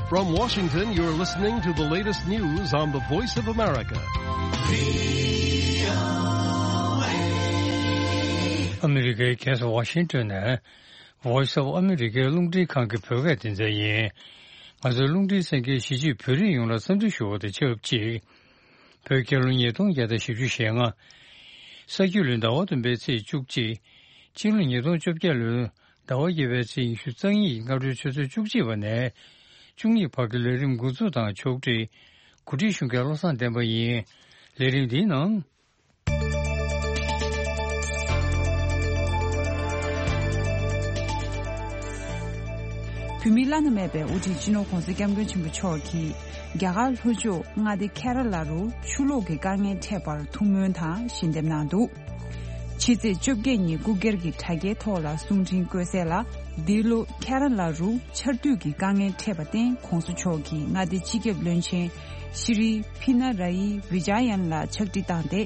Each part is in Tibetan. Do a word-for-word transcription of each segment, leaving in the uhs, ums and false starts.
From Washington, you're listening to the latest news on the Voice of America. ཨ་མི་རི་ཀའི་རྒྱལ་ས་ཝ་ཤིང་ཏོན་ནས་Voice of America རླུང་འཕྲིན་ཁང་གི་བོད་སྐད་སྡེ་ཚན་ཡིན། ང་ཚོའི་རླུང་འཕྲིན་གསན་མཁན་གཞིས་བྱེས་བོད་རིགས་ཡོངས་ལ་འཚམས་འདྲི་ཞུ་བ་དང་ཆབས་ཅིག་བོད་རྒྱལ་ལོ་ཉིས་སྟོང་བརྒྱ་དང་བཞི་བཅུ་ཞེ་ལྔ། ས་ཁྱི་ལོའི་ཟླ་བ་བདུན་པའི་ཚེས་བཅུ་གཅིག་སྤྱི་ལོ་ཉིས་སྟོང་བཅོ་བརྒྱད་ལོའི་ཟླ་བ་བརྒྱད་པའི་ཚེས་ཉི་ཤུ་རྩ་གཉིས་སྔ་དྲོའི་ཆུ་ཚོད་བཅུ་གཅིག་པ་ནས་བཅུ་གཉིས་བར་གྱི་ལས་རིམ་འགོ་འཛུགས་དང་ཕྱོགས་སྒྲིག་གོ་སྒྲིག་ཞུ་མཁན་བློ་བཟང་བསྟན་པ་ཡིན། ལས་རིམ་འདིའི་ནང་། བོད་མིའི་བླ་ན་མེད་པའི་དབུ་ཁྲིད་སྤྱི་ནོར་༸གོང་ས་༸སྐྱབས་མགོན་ཆེན་པོ་མཆོག་གིས་རྒྱ་གར་ལྷོ་ཕྱོགས་མངའ་སྡེ་ཁེ་ར་ལ་རུ་ཆུ་ལོག་གི་དཀའ་ངལ་འཕྲད་པར་ཐུགས་སྨོན་དང་ཞལ་འདེབས་གནང་འདུག་ཕྱི་ཚེས་བཅོ་བརྒྱད་ཉིན་སྐུ་སྒེར་གྱི་དྲ་རྒྱའི་ཐོག་ལ་གསུང་འཕྲིན་བཀོད་གསལ་ལ། འདི་ལོ་ཁེ་ར་ལ་རུ་ཆར་དུས་ཀྱི་དཀའ་ངལ་འཕྲད་པར་བརྟེན་༸གོང་ས་མཆོག་གིས་མངའ་སྡེ་སྤྱི་ཁྱབ་བློན་ཆེན་ཤྲི་པི་ན་ར་ཡི་བི་ཇ་ཡན་ལ་ཕྱག་བྲིས་བཏང་སྟེ།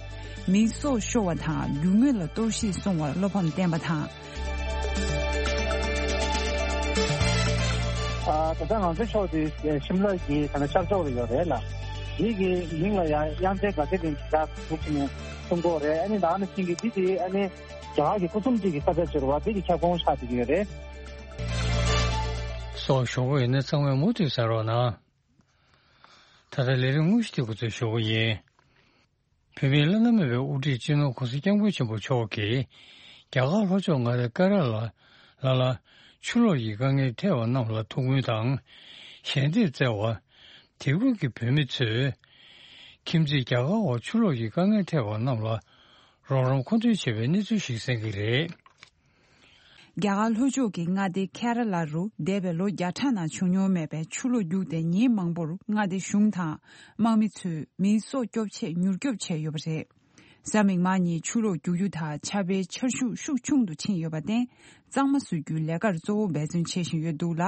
མིའི་སྲོག་ཤོར་བ་དང་རྒྱུ་དངོས་ལ་གཏོར་བཤིག་སོང་བར་བློ་ཕམ་བསྟན་པ་དང་། ཨ། ད་ལྟ་ང་ཚོའི་ཕྱོགས་དེ་ཤིམ་ལ་གི་ད་ནི་ཤར་ཕྱོགས་ལ་ཡོད་རེད་ལ། འདི་གི་མིང་ལ་ཡང་དབྱངས་ཅན་དགའ་ཚལ་གླིང་གི་ཞག་ཐུག་ནས་གསུང་གི་ཡོད་རེད། ཨ་ནི་ད་ནི་ཤིང་གི་འདི་དེ་ཨ་ནི་རྒྱ་གར་གྱི་སྐུ་གསུམ་སྤྱི་གི་ས་ཆ་ཅིག་རེད་བ། འདི་གི་ཁྱབ་ཁོངས་ཆགས་བསྡད་ཀྱི་ཡོད་རེད། སྲོག་ཤོར་བ་ཡིན་ན་ཚང་མས་མུ་མཐུད་གསན་རོགས་གནང་། ད་ལྟ་ལས་རིམ་དངོས་གཞི་དེ་འགོ་འཛུགས་ཞུ་གི་ཡིན། བོད་མིའི་བླ་ན་མེད་པའི་དབུ་ཁྲིད་སྤྱི་ནོར་༸གོང་ས་༸སྐྱབས་མགོན་ཆེན་པོ་མཆོག་གིས་རྒྱ་གར་ལྷོ་ཕྱོགས་མངའ་སྡེ་ཀ་ར་ལ་ལ་ལ་ཆུ་ལོག་གི་དཀའ་ངལ་འཕྲད་པ་རྣམས་ལ་ཐུགས་སྨོན་དང་ཞལ་འདེབས་བསྩལ་བ། དེ་ཁུལ་གྱི་བོད་མི་ཚོས་ཁྱིམ་མཚེས་རྒྱ་གར་བར་ཆུ་ལོག་གི་དཀའ་ངལ་འཕྲད་པ་རྣམས་ལ་རོགས་རམ་མཁོ་འདོན་བྱས་པའི་གནས་ཚུལ་ཞིག་གསན་གྱི་རེད། རྒྱ་གར་ལྷོ་ཕྱོགས་ཀྱི་མངའ་སྡེ་ཁེ་ར་ལ་རུ་འདས་པའི་ལོ་བརྒྱ་ཕྲག་ནང་བྱུང་མྱོང་མེད་པའི་ཆུ་ལོག་རྒྱུགས་ཏེ་ཉིན་མང་པོར་མངའ་སྡེ་གཞུང་དང་དམག་མི་ཚོས་མིའི་སྲོག་སྐྱོབ་ཆེད་མྱུར་སྐྱོབ་བྱས་ཡོད་པ་རེད། གཟའ་མིག་དམར་ཉིན་ཆུ་ལོག་རྒྱུག་རྒྱུ་དང་ཆར་པའི་ཆར་ཤུགས་ཤུགས་ཆུང་དུ་ཕྱིན་ཡོད་པར་བརྟེན། གཙང་མ་བཟོ་རྒྱུའི་ལས་ཀར་གཙོ་བོ་འབད་བརྩོན་བྱེད་བཞིན་ཡོད་འདུག་ལ།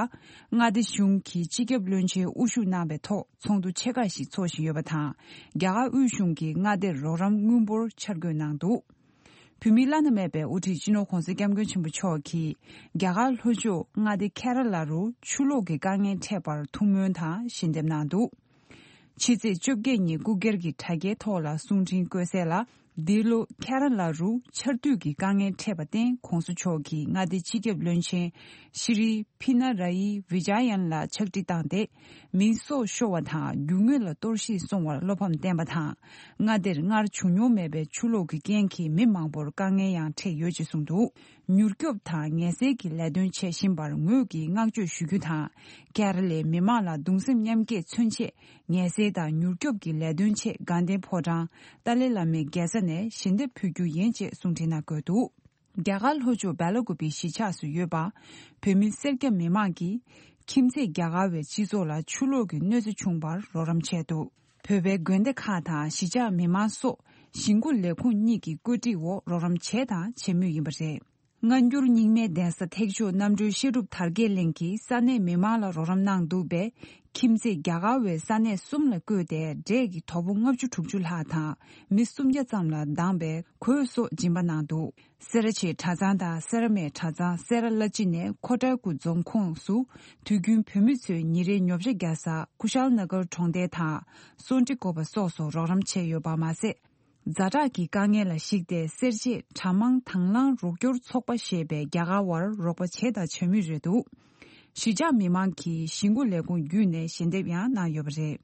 མངའ་སྡེ་གཞུང་གིས་སྤྱི་ཁྱབ་བློན་ཆེན་དབུ་བཞུགས་གནང་བའི་ཐོག་ཚོགས་འདུ་ཆེ་ཁག་ཞིག་འཚོགས་བཞིན་ཡོད་པ་དང་། རྒྱ་གར་དབུས་གཞུང་གིས་མངའ་སྡེར་རོགས་རམ་དངུལ་འབོར་འཆར་འགོད་གནང་འདུག་བོད་མིའི་བླ་ན་མེད་པའི་དབུ་ཁྲིད་སྤྱི་ནོར་༸གོང་ས་༸སྐྱབས་མགོན་ཆེན་པོ་མཆོག་གིས་རྒྱ་གར་ལྷོ་ཕྱོགས་མངའ་སྡེ་ཁེ་ར་ལ་རུ་ཆུ་ལོག་གི་དཀའ་ངལ་འཕྲད་པར་ཐུགས་སྨོན་དང་ཞལ་འདེབས་གནང་འདུག་ཕྱི་ཚེས་བཅོ་བརྒྱད་ཉིན་སྐུ་སྒེར་གྱི་དྲ་རྒྱའི་ཐོག་ལ་གསུང་འཕྲིན་བཀོད་གསལ་ལ། འདི་ལོ་ཁེ་ར་ལ་རུ་ཆར་དུས་ཀྱི་དཀའ་ངལ་འཕྲད་པར་བརྟེན་༸གོང་ས་མཆོག་གིས་མངའ་སྡེ་སྤྱི་ཁྱབ་བློན་ཆེན་ཤྲི་པི་ན་ར་ཡི་བི་ཇ་ཡན་ལ་ཕྱག་བྲིས་བཏང་སྟེ། མིའི་སྲོག་ཤོར་བ་དང་རྒྱུ་དངོས་ལ་གཏོར་བཤིག་སོང་བར་བློ་ཕམ་བསྟན་པ་དང་། མངའ་སྡེར་སྔར་བྱུང་མྱོང་མེད་པའི་ཆུ་ལོག་གི་རྐྱེན་གྱིས་མི་མང་པོར་དཀའ་ངལ་ཡང་འཕྲད་ཡོད་ཅེས་གསུངས་འདུག་མྱུར་སྐྱོབ་དང་ངལ་སེལ་གྱི་ལས་དོན་བྱེད་བཞིན་པར་ངོས་ཀྱིས་བསྔགས་བརྗོད་ཞུ་རྒྱུ་དང་། ཁེ་ར་ལའི་མི་མང་ལ་གདུང་སེམས་མཉམ་སྐྱེད་མཚོན་ཆེད། ངལ་སེལ་དང་མྱུར་སྐྱོབ་ཀྱི་ལས་དོན་ཆེད་དགའ་ལྡན་ཕོ་བྲང་ཏཱ་ལའི་བླ་མའི་རྒྱལ་ས་ནས་ཞལ་འདེབས་ཕུལ་རྒྱུ་ཡིན་ཅེས་གསུང་འཕྲིན་ནང་བཀོད་འདུག་རྒྱ་གར་ལྷོ་ཕྱོགས་སྦེ་ལ་ཀུ་པེའི་གཞིས་ཆགས་སུ་ཡོད་པ། བོད་མི་སེར་སྐྱ་མི་མང་གིས་ཁྱིམ་མཚེས་རྒྱ་གར་བའི་སྤྱི་ཚོགས་ལ་ཆུ་ལོག་གི་གནོད་འཚེ་བྱུང་བར་རོགས་རམ་བྱས་འདུག་བོད་པའི་དགོན་སྡེ་ཁག་དང་གཞིས་ཆགས་མི་མང་སོགས་ཞིང་འགོ་ལས་ཁུངས་གཉིས་ཀྱི་བཀོད་སྒྲིག་འོག་རོགས་རམ་བྱས་དང་བྱེད་མུས་ཡིན་པ་རེད། སྔ་འགྱུར་རྙིང་མའི་གདན་ས་ཐེག་མཆོག་རྣམ་གྲོལ་བཤད་སྒྲུབ་དར་རྒྱས་གླིང་གིས་ས་གནས་མི་མང་ལ་རོགས་རམ་གནང་འདུག་པས། ཁྱིམ་མཚེས་རྒྱ་གར་བའི་ས་གནས་གསུམ་ལ་བསྐོས་ཏེ་འབྲས་ཀྱི་དོ་པོ་ལྔ་བཅུ་དྲུག་ཅུ་ལྷག་དང་མི་སུམ་བརྒྱ་ཙམ་ལ་འདང་བའི་གོས་སོགས་སྦྱིན་པ་གནང་འདུག་སེ་ར་བྱེས་གྲྭ་ཚང་དང་སེ་ར་སྨད་གྲྭ་ཚང་སེ་ར་བླ་སྤྱི་ནས་ཁོ་ཊ་ཀུ་རྫོང་ཁོངས་སུ་དུས་རྒྱུན་བོད་མི་ཚོས་ཉིན་རེའི་ཉོ་ཆ་རྒྱག་ས་ཀུ་ཤལ་ན་གར་གྲོང་རྡལ་དང་སོན་ཀྲི་ཀོ་པ་སོགས་སུ་རོགས་རམ་བྱས་ཡོད་པ་མ་ཟད། ཛ་དྲག་གི་དཀའ་ངལ་ལ་གཞིགས་ཏེ་སེར་བྱེས་གྲྭ་མང་དྭང་བླངས་རོགས་སྐྱོར་ཚོགས་པ་ཞེས་པས་རྒྱ་གར་བར་རོགས་པ་བྱས་དང་བྱ་མུས་རེད་འདུག་གཞིས་ཆགས་མི་མང་གིས་ཞིང་འགོ་ལས་ཁུངས་བརྒྱུད་ནས་ཞལ་འདེབས་ཡང་གནང་ཡོད་པ་རེད།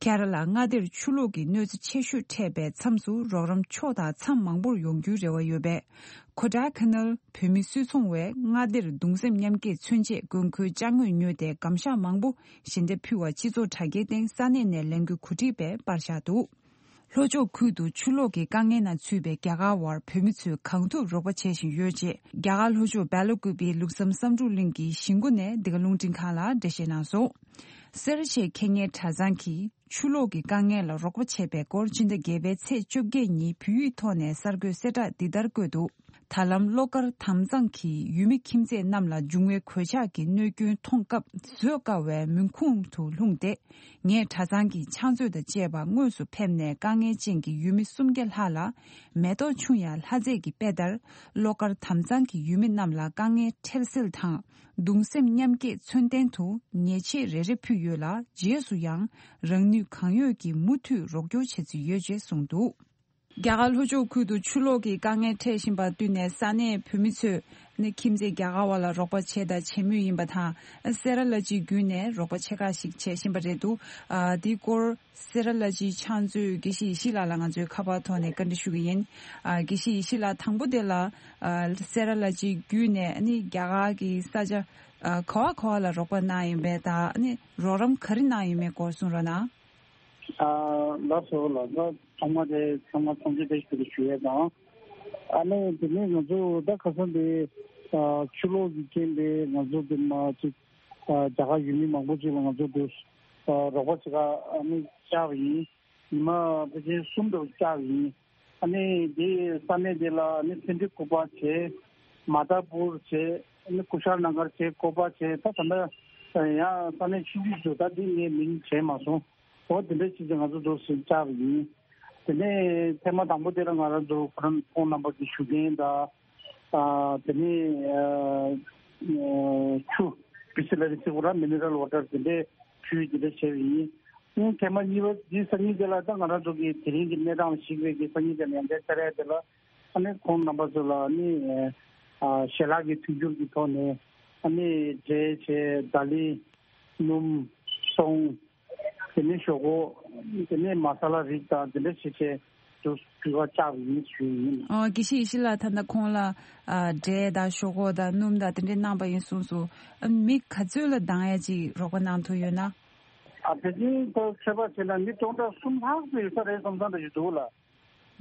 ཁེ་ར་ལ་མངའ་སྡེར་ཆུ་ལོག་གི་གནོད་འཚེ་ཆེ་ཤོས་འཕྲད་པའི་མཚམས་སུ་རོགས་རམ་ཕྱོགས་དང་མཚམས་མང་པོར་ཡོང་རྒྱུའི་རེ་བ་ཡོད་པས། ཁོ་ཌ་ཁ་ནལ་བོད་མི་སུད་ཚོང་བས་མངའ་སྡེར་གདུང་སེམས་མཉམ་སྐྱེད་མཚོན་ཆེད་དགོས་མཁོའི་ཅ་དངོས་ཉོས་ཏེ་སྒམ་ཤག་མང་པོ་ཞལ་འདེབས་ཕུལ་བ་སྤྱི་ཚོགས་དྲ་རྒྱའི་སྟེང་ས་གནས་ནས་ལེན་རྒྱུའི་གོ་སྒྲིག་པས་པར་བཞག་འདུག་ལྷོ་ཕྱོགས་ཁུལ་དུ་ཆུ་ལོག་གི་དཀའ་ངལ་ནང་ཚུད་པའི་རྒྱ་གར་བར་བོད་མི་ཚོས་གང་ཐུབ་རོགས་པ་བྱེད་བཞིན་ཡོད་ཅེས་རྒྱ་གར་ལྷོ་ཕྱོགས་སྦེ་ལ་ཀུ་པེའི་ལུགས་བསམ་བསམ་འགྲུབ་གླིང་གི་གཞིས་འགོ་ནས་འདི་ག་རླུང་འཕྲིན་ཁང་ལ་འགྲེལ་བཤད་གནང་སོང་། སེ་ར་བྱེས་ཁེ་ཉེ་གྲྭ་ཚང་གིས་ཆུ་ལོག་གི་དཀའ་ངལ་ལ་རོགས་པ་བྱས་པའི་སྐོར་སྤྱི་ཟླ་བརྒྱད་པའི་ཚེས་བཅོ་བརྒྱད་ཉིན་བོད་ཡིག་ཐོག་ནས་གསར་འགོད་གསལ་བསྒྲགས་འདི་ལྟར་བཀོད་འདུག་ད་ལམ་གློག་དཀར་དྭངས་གཙང་གི་ཡུལ་མི་ཁྱིམ་མཚེས་རྣམས་ལ་འབྱུང་བའི་གོད་ཆག་གི་གནོད་སྐྱོན་མཐོང་སྐབས་བཟོད་དཀའ་བའི་མུན་ཁུང་དུ་ལྷུང་སྟེ། ངས་གྲྭ་ཚང་གི་ཕྱག་མཛོད་དང་བཅས་པ་དངོས་སུ་ཕེབས་ནས་དཀའ་ངལ་ཅན་གྱི་ཡུལ་མི་སུམ་བརྒྱ་ལྷག་ལ་མེ་ཏོག་ཆུང་ཡང་ལྷ་རྫས་ཀྱི་དཔེ་ལྟར་གློག་དཀར་དྭངས་གཙང་གི་ཡུལ་མི་རྣམས་ལ་དཀའ་ངལ་འཕྲལ་སེལ་དང་གདུང་སེམས་མཉམ་སྐྱེད་མཚོན་རྟེན་དུ་ཉེས་ཆད་རེ་རེ་ཕུལ་ཡོད་ལ། རྗེས་སུ་ཡང་རང་ནུས་གང་ཡོད་ཀྱིས་མུ་མཐུད་རོགས་སྐྱོར་བྱེད་རྩིས་ཡོད་ཅེས་གསུངས་འདུག་རྒྱ་གར་ལྷོ་ཕྱོགས་ཁུལ་དུ་ཆུ་ལོག་གི་དཀའ་ངལ་འཕྲད་བཞིན་པ་བསྟུན་ནས་ས་གནས་བོད་མི་ཚོས་ནི་ཁྱིམ་མཚེས་རྒྱ་གར་བ་ལ་རོགས་པ་བྱས་དང་བྱེད་མུས་ཡིན་པ་དང་། སེ་ར་བླ་སྤྱི་བརྒྱུད་ནས་རོགས་པ་ཆེ་ཁག་ཞིག་བྱེད་བཞིན་པ་རེད་འདུག་ཨ། དེའི་སྐོར་སེ་ར་བླ་སྤྱིའི་ཕྱག་མཛོད་དགེ་བཤེས་ཡེ་ཤེས་ལགས་ལ་ང་ཚོས་ཁ་པར་ཐོག་ནས་བཀའ་འདྲི་ཞུ་གི་ཡིན། ཨ། དགེ་བཤེས་ཡེ་ཤེས་ལགས། དང་པོ་དེ་ལ། ཨ། སེ་ར་བླ་སྤྱི་བརྒྱུད་ནས་ནི་རྒྱ་གར་གྱི་ས་ཆ། ཨ། ག་བ་ག་བ་ལ་རོགས་པ་གནང་ཡོད་པས་དང་ནི་རོགས་རམ་ག་རེ་གནང་ཡོད་མེད་སྐོར་གསུང་རོགས་གནང་། ཨ། ལགས་སོ་ལགས་སོ། ཚང་མ་དེ་ཚང་མ་ཚང་ཚིག་དེ་ཞུ་ཞུ་ཡས་དང་། ཨ་ནི་དེ་ནས་ང་ཚོ་ད་ཁ་སང་དེ་ཨ་ཆུ་ལོག་གི་རྐྱེན་པས་ང་ཚོ་དེ་མ་ཅིག་ཨ་རྒྱ་གར་ཡུལ་མི་མང་པོ་ཅིག་ལ་ང་ཚོ་དེ་ཨ་རོགས་པ་ཅིག་ཨ་ནི་བཅར་བ་ཡིན། ཉི་མ་ཕལ་ཆེར་གསུམ་འདྲ་བོ་བཅར་བ་ཡིན། ཨ་ནི་དེ་ས་གནས་དེ་ལ་ཨ་ནི་སེ་འབྲས་ཁུག་པ་བྱས། མ་ཏཱ་པུར་བྱས། ཨ་ནི་ཀུ་ཤལ་ན་གར་བྱས། ཀོ་པ་བྱས། ད་ད་ལྟ་ཡང་ས་གནས་ཆུང་ཆུང་ཞིག་ད་འདི་ངས་མིང་བྱས་མ་སོང་། འོ་དེ་འདྲ་ཞིག་ཀྱང་ང་ཚོ་འདུག་སེ་བཅར་བ་ཡིན། དེ་ནས་ཐེངས་མ་དང་པོ་དེ་ལ་ང་རང་ཚོ་ཁོ་རང་ཁོང་རྣམ་པ་གི་ཞུ་མཁན་དང་། ཨ་དེ་ནས་ཨ་ཨ་ཆུ་བི་སི་ལ་རི་སི་ཁོ་རང་མི་ནི་རལ་ཝ་ཊར་དེ་འདྲའི་ཆུ་དེ་འདྲ་བྱས་པ་ཡིན། ཨ་ཐེངས་མ་གཉིས་པ་འདི་སང་ཉིན་དེ་ལ་ད་ང་རང་ཚོ་གི་དེ་རིང་གི་གནས་སྟངས་ལ་གཞིགས་པའི་གི་སང་ཉིན་དེ་ལ་ཡང་བསྐྱར་བཅར་ཡ་དེ་ལ། ཨ་ནི་ཁོང་རྣམ་པ་ཚོ་ལ་ཨ་ནི་ཨ་ཞལ་ལག་གི་མཐུན་འགྱུར་གྱི་ཐོག་ནས་ཨ་ནི་འབྲས་བྱས། ད་ལི། སྣུམ། སོང་། དེ་ནས་ཞོག་ཁོག་དེ་ནས་མ་ས་ལ་རིགས་དང་དེ་འདྲ་བྱས་བྱས་དུ་དུས་བ་བཅག་པ་ཡིན་ཞུས་ཡིན། ཨོ། དགེ་བཤེས་ཡེ་ཤེས་ལགས། ད་ལྟ་ཁོང་ལ་ཨ་འབྲས་དང་ཞོག་ཁོག་དང་སྣུམ་དང་དེ་འདྲས་གནང་པ་ཡིན་གསུངས་སོང་། ཨ་མི་ག་ཚོད་ལ་འདང་ཡ་ཅིག་རོགས་པ་གནང་ཐུབ་ཡོད་ན། ཨ་དེ་བཞིན་དུ་ཚོད་དཔག་བྱས་ན་མི་སྟོང་ཕྲག་གསུམ་ལྷག་ཙམ་ཡོད་ས་རེད་བསམ་བསམ་འདྲ་ཞིག་འདུག་ལ།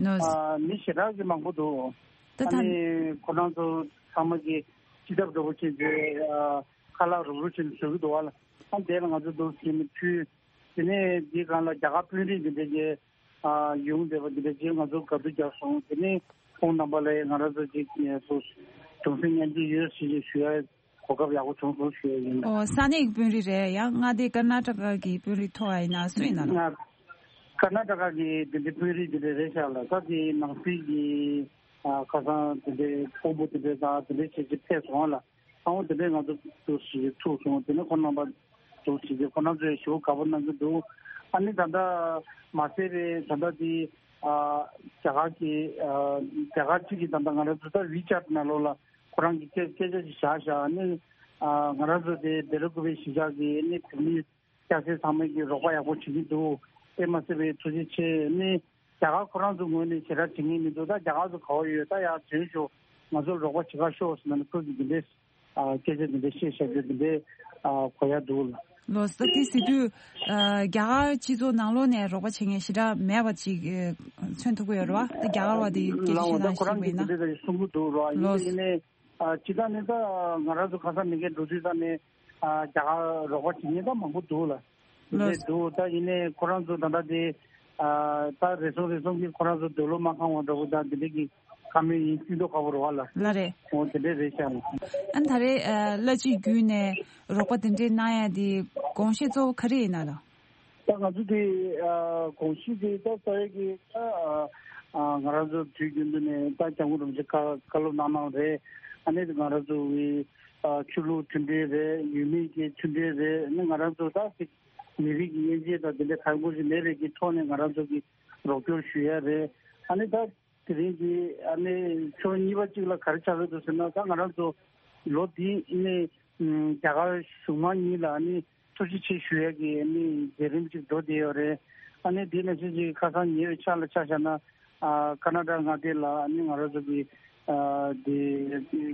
ནོ། ཨ་མི་ཞེ་དྲག་གི་མང་པོ་འདུག་ད་ཨ་ཐ་ནི་ཁོ་རང་ཚོ་ཚང་མ་གི་སྤྱི་ཐབ་འདྲ་པོ་བྱས་རྗེས་ཨ་ཁ་ལག་རུབ་རུབ་བྱས་ནས་བཟོ་གི་འདུག་བ་ལ། ཨ་དེ་ལ་ང་ཚོ་འདུག་ཟེར་ནས་ཕུལ། དེ་ནས་འདིའི་སྒང་ལ་རྒྱ་གར་དཔོན་རིགས་འདི་འདྲ་གི་ཨ་ཡོང་བསྡད་པ་འདི་འདྲ་གི་ང་ཚོ་དགའ་སྡུག་རྒྱག་སོང་། དེ་ནས་ཁོང་རྣམ་པ་ལ་ང་རང་ཚོ་ཅིག་ངལ་གསོ་གདུང་སེམས་མཉམ་སྐྱེད་ཡོད་ཟེར་ཞེས་ཞུ་ཡ། གོ་སྐབས་ཡག་པོ་བྱུང་སོང་ཞུ་ཡ་ཡིན། ཨོ། ས་གནས་ཀྱི་དཔོན་རིགས་རེད། ཡང་མངའ་སྡེ་ཀར་ན་ཊ་ཀ་གི་དཔོན་རིགས་ཐོག་ཨ་ཡིན་ན་སུ་ཡིན་ན་ལ། ང་ཀར་ན་ཊ་ཀ་གི་དེ་འདྲའི་དཔོན་རིགས་དེ་འདྲ་རེད་ཤག་ལ། ད་དེ་ནང་སྲིད་ཀྱི་ཨ་ཁ་སང་དེ་འདྲའི་དཔོན་པོ་དེ་འདྲ་དང་དེ་འདྲ་བྱས་ཅིག་ཕེབས་སོང་ལ། ཨའོ་དེ་འདྲའི་ང་ཚོ་ཏུ་ཞིག་ཐུག་སོང་། དེ་ནས་ཁོང་རྣམ་པ་ཏུ་ཞིག་ཁོང་རྣམ་ཚོས་ཞེ་པོ་དགའ་པོ་གནང་གི་འདུག་ཨ་ནི་ད་ལྟ་མ་ཟད་པའི་ད་ལྟ་དེ་ཨ་རྒྱ་གར་གྱི་ཨ་རྒྱ་གར་གཅིག་གི་ད་ལྟ་ང་རང་ཚོ་ད་ཝི་ཆེ་ཊི་ནང་ལོགས་ལ། ཁོ་རང་གི་སྐད་སྐད་ཆ་ཞིག་བཞག་བཞག་ནི། ཨ་ང་རང་ཚོ་དེ་བེ་ལ་ཀུ་པེ་གཞིས་ཆགས་ཀྱི་ནི་བོད་མི་སྐྱ་སེར་ཚང་མས་ཀྱི་རོགས་པ་ཡག་པོ་བྱེད་ཀྱི་འདུག་དེ་མ་ཟད་པའི་ཐུགས་རྗེ་ཆེ་ནི། རྒྱ་གར་ཁོ་རང་ཚོ་ངོས་ནས་ཞེ་དྲག་བྱེད་ངེས་མི་འདུག་ད་རྒྱ་གར་ཚོ་ག་བ་ཡོད་ད་ཡར་འཛུལ་ཤོག་ང་ཚོར་རོགས་པ་བྱེད་ག་ཤོག་ཟེར་ན་ནི་ཁོས་ཀྱི་འདི་འདྲའི་ཨ་སྐད་ཆ་འདི་འདྲའི་བཤད་བཤད་རྒྱུ་འདི་འདྲའི་ཨ་གོ་ཡ་འདུག་ལ། ལོ་ས་དེ་ཟེར་དུས་ཨ་རྒྱ་གར་སྤྱི་ཚོགས་ནང་ལོགས་ནས་རོགས་པ་བྱེད་མཁན་ཞེ་དྲག་མེད་པ་ཅིག་ཨ་མཚོན་ཐུབ་ཀྱི་ཡོད་རེད་བ། ད་རྒྱ་གར་བ་དེ་སྐད་ཆ་ལའོ་བཤད་ད་སྟངས་ཁོ་རང་ཤེས་གི་པ་ཡིན་ན། དེ་འདྲ་གསུང་གི་འདུག་ར། ཡིན་ལོ། ནའི་ཡིན་ནའི་ཨ་སྤྱི་བཏང་ནས་ད་ང་རང་ཚོ་ཁ་སང་མི་འགའ་འགྲོ་དུས་ད་ནས་ཨ་རྒྱ་གར་རོགས་པ་བྱེད་མཁན་ད་མང་པོ་འདུག་ལ། དེ་ལོ། འདྲ་འདུག་ད་ཡིན་ནའི་ཁོ་རང་ཚོ་ད་ལྟ་དེ་ཨ་ད་རེ་ཟུང་རེ་ཟུང་གིས་ཁོ་རང་ཚོ་འདོད་བློ་མ་ཁེངས་པ་འདྲ་པོ་ད་དེ་འདྲ་གི་བཀའ་མོལ་ཡིན་སྲིད་མདོག་ཁ་པོ་རེད་བ་ལ། ལ་རེད། འོ་དེ་འདྲ་རེད་ཤག་ལ། ཨ་ནི་ད་རེས་ཨ་བླ་སྤྱི་བརྒྱུད་ནས་རོགས་པ་དེ་འདྲའི་གནང་ཡ་དེ་དགོངས་བཞེས་གཙོ་བོ་ག་རེ་ཡིན་ན་ལ། ད་ང་ཚོ་དེ་ཨ་དགོངས་གཞི་དེ་ད་རྩ་བའི་གི་ད་ཨ་ང་རང་ཚོ་དུས་རྒྱུན་དུ་ནས་ད་སྐྱབས་མགོན་རིན་པོ་ཆེ་བཀའ་བཀའ་སློབ་གནང་གནང་རེད། ཨ་ནི་ང་རང་ཚོ་གི་ཨ་ཆོས་ལུགས་མཐུན་སྒྲིལ་རེད། ཡུལ་མི་གི་མཐུན་སྒྲིལ་རེད། ཨ་ནི་ང་རང་ཚོ་ད་ཅིག་མི་རིགས་ཀྱི་དབྱེ་འབྱེད་དང་དེ་འདྲ་གང་དགོས་ཞིག་མེད་པའི་གི་ཐོག་ནས་ང་རང་ཚོ་གི་རོགས་སྐྱོར་ཞུ་ཡ་རེད། ཨ་ནི་ད། དེ་རིང་གི་ཨ་ནི་ཕྱོགས་གཉིས་པ་གཅིག་ལ་ག་རེ་ཆགས་ཀྱི་འདུག་ཟེར་ན། ད་ང་རང་ཚོ་ལོ་འདི་ནི་ཨམ་རྒྱ་གར་གཞུང་མང་གཉིས་ལ་ཨ་ནི་ཐུགས་རྗེ་ཆེ་ཞུ་ཡ་གི་ཨ་ནི་མཛད་རིམ་གཅིག་འགྲོ་བསྡད་ཡོད་རེད། ཨ་ནི་འདི་ནང་བཞིན་གྱི་ཁ་སང་ཉེ་བའི་ཆར་ལ་ཆ་བཞག་ན། ཨ་ཀ་ན་ཌ་མངའ་སྡེ་ལ་ཨ་ནི་ང་རང་ཚོ་གི་ཨ་འདི་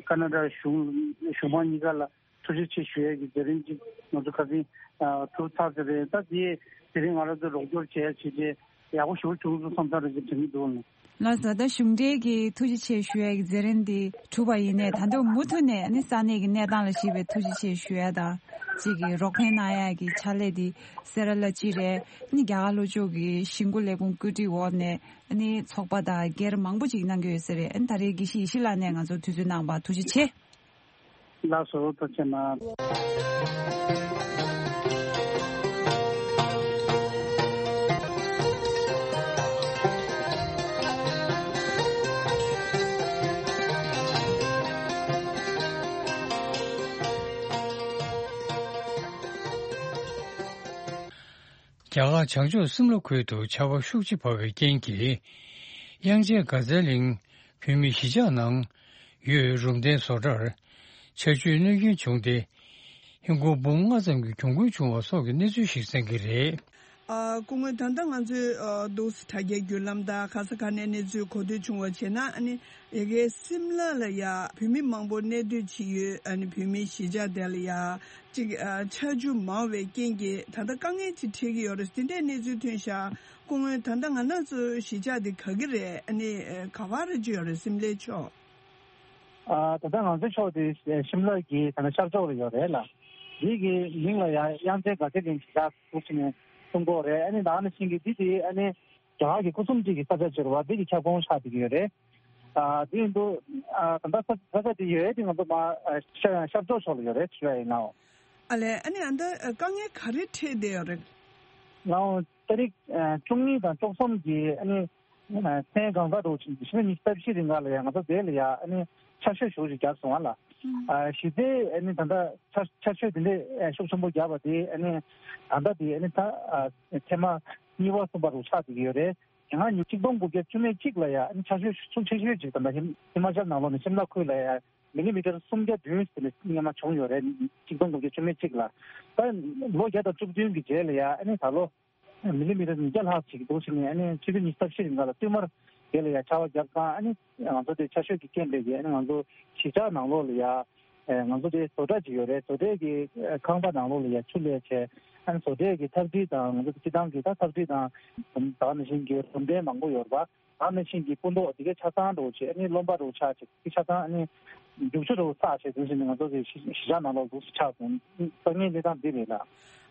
ཀ་ན་ཌ་གཞུང་གཞུང་མང་གཉིས་ཀ་ལ་ཐུགས་རྗེ་ཆེ་ཞུ་ཡ་གི་མཛད་རིམ་གཅིག་ང་ཚོ་ཁ་སང་ཨ་གྲུབ་ཚར་ཟེར་རེད། ད་འདི་དེ་རིང་ང་རང་ཚོ་རོགས་སྐྱོར་བྱེད་ཡ་བྱས་རྗེས་ཡག་པོ་ཞེ་པོ་བྱུང་སོང་བསམ་ས་རེ་ཞིག་དྲན་གྱི་འདུག་ལགས། ལགས་སོ། ད་གཞུང་འབྲེལ་གྱི་ཐུགས་རྗེ་ཆེ་ཞུ་ཡ་གི་མཛད་རིམ་འདི་གྲུབ་པ་ཡིན་ནའི་ད་དུང་མུ་མཐུད་ནས་ཨ་ནི་ས་གནས་ཀྱི་གནས་སྟངས་ལ་གཞིགས་པའི་ཐུགས་རྗེ་ཆེ་ཞུ་ཡ་དང་ གཅིག་གི་རོགས་ཕན་གནང་ཡག་གི་ཕྱག་ལས་དེ་སེ་ར་ལ་གཅིག་རེད། ཨ་ནི་རྒྱ་གར་ལྷོ་ཕྱོགས་ཀྱི་ཞིང་བཀོད་ལས་ཁུངས་བཀོད་སྒྲིག་འོག་ནས་ཨ་ནི་ཚོགས་པ་དང་སྒེར་མང་པོ་ཅིག་གནང་གི་ཡོད་ས་རེད། ཨ་ནི་ད་རེས་དགེ་བཤེས་ཡེ་ཤེས་ལགས་ནས་ང་ཚོར་དུས་ཚོད་གནང་བར་ཐུགས་རྗེ་ཆེ། ལགས་སོ། ཐུགས་རྗེ་གནང་། རྒྱ་གར་བྱང་ཕྱོགས་སིམ་ལ་ཁུལ་དུ་ཆར་པ་ཤུགས་ཆེ་བབས་པའི་རྐྱེན་གྱིས། དབྱངས་ཅན་དགའ་ཚལ་གླིང་བོད་མིའི་གཞིས་ཆགས་ནང་ཡོད་རུམ་གདན་བཟོ་གྲྭར་ཆར་ཆུའི་གནོད་སྐྱོན་བྱུང་སྟེ། ཧིན་སྒོར་འབུམ་ལྔ་ཙམ་གྱི་གྱོང་གུན་བྱུང་བ་སོགས་ཀྱི་གནས་ཚུལ་ཞིག་གསན་གྱི་རེད། ཨ། སྐུ་ངོ། ད་ལྟ་ང་ཚོས་ཨ་འདུག་སེ་དྲ་རྒྱའི་བརྒྱུད་ལམ་དང་ག་ས་ག་ནས་གནས་ཚུལ་གོ་ཐོས་བྱུང་བ་བྱས་ན། ཨ་ནི་ཡ་གའི་སིམ་ལ་ལ་ཡ་བོད་མི་མང་པོ་གནས་སྡོད་བྱེད་ཡུལ། ཨ་ནི་བོད་མིའི་གཞིས་ཆགས་དེ་ལ་ཡ་གཅིག་ཨ་ཆར་ཆུ་མང་བའི་རྐྱེན་གྱིས་ད་ལྟ་དཀའ་ངལ་ཅིག་འཕྲད་ཀྱི་ཡོད་རེད། དེ་འདྲའི་གནས་ཚུལ་ཐོན་ཤག་སྐུ་ངོ། ད་ལྟ་ང་རང་ཚོའི་གཞིས་ཆགས་དེ་ག་གི་རེད། ཨ་ནི་ག་པར་བརྗོད་ཡོད་རེད། སིམ་ལའི་ཕྱོགས། ཨ། ད་ལྟ་ང་ཚོའི་ཕྱོགས་དེ་ཤིམ་ལ་གི་ད་ལྟ་ཤར་ཕྱོགས་ལ་ཡོད་རེད་ལ། འདི་གི་མིང་ལ་ཡང་དབྱངས་ཅན་དགའ་ཚལ་གླིང་གཞིས་ཆགས་འདུག་ཟེར་ནས་གསུང་གི་ཡོད་རེད། ཨ་ནི་ད་ནང་བཞིན་གྱི་འདི་དེ་ཨ་ནི་རྒྱ་གར་གྱི་སྐུ་གསུམ་གཅིག་གི་ས་ཆ་ཅིག་རེད་བ། འདི་གི་ཁྱབ་ཁོངས་ཆགས་བསྡད་ཀྱི་ཡོད་རེད། ཨ། འདི་ཡིན་དུས་ཨ་ད་ལྟ་ས་ས་ཆ་དེ་ཡོད་དེ་ང་ཚོ་མ་ཨ་ཤར་ཤར་ཕྱོགས་ཕྱོགས་ལ་ཡོད་རེད་ཞུ་ཡ་ཡིན་ནའོ། ཨ་ལས། ཨ་ནི་ཨ་ད་དཀའ་ངལ་ག་རེ་འཕྲད་བསྡད་ཡོད་རེད། ནའོ། ཏ་རིག་ཨ་བཅུ་གཉིས་དང་བཅུ་གསུམ་གྱི་ཨ་ནི་མཚན་གང་ཟག་འདྲ་བོ་ཅིག་ཕྱི་ལོ་ཉི་ཤུ་རྩ་བཞི་རིང་ག་ལ་ཡ་ང་ཚོ་དེ་ལ་ཡ་ཨ་ནི་ཆར་ཞོད་ཞེ་པོ་ཅིག་བརྒྱབ་སོང་བ་ལ། ཨ་གཞི་རྩའི་ཨ་ནི་ད་ལྟ་ཆར་ཆར་ཞོད་དེ་འདྲའི་ཤུགས་ཆེན་པོ་བརྒྱབ་པ་དེ་ཨ་ནི་ད་ལྟ་དེ་ཨ་ནི་ད་ཨ་ཐེངས་མ་གཉིས་པ་གསུམ་པ་རུ་ཆགས་བསྡད་ཀྱི་ཡོད་རེད། དེ་སྔ་ཉིས་གཅིག་སྟོང་དགུ་བརྒྱ་བཅུ་མེད་གཅིག་ལ་ཡ་ཨ་ནི་ཆར་ཞོད་ཤུགས་ཆེ་ཤོས་ཅིག་ད་ལྟ་ཧི་ཧི་མ་ཅལ་ནང་ལོགས་ནས་ཤིམ་ལ་ཁུལ་ལ་ཡ་མི་ལི་མི་ཊར་སུམ་བརྒྱ་བདུན་ཟེར་ནས་སྔོན་མ་བྱུང་ཡོད་རེད། ཉིས་གཅིག་སྟོང་དགུ་བརྒྱ་བཅུ་མེད་གཅིག་ལ། ད་ལོ་བརྒྱ་དང་བཅུ་བདུན་གྱི་རྗེས་ལ་ཡ་ཨ་ནི་ད་ལོ། མི་ལི་མི་ཊར་ཉིས་བརྒྱ་ལྷག་ཅིག་འདུག་ཟེར་ནས། ཨ་ནི་ཕྱི་ལོ་ཉི་ཤུ་རྩ་བཞི་རིང་ག་ལ་བསྟུད་མར་དེ་ལ་ཡ་ཆར་པ་བརྒྱབ་ཙང་། ཨ་ནི་ང་ཚོ་དེ་ཆར་ཞོད་ཀྱི་རྐྱེན་པས་ཀྱི་ཨ་ནི་ང་ཚོ་གཞིས་ཆགས་ནང་ལོགས་ལ་ཡ་ཨེ་ང་ཚོ་དེ་བཟོ་གྲྭ་ཅིག་ཡོད་རེད། བཟོ་གྲྭའི་གི་ཨེ་ཁང་པ་ནང་ལོགས་ལ་ཡ་ཆུ་སླེབས་བྱས། ཨ་ནི་བཟོ་གྲྭའི་གི་ཐག་སྒྲིལ་དང་ང་ཚོ་སྤྱི་བཏང་གི་ད་ཐག་སྒྲིལ་དང་ད་ག་ནང་བཞིན་གྱི་རུམ་གདན་མང་པོ་ཡོད་རེད་པ། ད་ནང་བཞིན་གྱི་སྤུ་མདོག་དེ་གའི་ཆ་ཚང་འདྲ་བོ་བྱས། ཨ་ནི་རློན་པ་འདྲ་བོ་ཆགས་བྱས། དེ་ཆ་ཚང་ཨ་ནི་རྒྱུག་ཆུ་འདྲ་བོ་བསགས་བྱས། དེ་བཞིན་ང་ཚོ་གི་གཞིས་གཞིས་ཆགས་ནང་ལོགས་འདུག་སེ་ཆགས་སོང་། དཀའ་ངལ་གནས་སྟངས་འདི་རེད་ལ།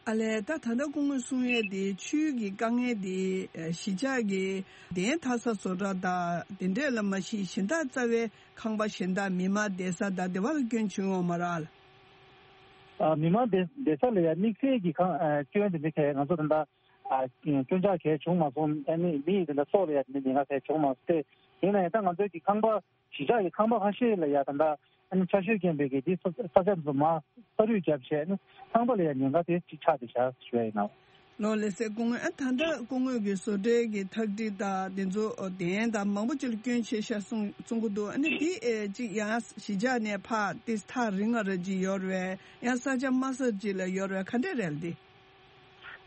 ཨ་ལས། ད་ད་ལྟ་སྐུ་ངོས་གསུང་ཡས་དེ་ཆུའི་གི་དཀའ་ངལ་དེ་གཞིས་ཆགས་ཀྱི་གདན་འཐག་ས་བཟོ་གྲྭ་དང་དེ་འདྲས་ལ་མ་གཞི་གཞན་དག་རྩ་བའི་ཁང་པ་གཞན་དག་མི་མང་བསྡད་ས་དང་དེ་བ་ལ་སྐྱོན་བྱུང་ཡོད་མ་རེད་ལ། ཨ། མི་མང་བསྡད་བསྡད་ས་ལ་ཡ་དམིགས་བསལ་གྱི་ཁང་ཨ་སྐྱོན་དེ་འདྲ་གས་ང་ཚོ་ད་ལྟ་ཨ་སྐྱོན་ཆག་གས་བྱུང་མ་སོང་། ཨ་ནི་མི་ཡི་དེ་འདྲ་སྲོག་ལ་ཡ་དེ་འདྲ་ཉེན་ཁ་གས་བྱུང་མ་སོང་སྟེ། ཡིན་ན་ཡང་ད་ང་ཚོའི་གི་ཁང་པ་གཞིས་ཆགས་ཀྱི་ཁང་པ་ཁ་ཤས་ལ་ཡ་ད་ལྟ་ཨ་ནི་ཆར་ཞོད་རྐྱེན་པས་ཀྱི་དེ་ས་ས་ཆ་འདི་ཚོ་མར་ས་རུད་བརྒྱབ་བྱས། ཨ་ནི་ཁང་པ་ལ་ཡ་ཉེན་ཁ་དེ་ཅིག་ཆགས་བསྡད་བཞག་ཞུ་ཡ་ཡིན་ནོ། ལགས་ལགས་སེ། སྐུ་ངོ། ཨ་ད་ལྟ་སྐུ་ངོས་ཀྱི་བཟོ་གྲྭའི་གི་ཐག་སྒྲིལ་དང་དེ་ཚོ་གདན་དང་མང་པོ་ཅིག་ལ་སྐྱོན་ཆེ་ཤག་གསུང་གསུང་གི་འདུག་ཨ་ནི་དེ་ཨེ་ཅིག་ཡང་གཞིས་ཆགས་ནས་ཕར་དེ་ཐག་རིང་ང་ར་ཅིག་ཡོད་རེད། ཡང་ས་ཆ་དམའ་ས་ཅིག་ལ་ཡོད་རེད། ག་འདྲས་རེད་དེ།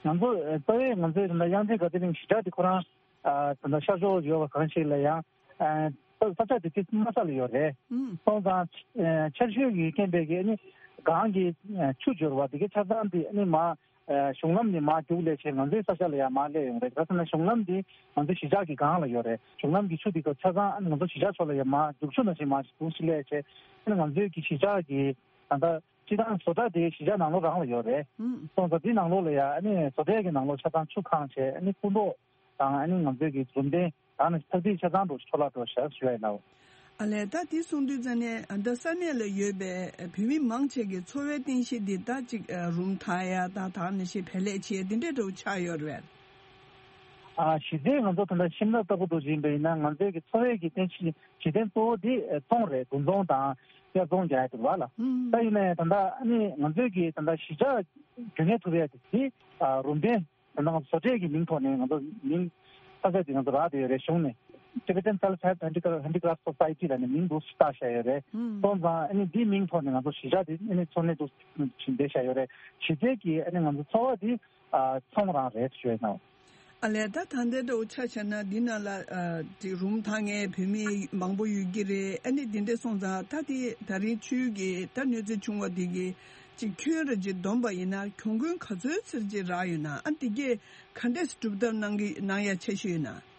ང་ཚོ་ཨེ་རྩ་བའི་ང་ཚོའི་ད་ལྟ་དབྱངས་ཅན་དགའ་ཚལ་གླིང་གཞིས་ཆགས་དེ་ཁོ་རང་ཨ་ད་ལྟ་ཤར་ཕྱོགས་ཡོད་པ་གང་ཞིག་ལ་ཡང་ཨ་ས་ས་ཆ་དེ་དེ་དམའ་ས་ལ་ཡོད་རེད། ཨུམ། སོང་ཙང་ཨ་ཆར་ཞོད་ཀྱི་རྐྱེན་པས་ཀྱི་ཨ་ནི་གངས་ཀྱི་ཨ་ཆུ་འབྱོར་བ་དེ་གའི་ཆ་ཚང་དེ་ཨ་ནི་མར་ཨ་གཞུང་ལམ་ནས་མར་རྒྱུགས་སླེབས་བྱས་ང་ཚོའི་ས་ཆ་ལ་ཡང་མར་སླེབས་ཡོང་རེད། ག་ཟེར་ན་གཞུང་ལམ་འདི་ང་ཚོའི་གཞིས་ཆགས་ཀྱི་སྒང་ལ་ཡོད་རེད། གཞུང་ལམ་གྱི་ཆུ་འདི་ག་ཆ་ཚང་ཨ་ནི་ང་ཚོ་གཞིས་ཆགས་ཕྱོགས་ལ་ཡང་མར་རྒྱུག་ཆུ་ནང་བཞིན་མར་རྒྱུགས་སླེབས་བྱས། ཨ་ནི་ང་ཚོའི་གི་གཞིས་ཆགས་ཀྱི་ད་ལྟ་སྤྱི་བཏང་བཟོ་གྲྭ་དེ་གཞིས་ཆགས་ནང་ལོགས་རང་ལ་ཡོད་རེད། ཨུམ། སོང་ཙང་འདི་ནང་ལོགས་ལ་ཡང་ཨ་ནི་བཟོ་གྲྭའི་གི་ནང་ལོགས་ཆ་ཚང་ཆུ་གང་བྱས། ཨ་ནི་སྤུ་མདོག་དང་ཨ་ནི་ང་ཚོའི་གི་རུམ་གདན་དང་ནི་ཐག་སྒྲིལ་ཆ་ཚང་དུ་འཕྲོ་བརླག་འགྲོ་ཤག་ཞུ་ཡ་ཡིན་ལགས། ཨ་ལས། ད་དེ་གསུང་དུས་ཙ་ནས་ཨ་ད་ས་གནས་ལ་ཡོད་པའི་བོད་མི་མང་ཆེ་གི་འཚོ་བའི་རྟེན་གཞི་འདི་ད་ཅིག་རུམ་འཐག་ཡ་དང་ད་ནང་བཞིན་བལ་ལས་བྱེད་ཡ་འདི་འདྲའི་འདྲ་བོ་ཆགས་ཡོད་རེད། ཨ་གཞི་རྩའི་ང་ཚོ་ད་ལྟ་ཤིམ་ལ་ལྟ་བུ་འདྲ་ཡིན་པ་ཡིན་ན་ང་ཚོའི་གི་འཚོ་བའི་གི་རྟེན་གཞི་གཞི་རྟེན་གཙོ་བོ་འདི་ཨ་ཚོང་རེད། འདུ་ཚོང་དང་དབྱར་ཚོང་རྒྱག་ཡ་འདུག་བ་ལ། ཨུམ། ད་ཡིན་ནའི་ད་ལྟ་ཨ་ནི་ང་ཚོའི་གི་ད་ལྟ་གཞིས་ཆགས་རྒྱུན་གནས་ཐུབ་ཡ་དེ་ཨ་རུམ་གདན་ད་ལྟ་ང་ཚོ་བཟོ་གྲྭའི་གི་མིང་ཐོག་ནས་ང་ཚོ་མིང་ས་ཆ་དེ་ང་ཚོ་རག་བསྡད་ཡོད་རེད། གཞུང་ནས་Tibetan Self Help Handicraft Handicraft Society ལབ་ནས་མིང་འདུག་སེ་བཏགས་བཞག་ཡོད་རེད། ཨུམ། སོང་ཙང་ཨ་ནི་འདིའི་མིང་ཐོག་ནས་ང་ཚོ་གཞིས་ཆགས་དེ་ཨ་ནི་འཚོ་གནས་འདུག་སེ་བྱས་བསྡད་བཞག་ཡོད་རེད། གཞི་རྩའི་གི་ཨ་ནི་ང་ཚོ་འཚོ་བ་དེ་ཨ་ཚོང་རང་རེད་ཞུ་ཡ་ཡིན་ནོ། ཨ་ལས། ད་ད་ལྟའི་འདྲ་བོ་ཆ་བཞག་ན་འདི་ནང་ལ་ཨ་དེ་རུམ་འཐག་མཁན་བོད་མི་མང་པོ་ཡོད་ཀྱི་རེད། ཨ་ནི་འདི་འདྲ་སོང་ཙང་ད་དེ་ད་རིང་ཆུའི་གི་ད་གནོད་འཚེ་བྱུང་བ་འདི་གི་ཅིག་ཁྱོན་ར་ཅིག་བསྡོམས་པ་ཡིན་ན་གྱོང་གུན་ག་ཚོད་ཙམ་ཅིག་རག་ཡོད་ན། ཨ་འདི་གས་ག་འདྲས་སྒྲུབ་ཐབས་གནང་གི་གནང་ཡ་འཆར་གཞི་ཡོད་ན།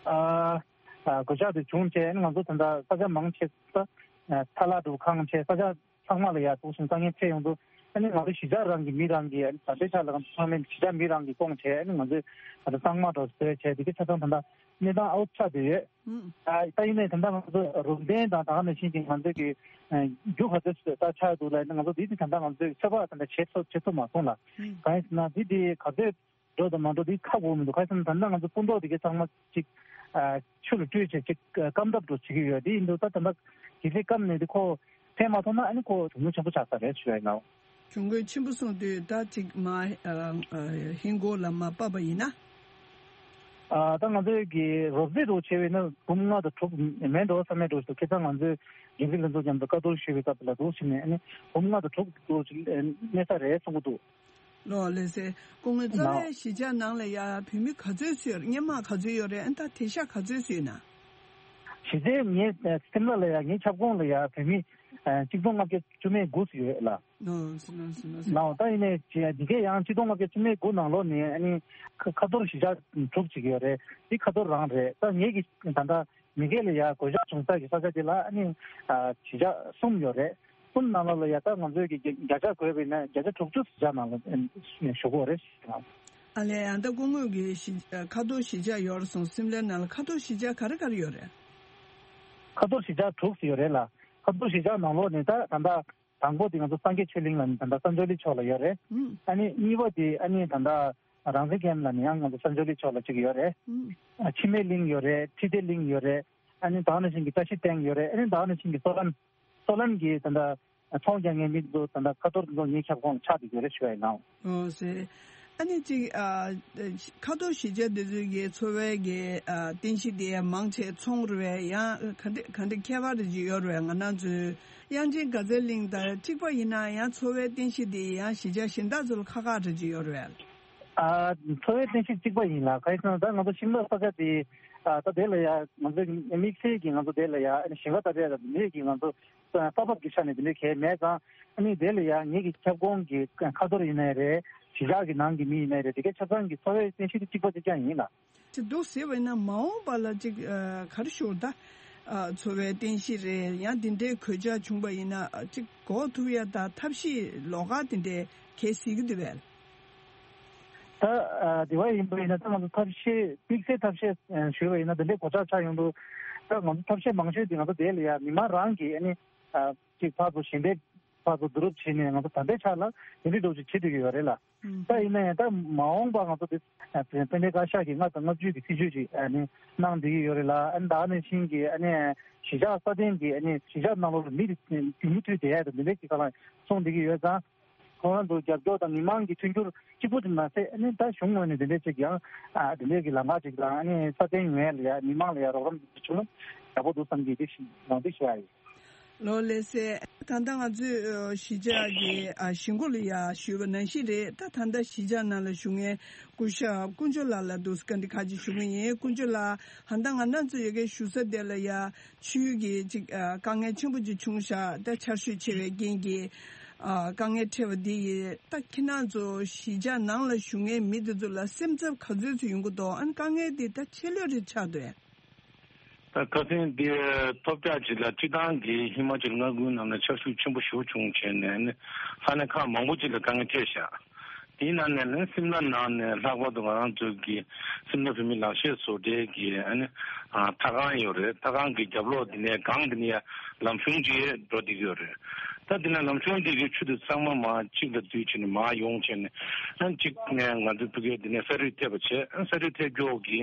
ཨ་ཨ་གོད་ཆག་དེ་བྱུང་རྗེས་ང་ཚོ་ད་ལྟ་ས་ཆ་མང་ཆེ་ས་ཨ་ཚ་ལག་འདྲ་བོ་གང་བྱས། ས་ཆ་ ཚང་མ་ལ་ཡ་ཐུག་སོང་དཀའ་ངལ་འཕྲད་ཡོང་དུས། ཨ་ནི་ང་ཚོ་གཞིས་ཆགས་རང་གི་མི་རང་གི་ཨ་ནི་ད་ལྟའི་ཆ་ལ་ང་ཚོ་ཚང་མས་གཞིས་ཆགས་མི་རང་གི་སྐོང་བྱས། ཨ་ནི་ང་ཚོས་ད་ལྟ་གཙང་མ་འདྲ་བཟོས་བྱས་དེ་གའི་ཆ་ཚང་ད་ལྟ་གནས་སྟངས་ཨའུ་ཚ་དེ་ཡོད། ཨ་ད་ཡིན་ནའི་ད་ལྟ་ང་ཚོ་རུམ་གདན་དང་ད་ག་ནང་བཞིན་གྱི་ང་ཚོ་གི་རྒྱུ་ག་ཚོད་ད་ཆགས་འདུག་ལ། ང་ཚོ་འདི་དེ་ད་ལྟ་ང་ཚོས་ཚོད་དཔག་ད་ལྟ་བྱེད་ཐུབ་བྱེད་ཐུབ་མ་སོང་ལ། གང་ཡིན་ཟེར་ན་འདི་དེ་ག་ཚོད་འགྲོ་དང་མ་འགྲོ་དེ་ཁག་པོ་མི་འདུག་ག་རེ་ཟེར་ན་ད་ལྟ་ང་ཚོ་སྤུ་མདོག་དེ་གའི་ཚང་མ་ཅིག་ཆུ་ལ་བཀྲུས་བྱས་ཅིག་སྐམ་ཐབས་འགྲོ་བྱེད་ཀྱི་ཡོད། དེ་ཡིན་དུས་ད་ད་ལྟ་གལ་སྲིད་སྐམ་ནས་དེ་ཁོ་ཕན་མ་ཐོགས་ན་ཨ་ནི་ཁོ་གྱོང་གུན་ཆེན་པོ་ཆགས་ས་རེད་ཞུ་ཡ་ཡིན་ན། གྱོང་གུན་ཆེན་པོ་སོང་དུས་ད་ཅིག་མ་ཨ་ཨ་ཧིན་སྒོར་ལ་མ་ཕབ་པ་ཡིན་ན། ཨ་ད་ང་ཚོའི་གི་རོབ་རྩིས་འདྲ་བོ་བྱས་པ་ཡིན་ན་འབུམ་ལྔ་དང་དྲུག་མེད་འགྲོ་བསམ་མེད་འགྲོ་ཞིག་ཁ་སང་ང་ཚོའི་འགན་འཛིན་ལྷན་ཚོགས་མཉམ་དུ་བཀའ་བསྡུར་ཞུས་པའི་སྐབས་ལ་འདུག་ཕྱིན་ནས་ཨ་ནི་འབུམ་ལྔ་དང་དྲུག་འདྲ་བོ་ཞིག་གནས་ས་རེད་གསུང་གི་འདུག་ལོ་ལགས་སེ། སྐུ་ངོ་གཙོ་ནའོ། བོའི་གཞིས་ཆགས་ནང་ལ་ཡ་བོད་མི་ག་ཚོད་ཙམ་ཡོད་རེད། སྔོན་མ་ག་ཚོད་ཡོད་རེད། ཨ་ད་དེང་སང་ག་ཚོད་ཙམ་ཡོད་ན། གཞི་རྩའི་ངའི་སེམས་ལ་ལ་ཡ་ངའི་ཁྱབ་ཁོངས་ལ་ཡ་བོད་མི་གཅིག་སྟོང་ལྔ་བརྒྱ་བཅུ་མེད་དགུ་ཙམ་ཡོད་ལ། ནོ་ནོ་ནོ། ནའོ་ད་ཡིན་ནའི་འདི་གའི་ཡང་གཅིག་སྟོང་ལྔ་བརྒྱ་བཅུ་མེད་དགུ་ནང་ལོགས་ནས་ཨ་ནི་ཁ་ཁ་ཐོར་གཞིས་ཆགས་དྲུག་ཅིག་ཡོད་རེད། འདི་ཁ་ཐོར་རང་རེད། ད་ངེད་ཀྱི་ད་ལྟ་མི་སྒེར་ལ་ཡ་གོད་ཆག་བྱུང་ས་ཀྱི་ས་ཆ་དེ་ལ་ཨ་ནི་ཨ་གཞིས་ཆགས་གསུམ་ཡོད་རེད། གསུམ་ནང་ལོགས་ལ་ཡ་ད་ང་ཚོས་ཀྱི་བརྒྱ་ཆ་བགོས་པ་ཡིན་ན་བརྒྱ་ཆ་དྲུག་ཅུ་གཞིས་ཆགས་ནང་ལ་ཨ་ནི་ཞུ་གི་ཡོད་རེད། ཨ་ལས། ཡང་ད་སྐུ་ངོ་གི་གཞིས་ཁ་ཐོར་གཞིས་ཆགས་ཡོད་རེད་སོང་། སིམ་ལའི་ནང་ལ་ཁ་ཐོར་གཞིས་ཆགས་ག་རེ་ག་རེ་ཡོད་རེད། ཁ་ཐོར་གཞིས་ཆགས་དྲུག་ཙམ་ཡོད་རེད་ལ། ཁ་ཐོར་གཞིས་ཆགས་ནང་ལོགས་ནས་ད་ད་ལྟ་དང་པོ་དེ་ང་ཚོ་སངས་རྒྱས་ཆོས་གླིང་ལ་ནི་ད་ལྟ་ས་འབྱོར་གླིང་ཕྱོགས་ལ་ཡོད་རེད། ཨ་ནི་གཉིས་པ་དེ་ཨ་ནི་ད་ལྟ་རང་བཙན་སྒར་ལ་ནི་ཡང་ང་ཚོ་ས་འབྱོར་གླིང་ཕྱོགས་ལ་གཅིག་ཡོད་རེད། ཨ་འཆི་མེད་གླིང་ཡོད་རེད། ཁྲི་སྡེ་གླིང་ཡོད་རེད། ཨ་ནི་ད་ག་ནང་བཞིན་གྱི་བཀྲ་ཤིས་སྟེང་ཡོད་རེད། ཨ་ནི་ད་ག་ནང་བཞིན་གྱི་སོ་ལན། སོ་ལན་གྱི་ད་ལྟ་ཚོང་རྒྱག་མཁན་མི་ཚོ་ད་ལྟ་ཁ་ཐོར་ཚོ་ངའི་ཁྱབ་ཁོངས་ལ་ཆགས་བསྡད་ཡོད་རེད་ཞུ་ཡ་ཡིན་ནའོ། ཨོ་ཟེར། ཨ་ནི་ཅིག་ཨ་ཁ་ཐོར་གཞིས་ཆགས་འདི་ཚོའི་གི་འཚོ་བའི་གི་ཨ་རྟེན་གཞི་དེ་མང་ཆེ་ཚོང་རེད་པས། ཡང་ག་འདྲ་ག་འདྲ་ཁྱད་པར་རེ་ཅིག་ཡོད་རེད་པས། ང་རང་ཚོའི་དབྱངས་ཅན་དགའ་ཚལ་གླིང་དང་གཅིག་པ་ཡིན་ན་ཡང་འཚོ་བའི་རྟེན་གཞི་དེ་ཡང་གཞིས་ཆགས་གཞན་དག་ཚོ་ལ་ཁག་ཁག་རེ་ཅིག་ཡོད་རེད་པས། ཨ་འཚོ་བའི་རྟེན་གཞི་གཅིག་པ་ཡིན་ལ། ག་རེ་ཟེར་ན་ད་ང་ཚོ་ཤིམ་ལ་ས་ཆ་དེ་ཨ་ད་དེ་ལ་ཡ་ང་ཚོ་དམིགས་བསལ་གྱི་ང་ཚོ་དེ་ལ་ཡ་ཞིང་ཁ་ད་རེད་ལ་མེད་ཀྱི་ང་ཚོ་ས་བབ་ཀྱི་ཆ་ནས་དེ་འདྲའི་གལ་མེད་ཙང་། ཨ་ནི་དེ་ལ་ཡང་ངེད་ཀྱི་ཁྱབ་ཁོངས་ཀྱི་ཁ་ཐོར་ཡིན་ནའི་རེད། གཞིས་ཆགས་ཀྱི་ནང་གི་མི་ཡིན་ནའི་རེད། དེ་གའི་ཆ་ཚང་གི་འཚོ་བའི་རྟེན་གཞི་དེ་གཅིག་པ་གཅིག་རྐྱང་ཡིན་ལ། ཅིག་འདུག་ཟེར་བ་ཡིན་ན་མ་འོངས་པ་ལ་ཅིག་ཨ་ག་རེ་ཞུ་ད། ཨ་འཚོ་བའི་རྟེན་གཞི་རེད། ཡང་འདི་འདྲའི་གོད་ཆག་བྱུང་བ་ཡིན་ན་ཨ་ཅིག་འགོག་ཐུབ་ཡ་ད་ཐབས་ཤེས་ལོགས་ཀ་དེ་འདྲའི་གལ་སྲིད་ཀྱི་འདུག་པས། ད་ཨ་དེ་བ་ཡིན་པ་ཡིན་ན་ད་ང་ཚོ་ཐབས་ཤེས་དམིགས་བསལ་ཐབས་ཤེས་ཨ་ཞུས་པ་ཡིན་ན་དེ་འདྲའི་གོད་ཆག་ཆགས་ཡོང་དུས་ད་ང་ཚོ་ཐབས་ཤེས་མང་ཤོས་དེ་ང་ཚོ་དེ་ལ་ཡ་མི་མང་རང་གིས་ཨ་ནི་ཨ་ཅིག་ཕར་ཚུར་ཞལ་འདེབས་ཕར་ཚུར་བསྡུ་རུབ་བྱས་ནས་ང་ཚོ་ད་ལྟའི་ཆ་ལ་དེ་འདྲའི་འདྲ་བོ་ཅིག་བྱེད་བསྡད་ཀྱི་ཡོད་རེད་ལ། ཨུམ། ད་ཡིན་ན་ཡང་ད་མ་འོངས་པ་ང་ཚོ་དེ་ཨ་དཔལ་ལྡན་བཀའ་ཤག་གིས་ལྔ་དང་ལྔ་བཅུ་གི་སྲིད་བྱུས་ཅིག་ཨ་ནི་གནང་བསྡད་ཀྱི་ཡོད་རེད་ལ། ཨ་ནི་ད་ག་ནང་བཞིན་གྱི་ཨ་ནི་གཞིས་ཆགས་སྲ་བརྟན་གྱི་ཨ་ནི་གཞིས་ཆགས་ནང་ལོགས་ལ་མི་དེ་རྒྱུན་མུ་མཐུད་བསྡད་ཡ་དང་དེ་འདྲའི་ཅིག་ག་ལ་གསུངས་བསྡད་ཀྱི་ཡོད་ཙང་། ཁོ་རང་ཚོ་རྒྱབ་སྐྱོར་དང་མི་མང་གི་མཐུན་འགྱུར་གཅིག་པུ་དེ་མ་ཟད་ཨ་ནི་ད་གཞུང་ངོས་ནས་དེ་འདྲའི་ཅིག་ཡང་ཨ་དེ་འདྲའི་གི་ལམ་ཁ་ཅིག་དང་ཨ་ནི་སྲ་བརྟན་ཡོང་ཡ་ལ་ཡ་མི་མང་ལ་ཡ་རོགས་རམ་བྱུང་ན་ཡག་པོ་འདུག་བསམ་གྱི་འདི་ཞིག་ཡང་འདི་ཞུ་ཡ་ཡིན། ལོ་ལགས་སེ། ད་ལྟ་ང་ཚོས་ཨ་གཞིས་ཆགས་ཀྱི་ཨ་གཞིས་འགོ་ལ་ཡ་ཞུས་པ་ནང་བཞིན་རེད། ད་ད་ལྟ་གཞིས་ཆགས་ནང་ལ་བཞུགས་མཁན་སྐུ་ཞབས་དཀོན་མཆོག་ལགས་ལ་འདུག་སེ་བཀའ་འདྲི་ཁག་ཅིག་ཞུ་གི་ཡིན། དཀོན་མཆོག་ལགས། ད་ལྟ་ང་རང་ཚོ་ཡོད་མཁན་བཞུགས་ས་དེ་ལ་ཡ་ཆུའི་གི་ཅིག་ཨ་དཀའ་ངལ་ཆེན་པོ་ཅིག་བྱུང་ཤག་ད་ཆར་ཞོད་ཆེ་བའི་རྐྱེན་གྱིས་ཨ་དཀའ་ངལ་འཕྲད་པ་འདི་ཡིས། ད་ཁྱེད་རང་ཚོ་གཞིས་ཆགས་ནང་ལ་བཞུགས་མཁན་མི་དེ་ཚོ་ལ་སེམས་འཚབ་ག་ཚོད་ཚོད་ཡོང་གི་འདུག་ཨ་ནི་དཀའ་ངལ་འདི་ད་ཆེ་ལོས་རེ་ཆགས་འདུག་ད་ཁ་སང་འདི་ཐོལ་རྒྱག་ཅིག་ལ་སྤྱིར་བཏང་གི་ཧི་མ་ཅལ་མངའ་ཁུལ་ནང་ལ་ཆར་ཞོད་ཆེན་པོ་ཞེ་པོ་བྱུང་བྱས་ནས་ནི་ས་གནས་ཁག་མང་པོ་ཅིག་ལ་དཀའ་ངལ་འཕྲད་ཤག་དེའི་ནང་ནས་ནི་སིམ་ལ་ནང་ནས་ལྷག་པར་དུ་ང་རང་ཚོ་གི་སིམ་ལ་བོད་མི་ལག་ཤེས་བཟོ་གྲྭའི་གི་ཨ་ནི་ཨ་ཐད་ཁང་ཡོད་རེད། ཐད་ཁང་གི་རྒྱབ་ལོགས་འདི་ནས་སྒང་འདི་ནས་ཡ་ལམ་གཞུང་ཅིག་འགྲོ་བསྡད་ཀྱི་ཡོད་རེད། ད་འདི་ནས་ལམ་གཞུང་འདི་གི་ཆུ་དེ་ཚང་མ་མར་གཅིག་ལ་བསྡུས་བྱས་ནས་མར་ཡོང་བྱས་ནས་ཨ་གཅིག་ནས་ང་ཚོའི་ཕ་གིར་འདི་ནས་ས་རུད་ཐེབས་པ་བྱས། ཨ་ས་རུད་ཐེབས་ཀྱོག་གི་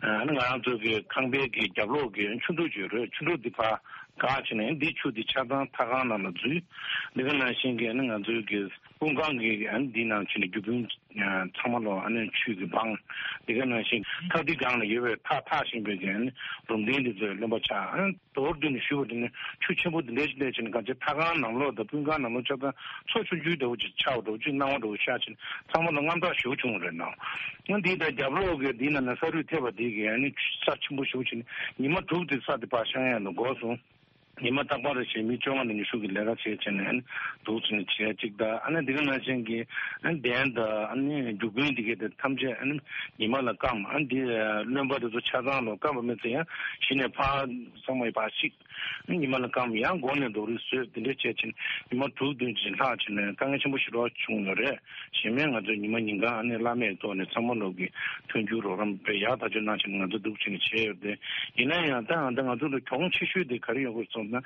ཨ་ནི་ང་རང་ཚོ་གི་ཁང་པའི་གི་རྒྱབ་ལོགས་ཀྱི་ཆུ་འབྲུག་ཅིག་ཡོད་རེད། ཆུ་འབྲུག་འདི་ཕར་བཀག་བྱས་ནས་འདི་ཆུ་འདི་ཆ་ཚང་ཐད་ཁང་ནང་ལ་འཛུལ། འདི་ག་ནང་བཞིན་གྱི་ཨ་ནི་ང་ཚོའི་གི་སྤུངས་ཁང་གི་ཨ་ནི་འདི་ནང་བྱས་ནས་རྒྱུ་སྤུན་ཚང་མ་ལོ་ཨ་ནི་ཆུ་གི་སྦང་། འདི་ག་ནང་བཞིན་ཐག་འདི་སྒང་ལ་ཡོད་པའི་ཐག་འཐག་བཞིན་པའི་གི་ཨ་ནི་རུམ་གདན་འདི་ཚོ་རློན་པ་ཆགས། ཨ་ནི་མདོར་བསྡུས་ནས་ཞུས་པ་དེ་ནི་ཆུ་ཆེན་པོ་འདི་འདྲ་ཞིག་བསྡད་བྱས་ནས་གང་ཅི་ཐད་ཁང་ནང་ལོགས་དང་སྤུངས་ཁང་ནང་ལོགས་ཆ་ཚང་མཚོ་ཆུང་ཆུང་འདྲ་བོ་ཅིག་ཆགས་པ་འདྲ་བོ་ཅིག་སྣང་བ་འདྲ་བོ་ཤར་བྱས་ནས་ཚང་མ་ལ་དངངས་སྐྲག་ཞེ་པོ་བྱུང་བ་རེད་ནའོ། ཨ་འདི་དང་རྒྱབ་ལོགས་གི་འདི་ནང་ནས་ས་རུད་ཐེབས་པ་འདི་གི་ཨ་ནི་ས་ཆེན་པོ་ཞེ་པོ་བྱས་ནས་ཉི་མ་དྲུག་དེ་ས་དེ་ཕར་བཤང་ཡ་ལ་འགོར་སོང་། ཉི་མ་རྟག་པར་རེ་བཞིན་མི་བཅོ་ལྔ་ནས་ཉི་ཤུ་གི་ལས་ཀ་བྱས་བྱས་ནས་ཨ་ནི་འདུག་ཟེར་ནས་བྱས་གཅིག་དང་། ཨ་ནི་འདི་ག་ནང་བཞིན་གྱི་ཨ་ནི་གདན་དང་ཨ་ནི་རྒྱུ་རྐྱེན་འདི་གས་དེ་ཐམས་ཅད་ཨ་ནི་ཉི་མ་ལ་སྐམ། ཨ་ནི་འདི་རློན་པ་དེ་ཚོ་ཆ་ཚང་ལོ་སྐམ་པ་མེད་ཚེ་ཡང་གཞི་ནས་ཕར་ཚང་མ་ཕར་བཤིག་ཉི་མ་ལ་སྐམ། ཡང་མགོ་ནས་རྡོག་རིལ་བཟོས། དེ་འདྲས་བྱས་ཕྱིན་ཉི་མ་དྲུག་བདུན་ཅིག་ལྷག་ཕྱིན་ནས་དཀའ་ངལ་ཆེན་པོ་ཞིག་རོགས་བྱུང་ཡོད་རེད། གཞན་མ་ང་ཚོས་ཉི་མ་ཉིན་གང་ཨ་ནི་བླ་མེད་ཐོག་ནས་ཚང་མ་ལོག་གི་མཐུན་འགྱུར་རོགས་རམ་དཔེ་ཡག་ཐག་ཆོད་གནང་ཕྱིན་ང་ཚོ་འདུག་ཕྱིན་ནས་བྱས་ཡོད་དེ། ཡིན་ན་ཡང་ད་ང་ད་ང་ཚོ་ལ་གྱོང་ཆེ་ཤོས་དེ་ག་རེ་ཡོང་གི་རེད་སོང་ན།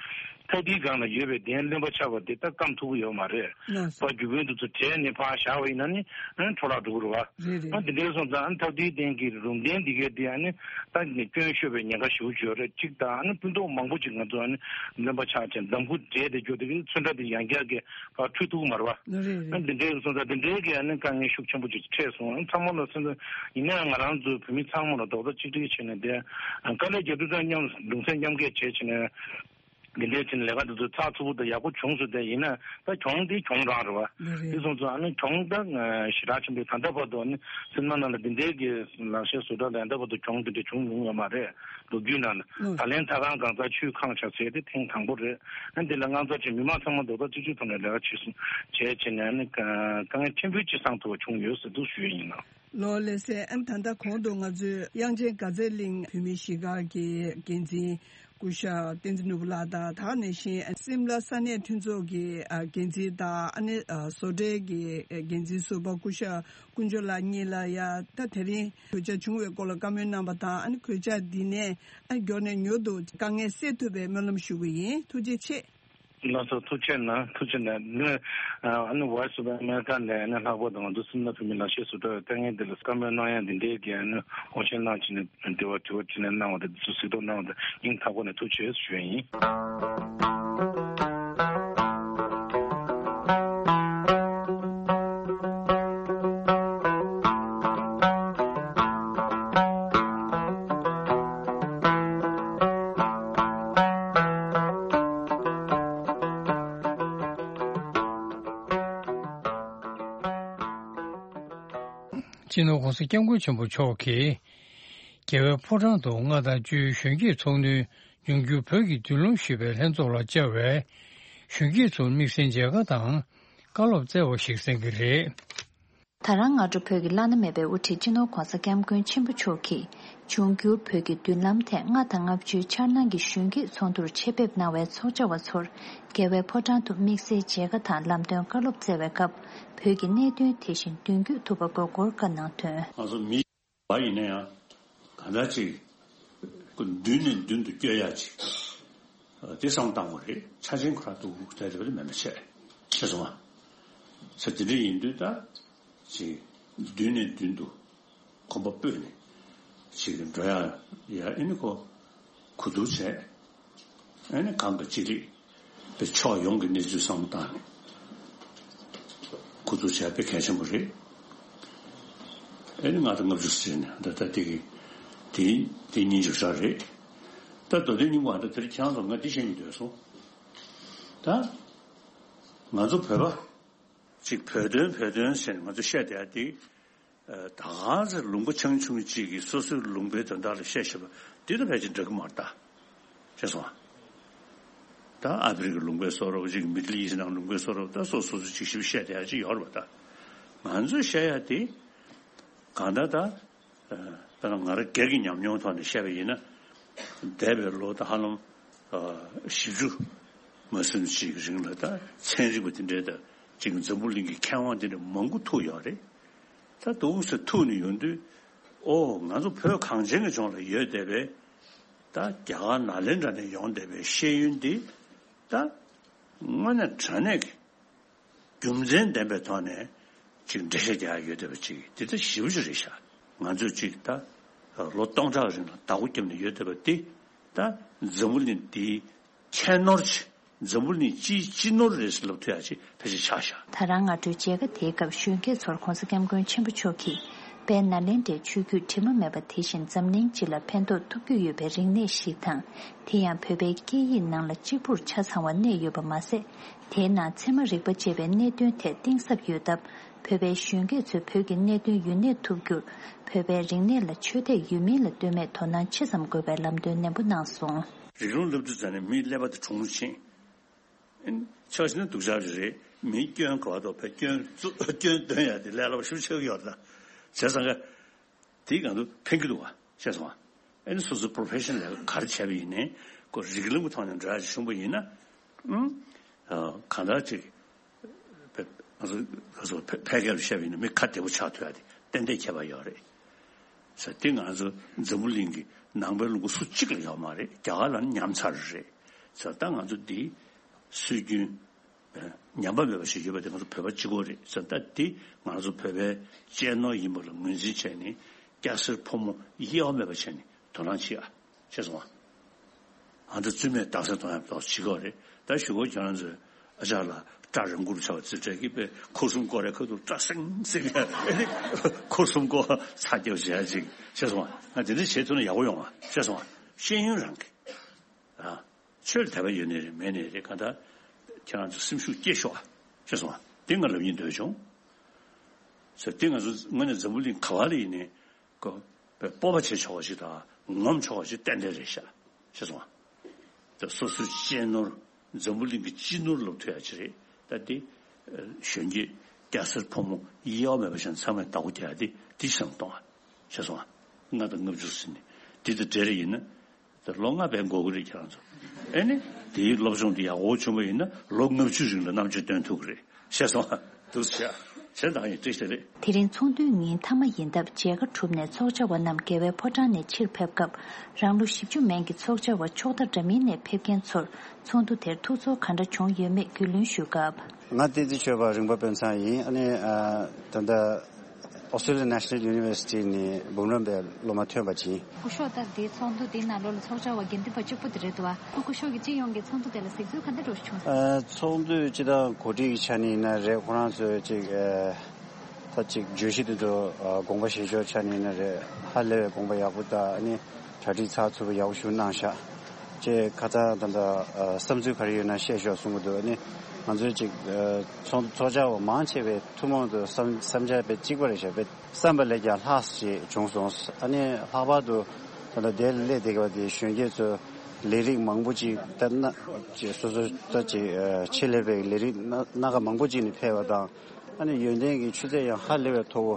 ཐག་དེའི་སྒང་ལ་ཡོད་པའི་གདན་རློན་པ་ཆགས་པ་དེ་ད་སྐམ་ཐུབ་ཀྱི་ཡོད་མ་རེད། ལགས་སོ། ཕར་རྒྱུ་རྐྱེན་དེ་ཚོ་བྲལ་ནས་ཕར་བཞག་པ་ཡིན་ན་ནི་ཨ་འཕྲོ་བརླག་འགྲོ་གི་རེད་བ། རེད་རེད། ཨ་དེ་འདྲའི་སོང་ཙང་ཨ་ཐག་དེའི་སྟེང་གི་རུམ་གདན་འདི་གའི་དེ་ཨ་ནི་ད་ནི་སྐྱོན་ཤོར་བའི་ཉེན་ཁ་ཞེ་པོ་ཅིག་ཡོད་རེད། གཅིག་དང་ཨ་ནི་སྤུ་མདོག་མང་པོ་ཅིག་ང་ཚོ་ཨ་ནི་རློན་པ་ཆགས་ཅིང་འདམ་ཁུ་འདྲེས་ཏེ་འགྱོ་དེ་གི་ཚོན་ཁྲ་དེ་ཡང་བསྐྱར་གྱི་ཕར་འཁྲུད་ཐུབ་ཀྱི་མ་རེད་བ། རེད་རེད། ཨ་འདི་འདྲའི་སོང་ཙང་འདི་འདྲའི་གི་ཨ་ནི་དཀའ་ངལ་ཤུགས་ཆེན་པོ་ཅིག་འཕྲད་སོང་། ཨ་ཚང་མ་ལ་སོང་ཙང་ཡིན་ན་ཡང་ང་རང་ཚོའི་བོད་མི་ཚང་མ་ལ་རྡོག་རྩ་གཅིག་སྒྲིལ་བྱས་ནས་དེ་དཀའ་ལས་རྒྱག་དུས་ཙང་མཉམ་གདུང་སེམས་མཉམ་སྐྱེད་བྱས་བྱས་ནས། འདི་འདྲའི་ཕྱིན་ལས་ཀ་འདི་ཚོ་ཚགས་ཚུད་པོ་དང་ཡག་པོ་བྱུང་སོང་། དེ་ཡིན་ན་ད་གྱོང་འདི་གྱོང་རང་རེད་བ། ལགས་རེད། དེ་སོང་ཙང་ཨ་ནི་གྱོང་ད་ཞེ་དྲག་ཆེན་པོ་ད་ལྟ་བར་དུ་ཨ་ནི་སེམས་ནང་ལ་འདི་འདྲའི་གི་ལག་ཤེས་བཟོ་གྲྭ་ལ་ད་ལྟ་བར་དུ་གྱོང་འདི་འདྲ་བྱུང་མྱོང་ཡོད་མ་རེད། ལོ་རྒྱུས་ནང་ལ། ལགས། ད་ལན་ད་གང་གང་ཚ་ཆུས་ཁང་ཆགས་ཟེར་དེ་ཐེངས་དང་པོ་རེད། ཨ་འདི་ལ་ང་ཚོ་ཆེ་མི་མང་ཚང་མ་རྡོག་རྩ་གཅིག་སྒྲིལ་ཐོག་ནས་ལས་ཀ་བྱེད་སོང་བྱས་བྱས་ནས་ཨ་ནི་དཀའ་ངལ་ཆེན་པོའི་ཅི་སང་ཐུབ་པ་བྱུང་ཡོད་ཟེར་འདུག་ཞུ་ཡ་ཡིན་ནོ། ལགས་ལགས་སེ། ཨ་ནི་ད་ལྟ་གོང་དུ་ང་ཚོས་དབྱངས་ཅན་དགའ་ཚལ་གླིང་བོད་མིའི་གཞིས་སྒར་གྱི་འགན་འཛིན་སྐུ་ཞབས་བསྟན་འཛིན་ནོར་བུ་ལགས་དང་། ད་ག་ནང་བཞིན་སིམ་ལ་ས་གནས་མཐུན་ཚོགས་ཀྱི་འགན་འཛིན་དང་། ཨ་ནི་བཟོ་གྲྭའི་གི་འགན་འཛིན་ཟུར་པ་སྐུ་ཞབས་དཀོན་མཆོག་ལགས་གཉིས་ལ་ཡ་ད་དེ་རིང་གོད་ཆག་བྱུང་བའི་སྐོར་ལ་བཀའ་མོལ་གནང་བ་དང་། ཨ་ནི་གོད་ཆག་འདི་ནས་ཨ་མགྱོགས་ནས་མྱུར་དུ་དཀའ་ངལ་སེལ་ཐུབ་པའི་སྨོན་ལམ་ཞུ་གི་ཡིན། ཐུགས་རྗེ་ཆེ། ལགས་སོ། ཐུགས་རྗེ་གནང་། ཐུགས་རྗེ་གནང་། ནི་ཨ་ནི་Voice of America ནས་ཨ་ནི་ལྷག་པར་དུ་ང་ཚོ་སིམ་ལ་བོད་མིའི་ལག་ཤེས་ཟུར་གྲྭ་བའི་དཀའ་ངལ་འདི་ལ་བཀའ་མོལ་གནང་ཡ་འདི་འདྲའི་གི་ཨ་ནི་དགོངས་བཞེས་གནང་བྱས་ནས་འདི་བ་དྲི་བ་དྲིས་ལན་གནང་བ་དེ་འདི་ཚོ་གཟིགས་རྟོག་གནང་བ་དེ་སྙིང་ཐག་པ་ནས་ཐུགས་རྗེ་ཆེ་ཞུ་ཡ་ཡིན། སྤྱི་ནོར་༸གོང་ས་༸སྐྱབས་མགོན་ཆེན་པོ་མཆོག་གིས། རྒྱལ་བའི་ཕོ་བྲང་དུ་ལྔ་དང་བཅུའི་གཞོན་སྐྱེས་ཚོགས་གཉིས་འབྱུང་འགྱུར་བོད་ཀྱི་མདུན་ལམ་ཞེས་པའི་ལྷན་ཚོགས་ལ་བཅར་བའི་གཞོན་སྐྱེས་ཚོར་དམིགས་བསལ་མཇལ་ཁ་དང་བཀའ་སློབ་སྩལ་བ་ཞིག་གསན་གྱི་རེད། ད་རང་སྔ་དྲོ་བོད་ཀྱི་བླ་ན་མེད་པའི་དབུ་ཁྲིད་སྤྱི་ནོར་༸གོང་ས་༸སྐྱབས་མགོན་ཆེན་པོ་མཆོག་གིས་འབྱུང་འགྱུར་བོད་ཀྱི་མདུན་ལམ་ཐད་ལྔ་དང་ལྔ་བཅུའི་འཆར་སྣང་གི་གཞོན་སྐྱེས་ཚོགས་འདུར་ཆེད་ཕེབས་གནང་བའི་ཚོགས་བཅར་བ་ཚོར་རྒྱལ་བའི་ཕོ་བྲང་དུ་དམིགས་བསལ་མཇལ་ཁ་དང་ལམ་སྟོན་བཀའ་སློབ་སྩལ་བའི་སྐབས། བོད་ཀྱི་གནད་དོན་དེ་བཞིན་མདུན་སྐྱོད་ཐུབ་པ་དགོས་སྐོར་བཀའ་གནང་དོན། ང་ཚོ་མི་བ་ཡིན་ན་ཡང་གང་འདྲ་ཅིག་མདུན་ནས་མདུན་དུ་བསྐྱོད་ཡ་ཅིག་དེ་བསམ་བཏང་བ་རེད། ཆ་ཆེན་ཁོ་རང་འདུག་དེ་རེད་མེད་མ་བྱས་ཤེས་སོང་ང་། ས་དེ་འདྲ་ཡིན་དུས་ད་ཅིག་མདུན་ནས་མདུན་དུ་གོམ་པ་སྤོས་ནས་ཅིག་འགྲོ་ཡ་ཡ་ཨེ་ནི་ཁོ་གོ་བསྡུར་བྱས། ཨེ་ནི་གང་གི་ཅི་རིགས་པའི་ཕྱོགས་ཡོངས་ཀྱི་གནས་ཚུལ་བསམ་བློ་བཏང་ནས་གོ་བསྡུར་བྱས་པའི་གལ་ཆེན་པོ་རེད། ཨེ་ནི་ལྔ་དང་ལྔ་བཅུ་ཟེར་ནས་ད་ལྟ་དེ་གི་དེ་དེ་གཉིས་འཇོག་བྱ་རེད། ད་མདོ་དོན་སྙིང་པོ་ད་དེར་ཁྱེད་རང་ཚོ་ང་འདི་བཤད་སྙིང་འདོད་སོང་། ད་ང་ཚོ་བོད་པ་ཅིག་བོད་དོན་བོད་དོན་ཟེར་ནས་ང་ཚོ་བཤད་བསྡད་ཡ་དེ། ད་ག་ཚོད་ལུང་པ་ཆུང་ཆུང་གཅིག་གིས་སོ་སོའི་ལུང་པའི་དོན་དག་ལ་བཤད་བཤད་པ་འདི་ལ་ཕལ་ཆེར་འགྲིག་གི་མ་རེད་ད། ཤེས་སོང་ཨ། ད་ཨ་ཕི་རི་ཀའི་ལུང་པའི་བཟོ་འདྲ་པོ་ཅིག་མི་ཌལ་ཨི་སི་ནང་ལུང་པའི་བཟོ་འདྲ་པོ་ད་སོ་སོ་སོ་ཅིག་ཞིབ་བཤད་བསྡད་ཡ་ཅིག་ཡོད་རེད་པ་ད། ང་ཚོས་བཤད་ཡ་དེ་གང་ལྟར་ད། དཔེར་ན་ང་རང་སྒེར་གྱི་ཉམས་མྱོང་ཐོག་ནས་བཤད་པ་ཡིན་ན། འདས་པའི་ལོ་ད་ཧ་ལམ་བཞི་བཅུ་མ་ཟིན་ཅིག་གི་རིང་ལ་ད་ཚན་རིག་པ་དེ་འདྲའི་ད་ཅིག་འཛམ་བུ་གླིང་གི་མཁས་དབང་དེ་འདྲ་མང་པོ་ཐུག་ཡོད་རེད། ད་འདུག་སེ་ཐུག་ནས་ཡོང་དུས་ཨོ་ང་ཚོ་བོད་གངས་ཅན་གྱི་ལྗོངས་ལ་ཡོད་བསྡད་པའི་ད་རྒྱ་གར་ནཱ་ལེནྡྲ་ནས་ཡོང་བསྡད་པའི་ཤེས་ཡོན་འདི་ད་དངོས་གནས་དྲང་གནས་ཀྱི་རྒྱུ་མཚན་ལྡན་པའི་ཐོག་ནས་ཅིག་འགྲེལ་བཤད་རྒྱག་ཡ་ཡོད་བསྡད་པ་ཅིག་འདི་ད་ཞེ་པོ་ཅིག་རེད་ཤག་ང་ཚོས་ཅིག་ད་ལོ་སྟོང་ཕྲག་རིང་ལ་བདག་པོ་བརྒྱབ་ནས་ཡོད་བསྡད་པ་འདི་ད་འཛམ་བུ་གླིང་འདིའི་ཁྱད་ནོར་ཆེ། འཛམ་བུ་གླིང་སྤྱིའི་སྤྱི་ནོར་རེད་ཟེར་ལབ་ཐུབ་ཡ་ཅིག་ཕལ་ཆེར་ཆགས་ཤག་ད་རང་སྔ་དྲོའི་མཇལ་ཁ་དེའི་སྐབས་གཞོན་སྐྱེས་ཚོར་༸གོང་ས་༸སྐྱབས་མགོན་ཆེན་པོ་མཆོག་གིས་དཔལ་ནཱ་ལེནྡྲའི་ཆོས་བརྒྱུད་དྲི་མ་མེད་པ་དེ་བཞིན་འཛམ་གླིང་སྤྱི་ལ་ཕན་ཐོགས་ཐུབ་རྒྱུ་ཡོད་པའི་རིག་གནས་ཤིག་དང་། དེ་ཡང་བོད་པའི་སྐད་ཡིག་ནང་ལ་གཅིག་པུར་ཆ་ཚང་བ་གནས་ཡོད་པ་མ་ཟད། དེའི་ནང་ཚད་མ་རིག་པ་ཅེས་པའི་གནད་དོན་ཐད་གཏིང་ཟབ་ཡོད་སྟབས། བོད་པའི་གཞོན་སྐྱེས་ཚོས་བོད་ཀྱི་གནད་དོན་ཡུན་གནས་ཐུབ་རྒྱུར། བོད་པའི་རིག་གནས་ལ་ཆོས་དད་ཡོད་མིན་ལ་ལྟོས་མེད་དོ་སྣང་ཆེ་ཙམ་དགོས་པའི་ལམ་སྟོན་ནན་པོ་གནང་སོང་། རིགས་ལམ་སློབ་དུས་ཙམ་ནས་མིའི་ཀླད་པ་དེ་གྲུང་མོ་ཕྱིན། ཨེ་ནི་ཆ་བཞག་ན་སྡུག་ཅག་རེད་རེད། མིའི་སྐྱོན་ག་བ་དོ་བས་སྐྱོན་བཙུགས་སྐྱོན་འདོན་ཡ་དེ་ལས་སླ་པོ་ཞེ་པོ་ཆགས་ཀྱི་ཡོད་རེད་ད། བྱས་ཙང་ག་དེ་གང་དུ་ཕན་གྱི་འདུག་བ། ཤེས་སོང་ང་། ཨེ་ནི་སོ་སོའི་པོ་རོ་ཕེ་ཤན་ལས་ཀ་ག་རེ་བྱས་པ་ཡིན་ནའི་ཁོ་རིགས་ལམ་གྱི་ཐོག་ནས་འགྲོ་ཡ་ཅིག་བྱུང་པ་ཡིན་ན། ཨུམ། ཨ། གང་ལྟར་ཅིག་ཕ་ང་ཚོ་ང་ཚོ་ཕ་ཕལ་སྐད་ལ་བཤད་པ་ཡིན་ན་མི་ཁ་བདེ་པོ་ཆགས་ཐུབ་ཡ་དེ་ཏན་ཏན་ཁྱད་པར་ཡོད་རེད། ཟེར་དེ་ང་ཚོ་འཛམ་བུ་གླིང་གི་ནང་པའི་ལུང་པ་སུ་གཅིག་ལ་ཡོད་མ་རེད། རྒྱ་གར་ལ་ནི་ཉམས་ཚར་རེད། ཟེར་ད་ང་ཚོ་འདི་སྲོལ་རྒྱུན་ཉམས་པ་མེད་པ་ཞིག་ཡོད་པ་དེ་ང་ཚོ་བོད་པ་གཅིག་པོ་རེད་ཟེར། ད་འདི་ང་ཚོ་བོད་པའི་གཅེས་ནོར་ཡིན་པ་ལ་ངོས་འཛིན་བྱས་ནས་སྐྱ་སེར་ཕོ་མོ་དབྱེ་བ་མེད་པ་བྱས་ནས་དོ་སྣང་བྱེད་ཨ། ཤེས་སོང་ང་། ཨ་ད་བཙུན་མས་རྟགས་གསལ་གཏོང་ཡག་ཏོག་ཙམ་བྱེད་དགོས་རེད། ད་ཞུ་གོ་ཁྱེད་རང་ཚོས་ཨ་ཅག་ལ་སྐྲ་རིང་པོར་ཆགས་པ་ཚོས་སྤྲད་ཀྱི་པས་ཁུ་སུམ་སྐོར་རེ་ཁ་ཐུག་སྐྲ་སེང་སེང་ཨེ་ནི་ཁུ་སུམ་སྐོར་ཚ་རྒྱབ་བྱེད་ཡ་ཅིག་ཤེས་སོང་ང་། ང་དེ་འདྲ་བྱེད་ཐུབ་ན་ཡག་པོ་ཡོང་ང་། ཤེས་སོང་ང་། ཤེས་ཡོན་རང་གི་ཨ། ཆོས་ལ་དད་པ་ཡོད་ནའི་རེད་མེད་ནའི་རེད། གང་ལྟར་ཁྱེད་རང་ཚོ་སེམས་ཤུགས་སྐྱེད་ཤོག་ཨ། ཤེས་སོང་ཨ། དེ་ང་ལབ་སྙིང་འདོད་བྱུང་། ཟེར་དེ་ང་ཚོ་དངོས་གནས་འཛམ་བུ་གླིང་ག་བ་ལ་ཡིན་ནའི་ཀོ་པའི་སྤོབས་པ་བྱེད་ཆོག་པ་ཞིག་དང་ངོམ་ཆོག་པ་ཞིག་ཏན་ཏན་རེད་ཤག། ཤེས་སོང་ཨ། ད་སོ་སོའི་གཅེས་ནོར་འཛམ་བུ་གླིང་གི་སྤྱི་ནོར་ལབ་ཐུབ་ཡ་ཅིག་རེད། ད་དེ་གཞོན་སྐྱེས་སྐྱ་སེར་ཕོ་མོ་དབྱེ་བ་མེད་པ་བཞིན་ཚང་མས་བདག་པོ་རྒྱག་ཡ་དེ་དེ་བསམ་གཏོང་ཨ། ཤེས་སོང་ཨ། ལྔ་དང་ལྔ་བཅུ་ཟིན་ནས་དེ་དང་འབྲེལ་རེ་ཡིན་ན། ད་ལོ་ལྔ་བས་འགོར་གི་རེད་ཁྱེད་རང་ཚོ། ཨེ་ནི། དེའི་སློབ་སྦྱོང་དེ་ཡག་པོ་བྱུང་བ་ཡིན་ན་ལོ་ལྔ་བཅུ་རིང་ལ་རྣམ་དཔྱོད་སྟོན་ཐུབ་ཀྱི་རེད། ཤེས་སོང་ཨ། འདུག་སེ་བྱས། བྱས་ཙང་ཡིན་བཀྲ་ཤིས་བདེ་ལེགས། དེ་རིང་ཚོགས་འདུའི་ཉིན་མཐའ་མ་ཡིན་སྟབས་མཇལ་ཁ་གྲུབ་ནས་ཚོགས་བཅར་བ་རྣམས་རྒྱལ་བའི་ཕོ་བྲང་ནས་ཕྱིར་ཕེབས་སྐབས། རང་ལོ་བཞི་བཅུ་མན་གྱི་ཚོགས་བཅར་བ་ཕྱོགས་མཐའ་འདྲ་མིན་ནས་ཕེབས་མཁན་ཚོར་ཚོགས་འདུ་དེར་ཐུགས་ཚོར་ག་འདྲ་བྱུང་ཡོད་མེད་རྒྱུས་ལོན་ཞུས་སྐབས། ང་བསྟན་འཛིན་ཆོས་པ་རིང་པ་དཔོན་ཚང་ཡིན། ཨ་ནི་ཨ། ད་ལྟ་Australian National University ནས་འབུམ་རམས་པའི་སློབ་མ་ཐོན་པ་ཅིག་སྐུ་ཞབས་ད་འདི་ཚོགས་འདུ་འདིའི་ནང་ལོགས་ལ་ཚོགས་བཅར་བ་དགེ་འདུན་པ་གཅིག་པུ་དེ་རེད་འདུག་བ། སྐུ་ཞབས་ཀྱི་སྤྱི་ཡོངས་ཀྱི་ཚོགས་འདུ་དེ་ལ་གཟིགས་ཚུལ་ག་འདྲ་འདྲ་ཞིག་བྱུང་སོང་། ཨ། ཚོགས་འདུ་སྤྱི་བཏང་གོ་སྒྲིག་གི་ཆ་ནས་ཡིན་ན་རེད། ཁོ་རང་ཚོས་ཅིག་ཨ། ད་ཅིག་བརྗོད་གཞི་དེ་ཚོ་ཨ། དགོངས་པ་བཞེས་ཕྱོགས་ཆ་ནས་ཡིན་ན་རེད། ཧ་ལས་པའི་དགོངས་པ་ཡག་པོ་དང་ཨ་ནི་གྲ་སྒྲིག་ཚགས་ཚུད་པོ་ཡག་པོ་ཞིག་གནང་ཤག་ཅེས་ཁ་ཚ་ད་ལྟ་ཨ། བསམ་ཚུལ་ག་རེ་ཡོད་ན་བཤད་ཤོག་གསུང་གི་འདུག་ཨ་ནི་ང་ཚོས་ཅིག་ཨ། ཚོགས་ཚོགས་བཅར་བ་མང་ཆེ་བས་ཐུན་མོང་དུ་བསམ་བསམ་འཆར་དཔེ་གཅིག་པ་རེད་ཤག་དཔེ་བསམ་པ་ལས་ཀྱང་ལྷག་ཞེས་བྱུང་སོང་། ཨ་ནི་ལྷག་པར་དུ་ད་ལྟ་འདིར་སླེབས་བསྡད་པ་དེ་གཞོན་སྐྱེས་ཚོ་ལས་རིགས་མང་པོ་ཅིག་ད་སྣ་ཅིག་སོ་སོ་ད་ཅིག་ཆེད་ལས་པའི་ལས་རིགས་སྣ་སྣ་ཁ་མང་པོ་ཅིག་ནས་ཕེབས་པ་དང་། ཨ་ནི་ཡོན་ཏན་གྱི་ཆུ་ཚད་ཡང་ཧ་ལས་པའི་མཐོ་བོ།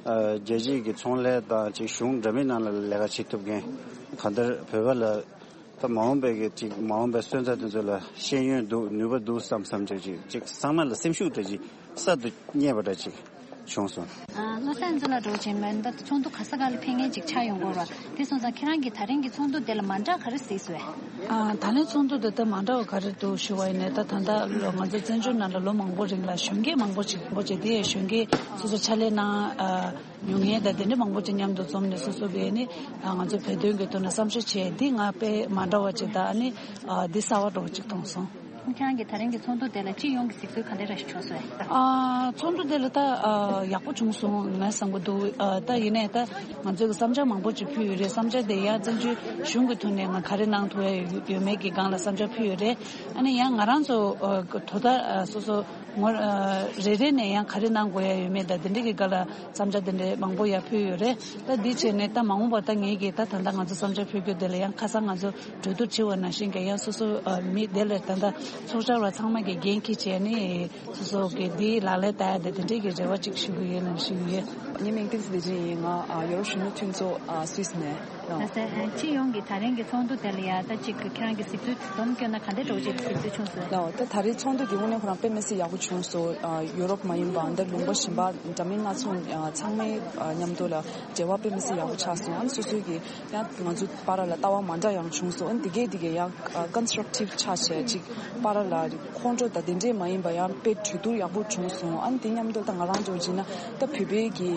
རྒྱལ་སྤྱིའི་གི་ཚོང་ལས་དང་ཅིག་གཞུང་འདྲ་མིན་ནང་ལ་ལས་ཀ་བྱེད་ཐུབ་མཁན་གང་ལྟར་བོད་པ་ལ། ད་མ་འོངས་པའི་གི་ཅིག་མ་འོངས་པའི་སོན་རྩ་དེ་ཚོ་ལ་ཤེས་ཡོན་འདུག་ནུས་པ་འདུག་བསམ་བསམ་ཅིག་ཅིག་ཅིག་ཚང་མ་ལ་སེམས་ཤུགས་འདྲ་ཅིག་གསར་དུ་རྙེད་པ་འདྲ་ཅིག་བྱུང་སོང་། ཨ། བློ་བཟང་ཚོ་ལ་འགྲོ་ཆེན་མོན་ད་ཚོགས་འདུ་ག་ས་ག་ལ་ཕེབས་མཁན་ཅིག་ཆགས་ཡོང་གི་རེད་བ། དེ་སོང་ཙང་ཁྱེད་རང་གིས་ད་རིང་གི་ཚོགས་འདུ་དེ་ལ་མ་འདྲ་ག་རེ་གཟིགས་སོང་བས། ཨ། ད་ལན་ཚོགས་འདུ་དེ་ད་མ་འདྲ་བ་ག་རེ་འདུག་ཞུ་བ་ཡིན་ནའི་ད་ད་ལྟ་ལོ་ང་ཚོ་བཙན་བྱོལ་ནང་ལ་ལོ་མང་པོ་རིང་ལ་གཞོན་སྐྱེས་མང་པོ་ཅིག་མང་པོ་ཅིག་དེ་ཡང་གཞོན་སྐྱེས་སོ་སོ་ཕྱག་ལས་གནང་ཨ། མྱོང་མཁན་དང་དེ་འདྲ་མང་པོ་ཅིག་མཉམ་དུ་འཛོམས་ནས་སོ་སོ་གིས་ནི་ང་ཚོ་བོད་དོན་གྱི་ཐོག་ནས་བསམ་ཤེས་བྱས་འདི་ང་དཔེ་མ་འདྲ་བ་ཅིག་དང་ནི་འདི་གསར་བ་འདྲ་བོ་ཅིག་མཐོང་སོང་། ཁྱེད་རང་གིས་ད་རིང་གི་ཚོགས་འདུ་དེ་ལ་སྤྱི་ཡོངས་ཀྱི་གཟིགས་ཚུལ་ག་འདྲ་ཞིག་བྱུང་སོང་། ཨ། ཚོགས་འདུ་དེ་ལ་ད་ཡག་པོ་བྱུང་སོང་ངས་བསམ་གྱི་འདུག་ད་ཡིན་ནའི་ད་ང་ཚོས་ཀྱི་བསམ་འཆར་མང་པོ་ཅིག་ཕུལ་ཡོད་རེད། བསམ་འཆར་དེ་ཡང་བཙན་བྱོལ་གཞུང་གི་ཐོག་ནས་ང་ག་རེ་གནང་ཐུབ་ཡ་ཡོད་མེད་ཀྱི་སྒང་ལ་བསམ་འཆར་ཕུལ་ཡོད་རེད། ཨ་ནི་ཡང་ང་རང་ཚོ་དོ་ད་སོ་སོ། ངོ་། རེ་རེ་ནས་ཡང་ག་རེ་གནང་དགོས་ཡ་ཡོད་མེད་དང་དེ་འདྲ་གི་སྒང་ལ་བསམ་འཆར་དེ་འདྲ་མང་པོ་ཡར་ཕུལ་ཡོད་རེད། ད་འདི་བྱས་ནས་ད་མ་འོངས་པར་ད་ངེད་ཀྱིས་ད་ད་ལྟ་ང་ཚོ་བསམ་འཆར་ཕུལ་རྒྱུ་དེ་ལ་ཡང་ཁ་སང་ང་ཚོ་གྲོས་བསྡུར་བྱས་པ་ནང་བཞིན་གྱི་ཡང་སོ་སོ་མི་དེ་ལ་ད་ལྟ་ཚོགས་བཅར་བ་ཚང་མ་གིས་འགན་འཁྱེར་བྱས་ནས་སོ་སོ་གི་འདི་ལག་ལེན་བསྟར་ཡ་དེ་དེ་འདྲ་གི་རེ་བ་ཅིག་ཞུ་གི་ཡོད་ལབ་ཞུ་གི་ཡོད། ངའི་མིང་བསྟན་འཛིན་བདེ་ཆེན་ཡིན། ང་ཡོ་རོབ་གཞོན་ནུ་མཐུན་ཚོགས་སུད་སི་ནས། ལགས་སོ། སྤྱི་ཡོངས་ཀྱི་ད་རིང་གི་ཚོགས་འདུ་དེ་ལ་ཡ་ད་ཅིག་ཁྱེད་རང་གི་གཟིགས་ཚུལ་སྡོམ་བསྐྱོན་ན་ག་འདྲ་འདྲ་བོ་ཅིག་གཟིགས་ཚུལ་བྱུང་སོང་། ལགས་འོ། ད་ད་རེས་ཚོགས་འདུ་དེ་དངོས་གནས་ཁོ་རང་དཔེ་མི་སྲིད་ཡག་པོ་བྱུང་སོང་། ཡོ་རོབ་མ་ཡིན་པ་འདིར་ལུང་པ་གཞན་པ་འདྲ་མིན་སྣ་ཚོགས་ཚང་མའི་མཉམ་དུ་ལ་འབྲེལ་བ་དཔེ་མི་སྲིད་ཡག་པོ་ཆགས་སོང་། ཨ་ནི་སོ་སོའི་གི་ཡང་ང་ཚོ་བར་ལ་ལྟ་བ་མ་འདྲ་ཡང་བྱུང་སོང་། ཨ་ནི་དེ་གས་དེ་གས་ཡང་ཀོན་སི་ཊྲག་ཊིབ་ཆགས་བྱས་ཅིག་བར་ལ་ཁོང་ཁྲོ་དང་དེ་འདྲས་མ་ཡིན་པ་ཡང་དཔེ་གྲོས་བསྡུར་ཡག་པོ་བྱུང་སོང་། ཨ་ནི་དེ་མཉམ་དུ་ད་ང་རང་ཚོ་བྱས་ན་ད་བོད་པའི་གི་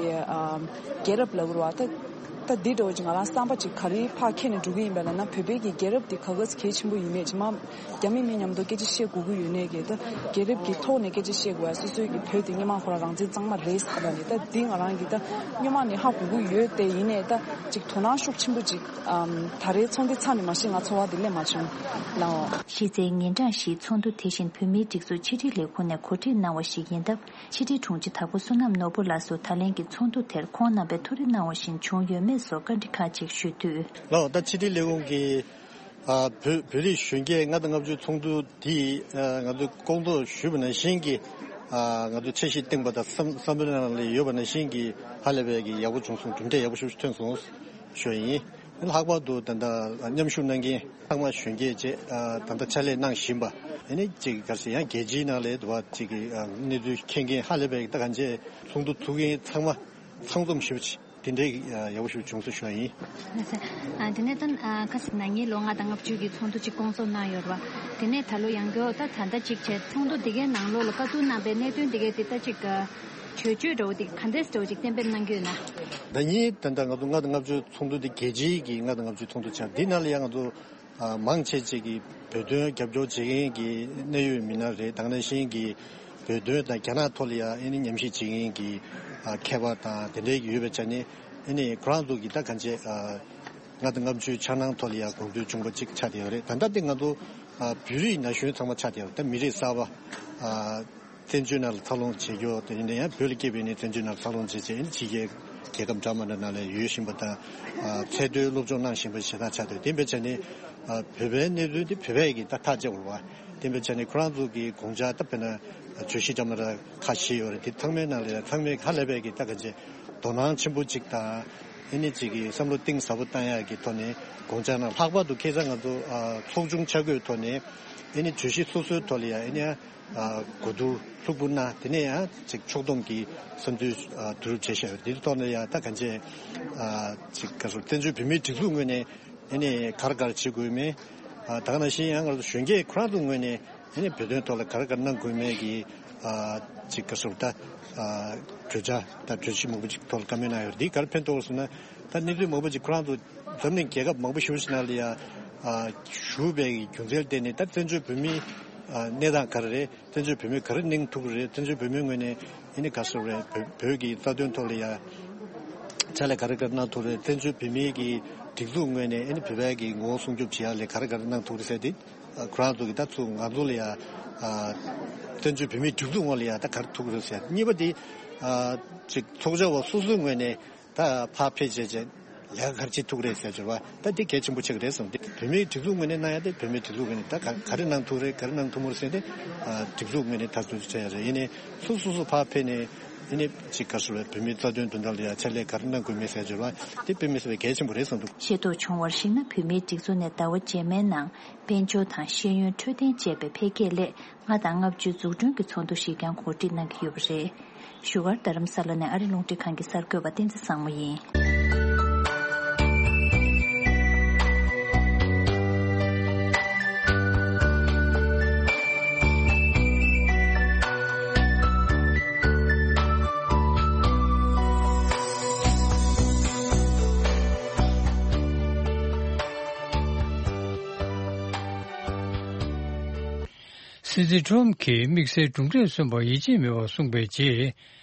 རྒྱལ་རབས་ལབ་དགོས་རེད་བ། ད་ད་འདི་འདྲ་བོ་ཅིག་ང་རང་བསམ་པ་ཅིག་ག་རེ་ཕར་འཁྱེར་ནས་འགྲོ་གི་ཡིན་པ་ལབ་ན། བོད་པའི་གི་རྒྱལ་རབས་འདི་ག་ག་གལ་ཆེན་པོ་ཡིན་མེད་ཅིག་མ་རྒྱ་མི་མི་མཉམ་དུ་སྐད་ཆ་བཤད་དགོས་ཀྱི་ཡོད་ནའི་གི་ད་རྒྱལ་རབས་ཀྱི་ཐོག་ནས་སྐད་ཆ་བཤད་དགོས་ཡ། སོ་སོའི་གི་བོད་དེ་སྔོན་མ་ཁོ་རང་རང་བཙན་གཙང་མ་རེད་ཟེར་ལབ་ནས། ད་འདི་ང་རང་གི་ད་སྔོན་མ་ནས་ཧ་གོ་གི་ཡོད་དེ། ཡིན་ནའི་ད་ཅིག་དོ་སྣང་ཤུགས་ཆེན་པོ་ཅིག་ཨམ། ད་རེས་ཚོགས་འདུ་ཚར་ནས་མ་གཞི་ང་ཚོར་བ་དེ་སླེབས་མ་བྱུང་། ལགས་འོ། གཞི་རྩའི་ཉིན་གྲངས་བཞིའི་ཚོགས་འདུ་དེ་བཞིན་བོད་མིའི་སྒྲིག་འཛུགས་ཕྱི་དྲིལ་ལས་ཁུངས་ནས་གོ་སྒྲིག་གནང་བ་ཞིག་ཡིན་སྟབས། ཕྱི་དྲིལ་དྲུང་ཆེ་དྭགས་པོ་བསོད་ནམས་ནོར་བུ་ལགས་སུ་ད་ལན་གྱི་ཚོགས་འདུ་དེར་ཁོང་རྣམ་པས་ཐུགས་རེ་གནང་བ་བཞིན་བྱུང་ཡོད་མེད་སོགས་བཀའ་འདྲི་ཁག་ཅིག་ཞུས་དུས། ལགས་འོ། ད་ཕྱི་དྲིལ་ལས་ཁུངས་ཀྱི་ ཨ། བོད་བོད་རིགས་གཞོན་སྐྱེས་ལྔ་དང་ལྔ་བཅུ་ཚོགས་འདུ་འདི་ཨ་ང་ཚོས་སྐོང་ཚོགས་ཞུས་པ་ནང་བཞིན་གྱི་ཨ་ང་ཚོས་འཆར་གཞི་བཏིང་པ་དང་བསམ་བསམ་བློའི་ནང་ལ་ཡོད་པ་ནང་བཞིན་གྱི་ཧ་ལས་པའི་གི་ཡག་པོ་བྱུང་སོང་། གྲུབ་འབྲས་ཡག་པོ་ཞིག་ཐོན་སོང་ཞུ་ཡ་ཡིན། ལྷག་པར་དུ་ད་ལྟ་མཉམ་ཞུགས་གནང་མཁན་ཚང་མ་གཞོན་སྐྱེས་བཅས་ཨ་ད་ལྟ་ཕྱག་ལས་གནང་བཞིན་པ་ཨ་ནི་ཅིག་ག་རེ་ཟེར་ཡང་རྒྱལ་སྤྱིའི་ནང་ལ་དུ་བ་ཅིག་གི་ཨ་གནས་ཚུལ་མཁྱེན་མཁན་ཧ་ལས་པའི་ད་གང་ཅི་ཚོགས་འདུ་ཚུགས་མཁན་ཚང་མ་ཚང་འཛོམས་ཞུ་བ་ཅིག་དེ་འདྲའི་ཡག་པོ་ཞིག་བྱུང་སོང་ཞུ་བ་ཡིན། ལགས་སོ། ཨ་དེ་ནས་ད་ཨ་ཁ་སང་ན་ནིང་ལོ་ལྔ་དང་ལྔ་བཅུ་གི་ཚོགས་འདུ་གཅིག་སྐོང་ཚོགས་གནང་ཡོད་རེད་བ། དེ་ནས་ད་ལོ་ཡང་བསྐྱར་ད་ད་ལྟ་གཅིག་བྱས་ཚོགས་འདུ་འདི་གའི་ནང་ལོགས་ལ་བཀའ་བསྡུར་གནང་པའི་གནད་དོན་འདི་གའི་དེ་ལྟ་གཅིག་གྲོས་ཆོད་འདྲ་བོ་དེ་ག་འདྲས་འདྲ་བོ་ཅིག་གཏན་འབེབས་གནང་གི་ཡོད་ན། ཟླ་ཉིན་ད་ལྟ་ང་ཚོ་ལྔ་དང་ལྔ་བཅུ་ཚོགས་འདུ་འདི་རྒྱལ་སྤྱིའི་གི་ལྔ་དང་ལྔ་བཅུ་ཚོགས་འདུ་ཆགས་འདི་ནང་ལ་ཡང་ང་ཚོ་ཨ་མང་ཆེ་ཅིག་གིས་བོད་དོན་རྒྱབ་སྐྱོར་བྱེད་མཁན་གྱི་གནད་ཡོད་མི་སྣ་རེད། དེ་ནང་བཞིན་གྱི་བོད་དོན་དང་རྒྱ་ནག་ཐོག་ལ་ཡང་ཨ་ནི་ཉམས་ཞིབ་བྱེད་མཁན་གྱི་ཨ་མཁས་པ་དང་དེ་འདྲའི་ཡོད་པའི་ཆ་ནས་ཨ་ནི་ཁོ་རང་ཚོ་གི་ད་གང་ཅི་ཨ་ལྔ་དང་ལྔ་བཅུའི་འཆར་སྣང་ཐོག་ལ་ཡང་དགོངས་ཚུལ་བྱུང་པ་ཅིག་ཆགས་བསྡད་ཡོད་རེད། ད་ལྟ་དེ་ང་ཚོ་ཨ་བོད་རིགས་ན་གཞོན་ཚང་མ་ཆགས་བསྡད་ཡོད་རེད། ད་མི་རིགས་གསར་པ་ཨ་བཙན་བྱོལ་ནང་ལ་འཚར་ལོངས་བྱེད་རྒྱུ་དེ་ཡིན་ན་ཡང་བོད་ལ་སྐྱེས་པའི་ནི་བཙན་བྱོལ་ནང་ལ་འཚར་ལོངས་བྱེད་བྱེད་ཕྱི་རྒྱལ་རྒྱལ་ཁབ་འདྲ་མི་འདྲ་ནང་ལ་ཡོད་བཞིན་པ་དང་། ཨ་ཚད་མཐོའི་སློབ་སྦྱོང་གནང་བཞིན་པ་ཞེ་དྲག་ཆགས་འདུག་དེ་འབད་བྱས་ནས་ཨ་བོད་པའི་གནས་ཚུལ་དེ་བོད་པས་ཀྱིས་ད་ཐག་བཅད་དགོས་པ། དེ་འབད་བྱས་ནས་ཁོ་རང་ཚོ་གི་དགོངས་འཆར་ད་དཔེར་ན་བརྗོད་གཞི་འདྲ་མི་འདྲ་ཁ་ཤས་ཡོད་རེད། དེ་ཚང་མའི་ནང་ལ་ཡང་ཚང་མས་ཧ་ལས་པའི་གི་ད་ག་ཅེ་དོ་སྣང་ཆེན་པོ་ཅིག་དང་། ཨེ་ནི་ཅིག་གི་བསམ་བློ་གཏིང་ཟབ་པོ་བཏང་ཡག་གི་ཐོག་ནས་དགོངས་འཆར་གནང་། ལྷག་པར་དུ་ཁ་སང་ང་ཚོ་ཨ་ཚོགས་ཆུང་ཆ་བགོས་ཐོག་ནས་ཨེ་ནི་བརྗོད་གཞི་སོ་སོའི་ཐོག་ལ་ཡང་ཨེ་ནི་ཨ་གོ་བསྡུར་ལྷུག་པོ་གནང་། དེ་ནས་ཡང་ཅིག་ཕྱོགས་བསྡོམས་ཀྱི་བསམ་ཚུལ་ཨ་བསྡུ་རུབ་བྱས་བཞག་ཡོད། འདིའི་ཐོག་ནས་ཡང་ད་གང་ཅི་ཨ་ཅིག་ག་རེ་ཟེར། བཙན་བྱོལ་བོད་མིའི་སྒྲིག་འཛུགས་ངོས་ནས་ཨེ་ནི་ག་རེ་ག་རེ་བྱེད་དགོས་མིན། ཨ་ད་ག་ནང་བཞིན་ཡང་ང་ཚོ་གཞོན་སྐྱེས་ཁོ་རང་ཚོའི་ངོས་ནས་ཨེ་ནི་བོད་དོན་ཐོག་ལ་ག་རེ་ག་རེ་གནང་དགོས་མིན་གྱི་ཨ་ཅིག་ག་རེ་ཟེར། ད་ཨ་གྲོས་འཆར་དང་གྲོས་གཞི་མང་པོ་ཅིག་ཐོག་ལ་བཀའ་མོལ་གནང་ཡོད། འདིས་ག་རེ་ཕན་ཐོགས་ཟེར་ན། ད་གནས་ཚུལ་མང་པོ་ཅིག་ཁོ་རང་ཚོ་འཛམ་གླིང་རྒྱལ་ཁབ་མང་པོ་ཞེ་པོ་ཅིག་ནང་ལ་ཡང་ཨ་བཞུགས་པའི་རྒྱུ་མཚན་ལ་བརྟེན་ནས་ད་བཙན་བྱོལ་བོད་མིའི་ཨ་གནས་སྟངས་ག་རེ་རེད། བཙན་བྱོལ་བོད་མི་ག་རེ་གནང་ཐུབ་ཀྱི་རེད། བཙན་བྱོལ་བོད་མིའི་ངོས་ནས་ཨེ་ནི་ག་རེ་ཟེར་རེད། བོད་བོད་ཀྱི་རྩ་དོན་ཐོག་ལ་ཡང་ཕྱག་ལས་ག་རེ་ག་རེ་གནང་ཐུབ་རེད། བཙན་བྱོལ་བོད་མིའི་གི་སྒྲིག་འཛུགས་ངོས་ནས་ཨེ་ནི་བོད་པའི་གི་ངོ་བོ་སྲུང་སྐྱོབ་བྱེད་ཡག་ལ་ག་རེ་ག་རེ་གནང་ཐུབ་རེད་ཟེར་ཏེ། ཨ་ཁོ་རང་ཚོ་གི་ད་ཚུར་ང་ཚོ་ལ་ཡང་ཨ་བཙན་བྱོལ་བོད་མིའི་སྒྲིག་འཛུགས་ངོས་ལ་ཡང་ད་ག་རེ་ཐུབ་ཀྱི་རེད་ཟེར། གཉིས་པ་དེ་ཨ་ཅིག་ཚོགས་བཅར་བ་སོ་སོའི་ངོས་ནས་ད་ཕར་ཕེབས་བྱས་བྱས་ལས་ཀ་ག་རེ་བྱེད་ཐུབ་ཀྱི་རེད་ཟེར་བྱས་པ་ད་དེ་གལ་ཆེན་པོ་ཆགས་ཀྱི་རེད་བསམ། དེ་བོད་མིའི་སྒྲིག་འཛུགས་ངོས་ནས་གནང་ཡ་དེ་བོད་མིའི་སྒྲིག་འཛུགས་ངོས་ནས་ད་ག་ག་རེ་གནང་ཐུབ་རེད། ག་རེ་གནང་ཐུབ་མ་རེད་ཟེར་ཏེ་ཨ་སྒྲིག་འཛུགས་ངོས་ནས་ད་ཚོད་བྱས་ཡ་རེད། ཡིན་ནའི་སོ་སོ་སོ་ཕར་ཕེབས་ནས་ཡིན་ནའི་ཅིག་ག་རེ་ཟེར་བའི་བོད་མིའི་རྩ་དོན་དོན་དག་ལ་ཡང་ཕྱག་ལས་ག་རེ་གནང་དགོས་མིན་ཟེར་བྱས་པ་དེ་དཔེ་མི་སྲིད་པའི་གལ་ཆེན་པོ་རེད་བསམ་འདུག་ཤེས་རྟོགས་བྱུང་བར་གཞིགས་ན། བོད་མིའི་སྒྲིག་འཛུགས་ནས་ཟླ་བ་རྗེས་མའི་ནང་དཔལ་འབྱོར་དང་ཤེས་ཡོན་འཕྲོད་བསྟེན་བཅས་པའི་འཕེལ་རྒྱས་སླད་ལྔ་དང་ལྔ་བཅུའི་འཛུགས་སྐྲུན་གྱི་ཚོགས་འདུ་ཞིག་ཀྱང་གོ་སྒྲིག་གནང་གི་ཡོད་པ་རེད། བཞུགས་སྒར་རྡ་རམ་ས་ལ་ནས་ཨ་རི་རླུང་འཕྲིན་ཁང་གི་གསར་འགོད་པ་བསྟན་འཛིན་བཟང་མོ་ཡིན། སྲིད་འཛིན་ཁྲོམ་གྱིས་དམིགས་བསལ་གྲུབ་འབྲས་སོན་པར་ཡིད་ཆེས་མེད་པར་གསུངས་པའི་རྗེས།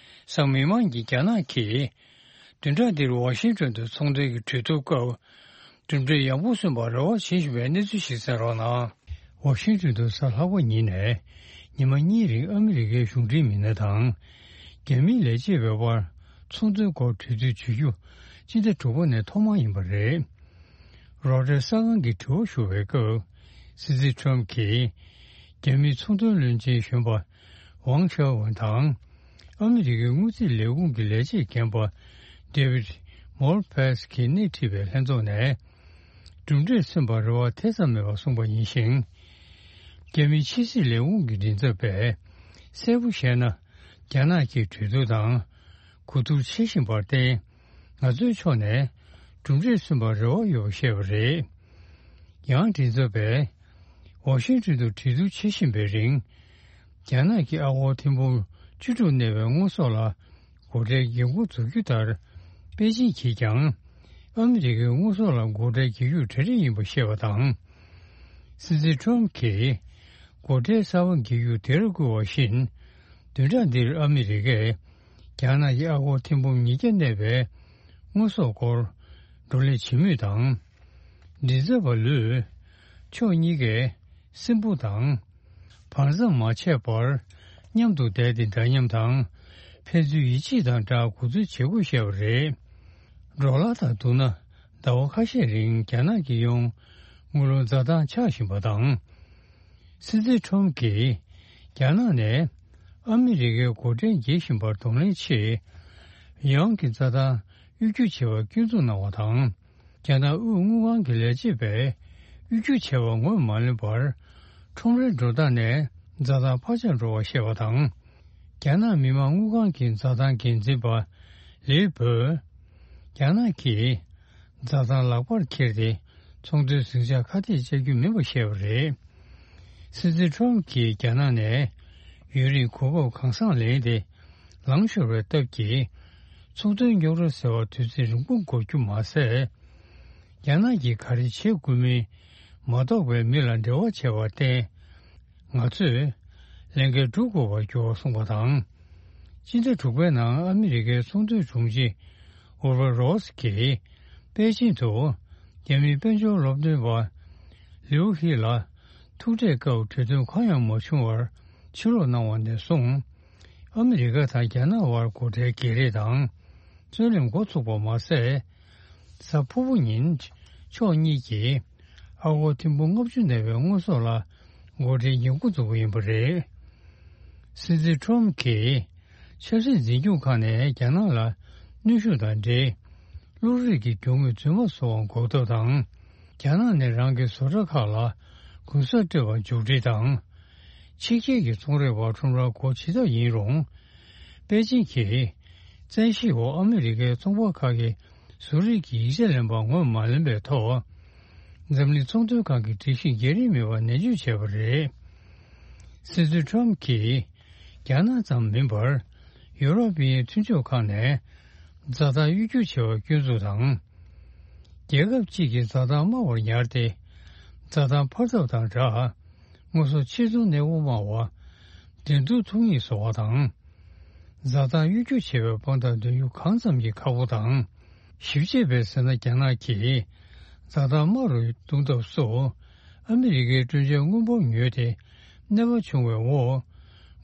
གཟའ་མིག་དམར་གྱི་རྒྱ་ནག་གིས་བདུན་ཕྲག་འདིར་ཝ་ཤིང་ཏོན་དུ་ཚོང་དོན་གྱི་གྲོས་བསྡུར་སྐབས་གྲུབ་འབྲས་ཡག་པོ་སོན་པར་རེ་བ་བྱེད་བཞིན་པའི་གནས་ཚུལ་ཞིག་གསན་རོགས་གནང་། ཝ་ཤིང་ཏོན་དུ་གཟའ་ལྷག་པ་ཉིན་ནས་ཉི་མ་གཉིས་རིང་ཨ་མི་རི་ཀའི་གཞུང་འབྲེལ་མི་སྣ་དང་། རྒྱ་མིའི་ལས་བྱེད་པའི་དབར་ཚོང་དོན་སྐོར་གྲོས་བསྡུར་བྱེད་རྒྱུ་སྤྱི་ཟླ་དྲུག་པ་ནས་ཐོག་མ་ཡིན་པ་རེད། རོའི་ཊར་གསར་ཁང་གིས་དྲི་བ་ཞུ་བའི་སྐབས། སྲིད་འཛིན་ཁྲོམ་གྱིས་རྒྱ་མིའི་ཚོང་དོན་བློན་ཆེན་གཞོན་པ་ཝང་ཆའོ་ཝན་དང་། ཨ་མི་རི་ཀའི་དངུལ་རྩིས་ལས་ཁུངས་ཀྱི་ལས་བྱེད་རྒན་པ་ཌེ་ཝིད་མོར་ཕེས་ཀྱིས་སྣེ་ཁྲིད་པའི་ལྷན་ཚོགས་ནས། གྲུབ་འབྲས་སོན་པར་རེ་བ་ཐེ་ཚོམ་མེད་པར་གསུངས་པ་ཡིན་ཞིང་། རྒྱ་མིའི་ཕྱི་སྲིད་ལས་ཁུངས་ཀྱི་མགྲིན་ཚབ་པས་གསལ་པོ་བཤད་ན། རྒྱ་ནག་གིས་གྲོས་བསྡུར་དང་གོ་བསྡུར་བྱེད་བཞིན་པར་བརྟེན། ང་ཚོའི་ཕྱོགས་ནས་གྲུབ་འབྲས་སོན་པར་རེ་བ་ཡོད་པ་བཤད་པ་རེད། ཡང་མགྲིན་ཚབ་པས་ཝ་ཤིང་ཏོན་དུ་གྲོས་བསྡུར་བྱེད་བཞིན་པའི་རིང་། རྒྱ་ནག་གི་ཨ་སྒོར་ཐེར་འབུམ་བཅུ་དྲུག་གནས་པའི་དངོས་ཟོག་ལ་སྒོ་ཁྲལ་འགན་འཁུར་འཛུགས་རྒྱུ་ལྟར། པེ་ཅིང་གིས་ཀྱང་ཨ་མི་རི་ཀའི་དངོས་ཟོག་ལ་སྒོ་ཁྲལ་རྒྱག་རྒྱུར་གྲ་སྒྲིག་ཡིན་པ་བཤད་པ་དང་། སྲིད་འཛིན་ཁྲོམ་གྱིས་སྒོ་ཁྲལ་གསར་པ་འགེལ་རྒྱུ་དེར་བསྐུལ་བ་བཞིན། བདུན་ཕྲག་འདིར་ཨ་མི་རི་ཀས་རྒྱ་ནག་གི་ཨ་སྒོར་ཐེར་འབུམ་ཉིས་བརྒྱ་གནས་པའི་དངོས་ཟོག་སྐོར་བགྲོ་གླེང་བྱེད་མུས་དང་། མགྲིན་ཚབ་པ་ལུས། ཕྱོགས་གཉིས་ཀས་སྲིན་འབུ་དང་། བར་མཚམས་མ་ཆད་པར་མཉམ་དུ་བསྡད་དེ་འདྲ་མཉམ་དང་། ཕན་ཚུན་ཡིད་ཆེས་དང་སྦྲགས་གོ་བསྡུར་བྱེད་དགོས་བཤད་པ་རེད། ཌོ་ལར་དང་བསྡུར་ན། ཟླ་བ་ཁ་ཤས་རིང་རྒྱ་ནག་གིས་ཡོང་། དངུལ་ལོར་འཛའ་ཐང་ཆག་བཞིན་པ་དང་། སྲིད་འཛིན་ཁྲོམ་གྱིས་རྒྱ་ནག་ནས་ཨ་མི་རི་ཀའི་སྒོ་ཁྲལ་འགེལ་བཞིན་པར་གདོང་ལེན་ཆེད། ཡང་གི་འཛའ་ཐང་གཡོ་སྒྱུ་བྱས་པ་སྐྱོན་འཛུགས་གནང་བ་དང་། རྒྱ་ནག་དབུས་དངུལ་ཁང་གི་ལས་བྱེད་པས་གཡོ་སྒྱུ་བྱས་པ་ངོས་མ་ལེན་པར། ཁྲོམ་རའི་འགྲོ་སྟངས་ནས་འཛའ་ཐང་འཕར་ཆག་འགྲོ་བར་བཤད་པ་དང་། རྒྱ་ནག་མི་དམངས་དངུལ་ཁང་གི་འཛའ་ཐང་འགན་འཛིན་པ་ལིའུ་པོས། རྒྱ་ནག་གིས་འཛའ་ཐང་ལག་པར་འཁྱེར་ཏེ། ཚོང་དོན་ཟིང་ཆ་ཁ་གཏད་བཅག་རྒྱུ་མིན་པ་བཤད་པ་རེད། སྲིད་འཛིན་ཁྲོམ་གྱིས་རྒྱ་ནག་ནས་ཡུན་རིང་གོ་སྐབས་གང་འཚམ་ལེན་ཏེ། ལངས་ཤོར་བའི་སྟབས་ཀྱིས། ཚོང་དོན་རྙོག་དྲ་སེལ་བར་དུས་ཚོད་རིང་པོ་འགོར་རྒྱུ་མ་ཟད། རྒྱ་ནག་གིས་ག་རེ་བྱེད་དགོས་མིན་མ་རྟོགས་པའི་མི་ལ་འབྲེལ་བ་བྱས་པར་བརྟེན། ང་ཚོས་ལས་འགན་སྒྲུབ་དགོས་པར་གྱུར་བ་གསུངས་པ་དང་། སྤྱི་ཟླ་དྲུག་པའི་ནང་ཨ་མི་རི་ཀའི་ཚོང་དོན་དྲུང་ཆེ་ཨུར་བ་རོས་ཀྱིས་པེ་ཅིང་དུ་རྒྱ་མིའི་དཔལ་འབྱོར་སློབ་སྟོན་པ་ལིའུ་ཧི་ལ་ཐུག་འཕྲད་སྐབས་གྲོས་མཐུན་གང་ཡང་མ་བྱུང་བར་ཕྱིར་ལོག་གནང་བ་ནས་བཟུང་། ཨ་མི་རི་ཀ་དང་རྒྱ་ནག་དབར་སྒོ་ཁྲལ་བརྗེ་རེས་དང་རྩོད་གླེང་འགོ་ཚུགས་པ་མ་ཟད། གཟའ་ཕུར་བུ་ཉིན་ཕྱོགས་གཉིས་ཀྱིས་ཨ་སྒོར་ཐེར་འབུམ་ལྔ་བཅུ་ནང་པའི་དངོས་ཟོག་ལ་སྒོ་ཁྲལ་འགེབས་འགོ་འཛུགས་པ་ཡིན་པ་རེད། སྲིད་འཛིན་ཁྲོམ་གྱིས་ཆབ་སྲིད་འཛིན་སྐྱོང་ཁག་ནས་རྒྱ་ནག་ལ་གནོན་ཤུགས་དང་འབྲེལ། བློ་རིག་གི་རྒྱུ་དངོས་རྫུན་མ་བཟོ་བར་འགོག་ཐབས་དང་། རྒྱ་ནག་ནས་རང་གི་བཟོ་གྲྭ་ཁག་ལ་གུན་གསབ་སྤྲད་པར་མཇུག་སྒྲིལ་དང་། ཕྱི་རྒྱལ་གྱི་ཚོང་རའི་བར་ཁྲོམ་རར་སྒོ་ཕྱེ་ཐབས་ཡིན་རུང་། པེ་ཅིང་གིས་བཙན་ཤེད་འོག་ཨ་མི་རི་ཀའི་ཚོང་པ་ཁག་གིས་བཟོ་རིག་གི་ཡིག་ཆ་ལེན་པ་ངོས་མ་ལེན་པའི་ཐོག་འཛམ་གླིང་ཚོང་དོན་ཁང་གི་སྒྲིག་གཞི་འགལ་རིམ་མེད་པར་ནན་བརྗོད་བྱས་པ་རེད། སྲིད་འཛིན་ཁྲོམ་གྱིས་རྒྱ་ནག་ཙམ་མིན་པར་ཡུ་རོབ་པའི་མཐུན་ཕྱོགས་ཁག་ནས་འཛའ་ཐང་གཡོ་སྒྱུ་བྱས་པ་སྐྱོན་འཛུགས་དང་། རྒྱལ་ཁབ་གཅིག་གི་འཛའ་ཐང་དམའ་བར་ཉར་ཏེ། འཛའ་ཐང་འཕར་ཐབས་དང་སྦྲགས། དངོས་ཟོག་ཕྱིར་ཚོང་གནས་སྤོ་དམའ་བ། འགྲན་བསྡུར་ཐུང་ངུ་བཟོ་བ་དང་། འཛའ་ཐང་གཡོ་སྒྱུ་བྱེད་པའི་དཔང་རྟགས་འདོན་རྒྱུ་གང་ཙམ་གྱིས་ཁག་པོ་དང་། ཞིབ་དཔྱད་པས་ཟེར་ན། རྒྱ་ནག་གིས་འཛའ་ཐང་དམའ་རུ་གཏོང་ཐབས་སུ། ཨ་མི་རི་ཀའི་སྤྲོད་འཇལ་དངུལ་འབོར་ཉོས་ཏེ། གནོད་པ་བྱུང་བའི་འོག་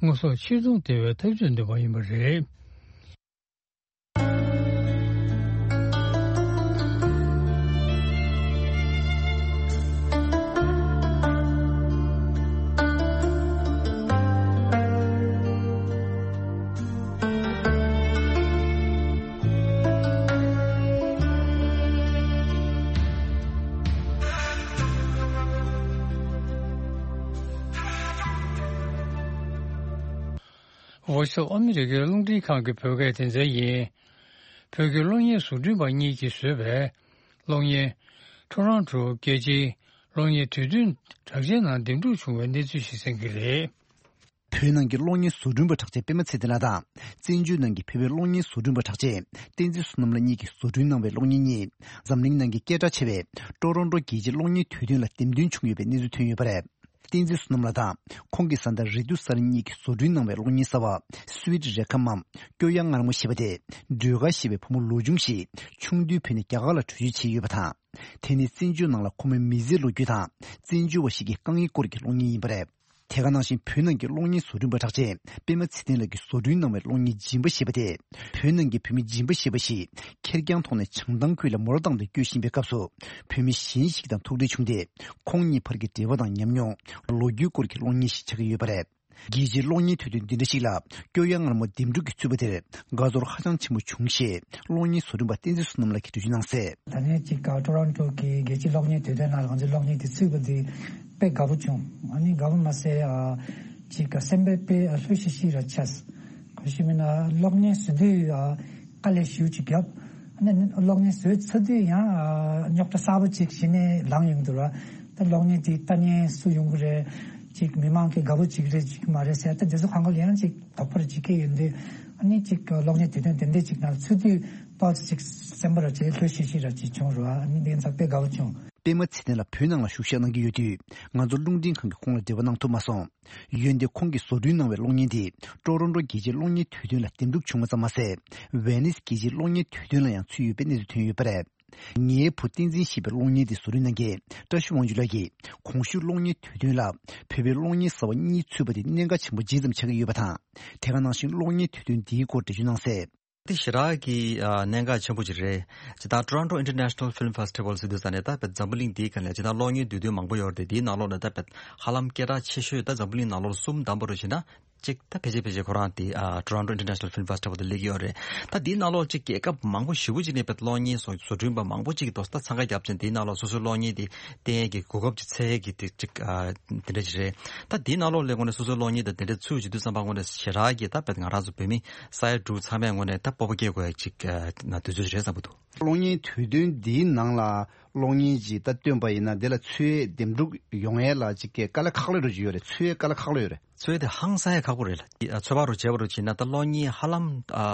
དངོས་ཟོག་ཕྱིར་ཚོང་བདེ་བའི་ཐབས་ཇུས་འདོན་པ་ཡིན་པ་རེད། Voice of America རླུང་འཕྲིན་ཁང་གི་བོད་སྐད་སྡེ་ཚན་ཡིན། བོད་ཀྱི་གློག་བརྙན་བཟོ་སྐྲུན་པ་གཉིས་ཀྱིས་བཟོས་པའི་གློག་བརྙན། ཊོ་རོན་ཊོ་རྒྱལ་སྤྱིའི་གློག་བརྙན་དུས་སྟོན་གྲགས་ཅན་ནང་འདེམས་སྒྲུག་བྱུང་བའི་གནས་ཚུལ་ཞིག་གསན་གྱི་རེད། བོད་ནང་གི་གློག་བརྙན་བཟོ་སྐྲུན་པ་གྲགས་ཅན་པད་མ་ཚེ་བརྟན་ལགས་དང་། བཙན་བྱོལ་ནང་གི་བོད་པའི་གློག་བརྙན་བཟོ་སྐྲུན་པ་གྲགས་ཅན་བསྟན་འཛིན་བསོད་ནམས་ལགས་གཉིས་ཀྱིས་བཟོ་སྐྲུན་གནང་བའི་གློག་བརྙན་གཉིས། འཛམ་གླིང་ནང་གི་སྐད་གྲགས་ཆེ་བའི་ཊོ་རོན་ཊོ་རྒྱལ་སྤྱིའི་གློག་བརྙན་དུས་སྟོན་ལ་འདེམས་ཐོན་བྱུང་ཡོད་པའི་གནས་ཚུལ་ཐོན་ཡོད་པ་རེད། བསྟན་འཛིན་བསོད་ནམས་ལགས་དང་ཁོང་གི་བཟའ་ཟླ་རེ་ཏུ་ས་རི་གཉིས་ཀྱིས་བཟོ་སྐྲུན་གནང་བའི་གློག་བརྙན་གསར་བ། Sweet Recommencement སྐྱོ་གཡའ་མངར་མོ་ཞེས་པ་དེ། སྒྲོལ་དཀར་ཞེས་པའི་བུ་མོ་ལོ་ཆུང་ཞིག་ཆུང་དུས་བོད་ནས་རྒྱ་གར་ལ་བྲོས་བྱོལ་བྱས་ཡོད་པ་དང་། དེ་ནི་བཙན་བྱོལ་ནང་ལ་ཁོ་མོའི་མི་ཚེའི་ལོ་རྒྱུས་དང་། བཙན་བྱོལ་བ་ཞིག་གི་དཀའ་ངལ་སྐོར་གྱི་གློག་བརྙན་ཡིན་པ་རེད། དེ་ག་ནང་བཞིན་བོད་ནང་གི་གློག་བརྙན་བཟོ་སྐྲུན་པ་གྲགས་ཅན་པད་མ་ཚེ་བརྟན་ལགས་ཀྱིས་བཟོ་སྐྲུན་གནང་བའི་གློག་བརྙན་སྦྱིན་པ་ཞེས་པ་དེ། བོད་ནང་གི་བོད་མི་སྦྱིན་པ་ཞེས་པ་ཞིག་ཁེར་རྐྱང་ཐོག་ནས་བྱང་ཐང་ཁུལ་ལ་མོ་ཊ་བཏང་སྟེ་སྐྱོད་བཞིན་པའི་སྐབས་སུ། བོད་མི་གཞན་ཞིག་དང་ཐུག་འཕྲད་བྱུང་སྟེ། ཁོང་གཉིས་བར་གྱི་འབྲེལ་བ་དང་ཉམས་མྱོང་། ལོ་རྒྱུས་སྐོར་གྱི་གློག་བརྙན་ཞིག་ཆགས་ཀྱི་ཡོད་པ་རེད། རྒྱལ་སྤྱིའི་གློག་བརྙན་དུས་སྟོན་འདི་འདྲ་ཞིག་ལ། སྐྱོ་གཡའ་མངར་མོ་འདེམས་སྒྲུག་གིས་ཚུད་པ་དེར་དགའ་ཚོར་ཧ་ཅང་ཆེན་པོ་བྱུང་ཞེས། གློག་བརྙན་བཟོ་སྐྲུན་པ་བསྟན་འཛིན་བསོད་ནམས་ལགས་ཀྱིས་འགྲེལ་བརྗོད་གནང་གསལ། ད་ནས་ཅིག་ཊོ་རོན་ཊོ་གི་རྒྱལ་སྤྱིའི་གློག་བརྙན་དུས་སྟོན་ནང་ལ་ང་ཚོའི་གློག་བརྙན་དེ་ཚུད་པ་དེ་དཔེ་དགའ་པོ་བྱུང་། ཨ་ནི་དགའ་པོ་མ་ཟད། ཨ། ཅིག་སེམས་པ་དཔེ་ལྷོད་ཤིག་ཤིག་ར་ཆགས། ག་ཞིག་མིན་ན་གློག་བརྙན་བཟོ་དུས། ཨ། དཀའ་ལས་ཞེ་པོ་ཅིག་བརྒྱབ། ཨ་ནི་གློག་བརྙན་བཟོས་ཚར་དུས་ཡང་། ཨ། རྙོག་དྲ་གསར་པ་ཅིག་གཞི་ནས་ལངས་ཡོང་འདུག་ར། ད་གློག་བརྙན་དེ་ལྟ་མཁན་སུ་ཡོང་གི་རེད། ཅིག་མི་མང་གིས་དགའ་པོ་བྱེད་ཀྱི་རེད་བྱེད་ཀྱི་མ་རེད་ཟེར། ད་དེ་ཚོ་སྒང་ག་ལ་ཡང་ཅིག་དོགས་པ་རེ་ཅིག་སྐྱེས་ཡོང་དུས། ཨ་ནི་ཅིག་གློག་བརྙན་དུས་སྟོན་དེ་འདྲ་ཅིག་ནང་ཚུད་དུས་ཏོག་ཙམ་ཅིག་སེམས་པ་ར་ཅིག་ལྷོད་ཤིག་ཤིག་ར་ཅིག་བྱུང་ར། ཨ་ནི་དེ་ཚོ་དཔེ་དགའ་པོ་བྱུང་། པད་མ་ཚེ་བརྟན་ལགས་བོད་ནང་ལ་བཞུགས་ཞག་གནང་གི་ཡོད་དུས། ང་ཚོ་རླུང་འཕྲིན་ཁང་གིས་ཁོང་ལ་འབྲེལ་བ་གནང་ཐུབ་མ་སོང་། འོན་ཏེ་ཁོང་གིས་བཟོ་སྐྲུན་གནང་བའི་གློག་བརྙན་དེ་ཊོ་རོན་ཊོ་རྒྱལ་སྤྱིའི་གློག་བརྙན་དུས་སྟོན་ལ་འདེམས་སྒྲུག་བྱུང་བ་ཙམ་མ་ཟད། ཝེ་ནིས་རྒྱལ་སྤྱིའི་གློག་བརྙན་དུས་སྟོན་ལ་ཡང་ཚུད་ཡོད་པའི་གནས་ཚུལ་ཐོན་ཡོད་པ་རེད། ངའི་བུ་བསྟན་འཛིན་ཞེས་པའི་གློག་བརྙན་དེ་བཟོ་སྐྲུན་གནང་མཁན་བཀྲ་ཤིས་དབང་ཕྱུག་ལགས་ཀྱིས། གོང་ཞུས་གློག་བརྙན་དུས་སྟོན་ལ་བོད་པའི་གློག་བརྙན་གསར་བ་གཉིས་ཚུད་པ་དེ་གནད་འགག་ཆེན་པོ་ཇི་ཙམ་ཆགས་ཀྱི་ཡོད་པ་དང་། དེ་ག་ནང་བཞིན་གློག་བརྙན་དུས་སྟོན་འདིའི་སྐོར་འགྲེལ་བརྗོད་གནང་གསལ། ཞེ་དྲག་གི་ཨ་གནད་འགག་ཆེན་པོ་ཅིག་རེད། ཇི་ལྟར་Toronto International Film Festival ཟེར་དུས་ཙ་ནས་ད་བེད་འཛམ་བུ་གླིང་འདིའི་སྒང་ལ་ཇི་ལྟར་གློག་བརྙན་བསྡུས་དོན་མང་པོ་ཡོད་རེད་དེ། དེའི་ནང་ལོགས་ནས་ད་བེད་ཧ་ལམ་སྐད་གྲགས་ཆེ་ཤོས་ད་འཛམ་བུ་གླིང་ནང་ལོགས་གསུམ་བདམས་པ་རུ་བྱས་ན། གཅིག་ད་ཕལ་ཆེར་ཕལ་ཆེར་ཁོ་རང་དེ་ཨ་Toronto International Film Festival དུ་སླེབས་ཀྱི་ཡོད་རེད། ད་དེའི་ནང་ལོགས་གཅིག་རྒྱལ་ཁབ་མང་པོ་ཞེ་པོ་ཅིག་ནས་བེད་གློག་བརྙན་སོགས་བཟོ་སྐྲུན་པ་མང་པོ་ཅིག་གིས་དོ་ས་ད་འཚང་ཁ་བརྒྱབ་ཅིང་། དེའི་ནང་ལོགས་སོ་སོའི་གློག་བརྙན་དེ་བསྟན་ཡས་ཀྱི་གོ་སྐབས་ཅིག་འཚོལ་ཡས་ཀྱི་དེ་གཅིག་ཨ་དེ་འདྲ་ཅིག་རེད། ད་དེའི་ནང་ལོགས་ལ་དངོས་གནས་སོ་སོའི་གློག་བརྙན་དང་དེ་འདྲ་ཚུད་བྱེད་དུས་ཙམ་པ་དངོས་གནས་ཞེ་དྲག་གི་ད་བེད་ང་རང་ཚོ་བོད་མི་ས་ཡ་དྲུག་ཚང་མས་དངོས་གནས་ད་སྤོབས་པ་སྐྱེ་དགོས་ཡས་ཅིག་ཨ་ན་དུས་ཚོད་རེད་བསམ་གྱི་འདུག་གློག་བརྙན་དུས་སྟོན་འདིའི་ནང་ལ་གློག་བརྙན་ཅིག་ད་སྟོན་པ་ཡིན་ན་དེ་ལ་ཚུད་ཡས་འདེམས་སྒྲུག་ཡོང་ཡས་ལ་ཅིག་གི་དཀའ་ལས་ཁག་ལོས་འགྲོ་གི་ཡོད་རེད། ཚུད་ཡས་དཀའ་ལས་ཁག་ལོས་ཡོད་རེད། ཚོད་དེ་ཧང་སང་ཡ་ཁག་པོ་རེད་ལ། ཚོད་དཔག་རུ་བྱས་པ་རུ་བྱས་ན་ད་གློག་བརྙན་ཧ་ལམ་ཨ་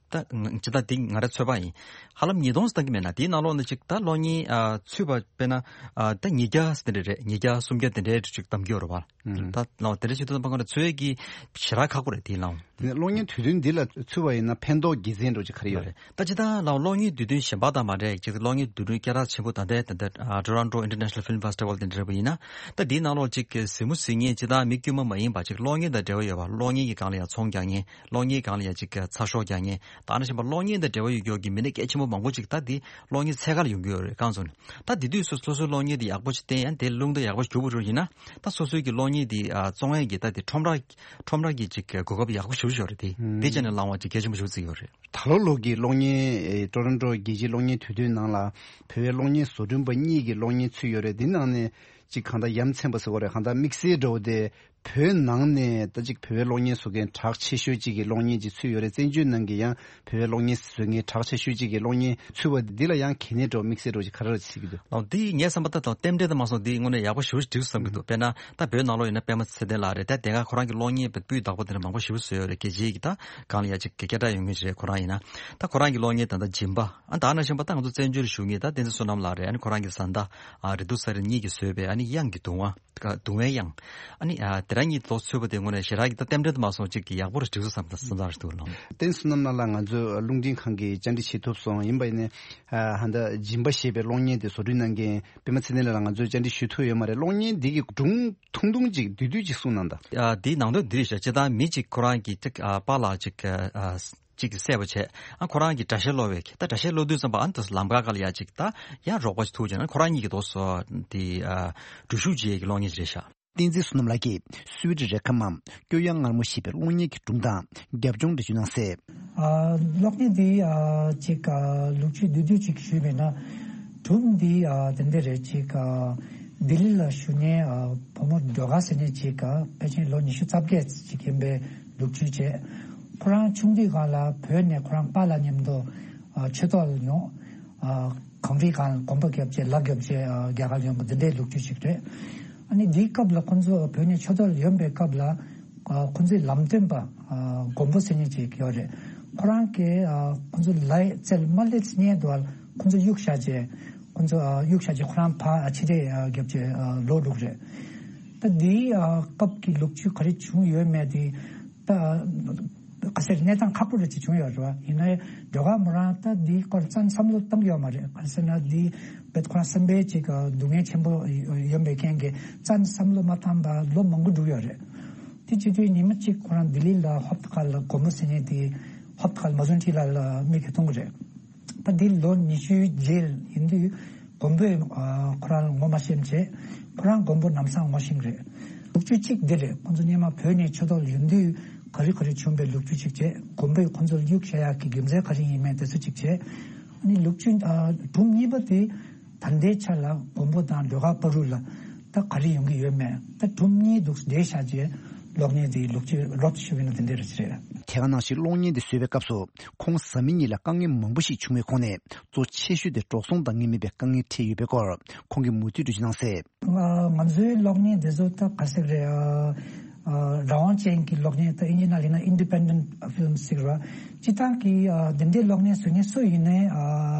ད་ང་ཅི་ད་འདི་ང་རའི་ཚོད་དཔག་ཡིན། ཧ་ལམ་ཉིས་སྟོང་ཙམ་བཏང་གི་མེད་ན། དེའི་ནང་ལོགས་ནས་ཅིག་ད་གློག་བརྙན་ཨ་ཚུད་པ་དཔེར་ན་ཨ་ད་ཉིས་བརྒྱ་དེ་འདྲ་རེད། ཉིས་བརྒྱ་སུམ་བརྒྱ་དེ་འདྲའི་ཅིག་བདམས་ཀྱི་ཡོད་རེད་བ། ད་ལོ་དེ་འདྲ་ཞིག་ཏུ་ད་ཕ་ག་ནས་ཚོད་ཀྱི་ཞེ་དྲག་ཁག་པོ་རེད་དེའི་ནང་། དེ་ནས་གློག་བརྙན་དུས་སྟོན་འདི་ལ་ཚུད་པ་ཡིན་ན་ཕན་ཐོགས་དགེ་མཚན་འདྲ་ཅིག་ག་རེ་ཡོད་རེད། ད་ཅི་ད་ལ་གློག་བརྙན་དུས་སྟོན་གཞན་པ་དང་མ་འདྲ་ཅིག་གློག་བརྙན་དུས་སྟོན་སྐད་གྲགས་ཆེན་པོ་ད་ལྟའི་ད་ལྟ་Toronto International Film Festival དེ་འདྲ་པོ་ཡིན་ན། ད་འདིའི་ནང་ལོགས་ཅིག་གཟིགས་མོ་གཟིགས་མཁན་ཅི་ད་མི་དཀྱུས་མ་མ་ཡིན་པ་ཅིག་གློག་བརྙན་དང་འབྲེལ་བ་ཡོད་པ། གློག་བརྙན་གྱི་སྒང་ལ་ཡང་ཚོང་རྒྱག་མཁན། གློག་བརྙན་སྒང་ལ་ཡང་ཅིག་ཚགས་ཤོག་རྒྱག་མཁན། ད་ནང་བཞིན་པ་གློག་བརྙན་དང་འབྲེལ་བ་ཡོད་ཀྱོག་གི་མི་སྣ་གལ་ཆེན་པོ་མང་པོ་ཅིག་ད་འདི་གློག་བརྙན་འཚོལ་ཁ་ལ་ཡོང་གི་ཡོད་རེད་གང་སོང་ནས། ད་འདི་དུས་སུ་སོ་སོའི་གློག་བརྙན་འདི་ཡག་པོ་ཅིག་བསྟན་ཡང་དེ་རླུང་རྟ་ཡག་པོ་ཞུགས་པ་རུ་ཡིན་ན། ད་སོ་སོའི་གི་གློག་བརྙན་འདི་ཨ་བཙོང་ཡས་ཀྱི་ད་དེ་ཁྲོམ་ར་ཁྲོམ་ར་གི་ཅིག་གོ་སྐབས་ཡག་པོ་ཞེ་པོ་ཅིག་ཡོད་རེད་དེ། དེ་ཅག་ནས་བླངས་པ་ཅིག་གལ་ཆེན་པོ་ཞེ་པོ་ཅིག་ཡོད་རེད། ད་ལོ་ལོ་གི་གློག་བརྙན་ཨེ་ཀྲོ་རོན་ཀྲོ་རྒྱལ་སྤྱིའི་གློག་བརྙན་དུས་སྟོན་ནང་ལ་བོད་པའི་གློག་བརྙན་བཟོ་སྐྲུན་པ་གཉིས་ཀྱི་གློག་བརྙན་ཚུད་ཡོད་རེད། དེ་ནང་ནས་ཅིག་གང་ལྟར་ཡ་མཚན་པ་ཟེར་བ་རེད། གང་ལྟར་དམིགས་བསལ་འདྲ་བོ་དེ་བོད་ནང་ནས་ད་ཅིག་བོད་པའི་གློག་བརྙན་བཟོ་མཁན་གྲགས་ཆེ་ཤོས་ཅིག་གི་གློག་བརྙན་ཅིག་ཚུད་ཡོད་རེད། བཙན་བྱོལ་ནང་གི་ཡང་བོད་པའི་གློག་བརྙན་བཟོ་མཁན་གྲགས་ཆེ་ཤོས་ཅིག་གི་གློག་བརྙན་ཚུད་པ་འདི་ལ་ཡང་གལ་གནད་འདྲ་བོ་དམིགས་བསལ་འདྲ་བོ་ཅིག་ག་རེ་རེད་ཟེར་གྱི་འདུག་ལགས། འདི་ངས་བསམ་པ་ད་ལྟ་རྟེན་འབྲེལ་དུ་མ་སོང་འདི་དངོས་གནས་ཡག་པོ་ཞེ་པོ་ཅིག་འགྲིག་སོང་བསམ་གྱི་འདུག་དཔེར་ན་ད་བོད་ནང་ལོགས་ཡིན་ན་པད་མ་ཚེ་བརྟན་ལགས་རེད། ད་དེ་སྔ་ཁོ་རང་གི་གློག་བརྙན་དཔེ་སྤུས་དག་པོ་དེ་འདྲ་མང་པོ་ཞེ་པོ་བཟོས་ཡོད་རེད། རྒྱལ་སྤྱིའི་གི་ད་སྒང་ལ་ཡ་ཅིག་སྐད་གྲགས་ཡོད་མཁན་ཞིག་རེད། ཁོ་རང་ཡིན་ན་ད་ཁོ་རང་གི་གློག་བརྙན་ད་ལྟ་སྦྱིན་པ། ཨ་ད་ནང་བཞིན་པ་ད་ང་ཚོ་བཙན་བྱོལ་བཞུགས་མཁན་ད་བསྟན་འཛིན་བསོད་ནམས་ལགས་རེད། ཨ་ནི་ཁོ་རང་གི་བཟའ་ཟླ་ཨ་རེ་དུ་ས་རེ་གཉིས་ཀྱིས་བཟོས་པའི་ཨ་ནི་གཡང་གི་གདུང་བ། སྡུག་བསྔལ་གཡང་། ཨ་ནི་ཨ་དེ་རང་གཉིས་ལོ་ཚུད་པ་དེ་དངོས་གནས་ཞེ་དྲག་གི་ད་རྟེན་འབྲེལ་དུ་མ་སོང་ཅིག་གི་ཡག་པོ་རེ་འགྲིག་སོང་བསམ་བསམ་བསམ་རེ་འདུག་ལགས། བསྟན་བསོད་ནམས་ལགས་ལ་ང་ཚོས་རླུང་འཕྲིན་ཁང་གི་བཅར་འདྲི་བྱེད་ཐུབ་སོང་། ཡིན་པ་ཡིན་ནའི་ཨ་ཧ་ད་སྦྱིན་པ་ཞེས་པའི་གློག་བརྙན་དེ་བཟོ་སྐྲུན་གནང་མཁན་པད་མ་ཚེ་བརྟན་ལགས་ལ་ང་ཚོས་བཅར་འདྲི་ཞུ་ཐུབ་ཡོད་མ་རེད། གློག་བརྙན་འདི་གི་སྒྲུང་ཐུང་ཐུང་ཅིག་བསྡུས་བསྡུས་ཅིག་གསུངས་གནང་དང་། ཨ་འདིའི་ནང་དོན་འདི་རེད་ཤག་སྤྱིར་བཏང་མི་གཅིག་ཁོ་རང་གི་ཅིག་ཨ་པཱ་ལགས་ཅིག་ཨ་ཅིག་གིས་བསད་པ་བྱས། ཨ་ཁོ་རང་གིས་དགྲ་ཤ་སློག་པའི་ད་དགྲ་ཤ་སློག་དུས་ཙམ་པ་ཨ་ནི་ད་ལམ་ཁ་ཁ་ལ་ཡ་ཅིག་ད་ཡ་རོགས་པ་ཅིག་ཐུག་བྱས་ན་ཁོ་རང་གཉིས་ཀྱི་དོགས་སོ་དེ་ཨ་འགྲུལ་བཞུད་བྱེད་ཡས་ཀྱི་གློག་བརྙན་ཅིག་རེད་ཤག་བསྟན་འཛིན་བསོད་ནམས་ལགས་ཀྱིས་སུད་སི་རེ་ཁ་མམ་སྐྱོ་གཡའ་མངར་མོ་ཞེས་པའི་གློག་བརྙན་གྱི་སྒྲུང་དང་རྒྱབ་ལྗོངས་འགྲེལ་བརྗོད་གནང་གསལ། ཨ་གློག་བརྙན་འདི་ཨ་ཅིག་ཨ་ལོ་རྒྱུས་བསྡུས་བསྡུས་ཅིག་ཞུས་པས་ན། སྒྲུང་འདི་ཨ་དེ་འདྲ་རེད། ཅིག་ཨ་ལྡི་ལི་ལ་བཞུགས་མཁན་ཨ་བུ་མོ་སྒྲོལ་དཀར་ཟེར་མཁན་ཅིག་ཨ་ཕལ་ཆེར་ལོ་ཉི་ཤུ་རྩ་བརྒྱད་ཅིག་ཡིན་པའི་ལོ་རྒྱུས་བྱས། ཁོ་རང་ཆུང་དུས་སྒང་ལ་བོད་ནས་ཁོ་རང་པཱ་ལགས་མཉམ་དུ་ཨ་ཆོས་ཐོག་ལ་ཡོང་། ཨ་གངས་རིའི་སྒང་ལ་གོམ་པ་བརྒྱབ་བྱས་ལ་བརྒྱབ་བྱས་ཨ་རྒྱ་གར་ཡོང་བ་འདི་འདྲའི་ལོ་རྒྱུས་ཅིག་རེད། ཨ་ནི་འདིའི་སྐབས་ལ་ཁོང་ཚོ་བོད་ནས་ཆོས་ཐོག་ལ་ཡོང་པའི་སྐབས་ལ་ཨ་ཁོང་ཚོའི་ལམ་སྟོན་པ་ཨ་མགོན་པོ་ཟེར་མཁན་ཅིག་ཡོད་རེད། ཁོ་རང་གིས་ཨ་ཁོང་ཚོ་ལའི་རྩལ་མ་སླེབས་སྔོན་དུ་ཁོང་ཚོ་གཡུག་བཞག་བྱས། ཁོང་ཚོ་ཨ་གཡུག་བཞག་བྱས་ཁོ་རང་ཕར་ཨ་ཕྱི་བྲོས་ཨ་བརྒྱབ་བྱས་ཨ་ལོག་འགྲོ་གི་རེད། ད་འདིའི་ཨ་སྐབས་ཀྱི་ལོ་རྒྱུས་ག་རེ་བྱུང་ཡོད་མེད་དེ་ད་ག་ཟེར་གནས་སྟངས་ཁག་པོ་རེ་ཅིག་བྱུང་ཡོད་རེད་བ། ཡིན་ནའི་སྒྲོལ་དཀར་མོ་རང་ད་འདིའི་སྐོར་རྩ་ནས་བསམ་བློ་བཏང་ཡོད་མ་རེད། ག་རེ་ཟེར་ན་འདི་བེད་ཁོ་རང་སེམས་པའི་ཅིག་སྡུག་བསྔལ་ཆེན་པོ་ཡོད་པའི་རྐྱེན་གྱིས་རྩ་ནས་བསམ་བློ་མ་བཏང་པར་ལོ་མང་པོ་འགྲོ་ཡོད་རེད། དེ་བྱེད་དུས་ཉི་མ་གཅིག་ཁོ་རང་ལྡི་ལི་ལ་ཧོབ་ཏེ་ཁ་ལ་མགོན་པོ་ཟེར་མཁན་དེ་ཧོབ་ཏེ་ཁ་ལ་མ་ཟུན་ཁྲི་ལ་ལ་མིག་གིས་མཐོང་གི་རེད། ད་འདི་ལོ་ཉི་ཤུའི་རྗེས་ཡིན་དུས་མགོན་པོས་ཨ་ཁོ་རང་ལ་ངོ་མ་ཤེས་བྱས། ཁོ་རང་མགོན་པོ་ལམ་སང་ངོ་ཤེས་རེད། ལོ་རྒྱུས་གཅིག་འདི་རེད། ཁོང་ཚོ་སྔོན་མ་བོད་ནས་ཆོས་ཐོག་ལ་ཡོང་དུས་ག་རེ་ག་རེ་བྱུང་བའི་ལོ་རྒྱུས་གཅིག་བྱས། མགོན་པོས་ཁོང་ཚོ་ལ་གཡུག་བཞག་ཡག་གི་རྒྱུ་མཚན་ག་རེ་ཡིན་མིན་དེ་ཚོ་གཅིག་བྱས། ཨ་ནི་ལོ་རྒྱུས་ཨ་སྒྲུང་གཉིས་པ་དེ་ད་ལྟའི་ཆ་ལ་མགོན་པོ་དང་སྒྲོལ་དཀར་བར་དུ་ལ་ད་ག་རེ་ཡོང་གི་ཡོད་མེད་ད་སྒྲུང་གཉིས་འདུག་འདྲེས་བཞག་བྱས། གློག་བརྙན་དེའི་ལོ་རྒྱུས་རོབ་ཏུ་ཞུ་གི་ན་དེ་འདྲ་རེད་ཟེར། དེ་ག་ནང་བཞིན་གློག་བརྙན་དེ་བཟོས་པའི་སྐབས་སུ་ཁོང་བཟའ་མི་གཉིས་ལ་དཀའ་ངལ་མང་པོ་ཞིག་བྱུང་བའི་ཁོངས་ནས་གཙོ་ཆེ་ཤོས་དེ་འགྲོ་སོང་དང་ངེས་མེད་པའི་དཀའ་ངལ་འཕྲད་ཡོད་པའི་སྐོར་ཁོང་གིས་མུ་མཐུད་འགྲེལ་བརྗོད་གནང་གསལ། ང་ང་ཚོའི་གློག་བརྙན་དེ་ཚོ་ད་ག་ཟེར་རེད། ཨ་ཨ་རང་དབང་ཅན་གྱི་གློག་བརྙན་ད་ཨིན་ཇི་ནང་ལ་ཡིན་ན་independent film ཟེར་བ། སྤྱིར་བཏང་གི་ཨ་དེ་འདྲའི་གློག་བརྙན་བཟོ་མཁན་སུ་ཡིན་ནའི་ཨ་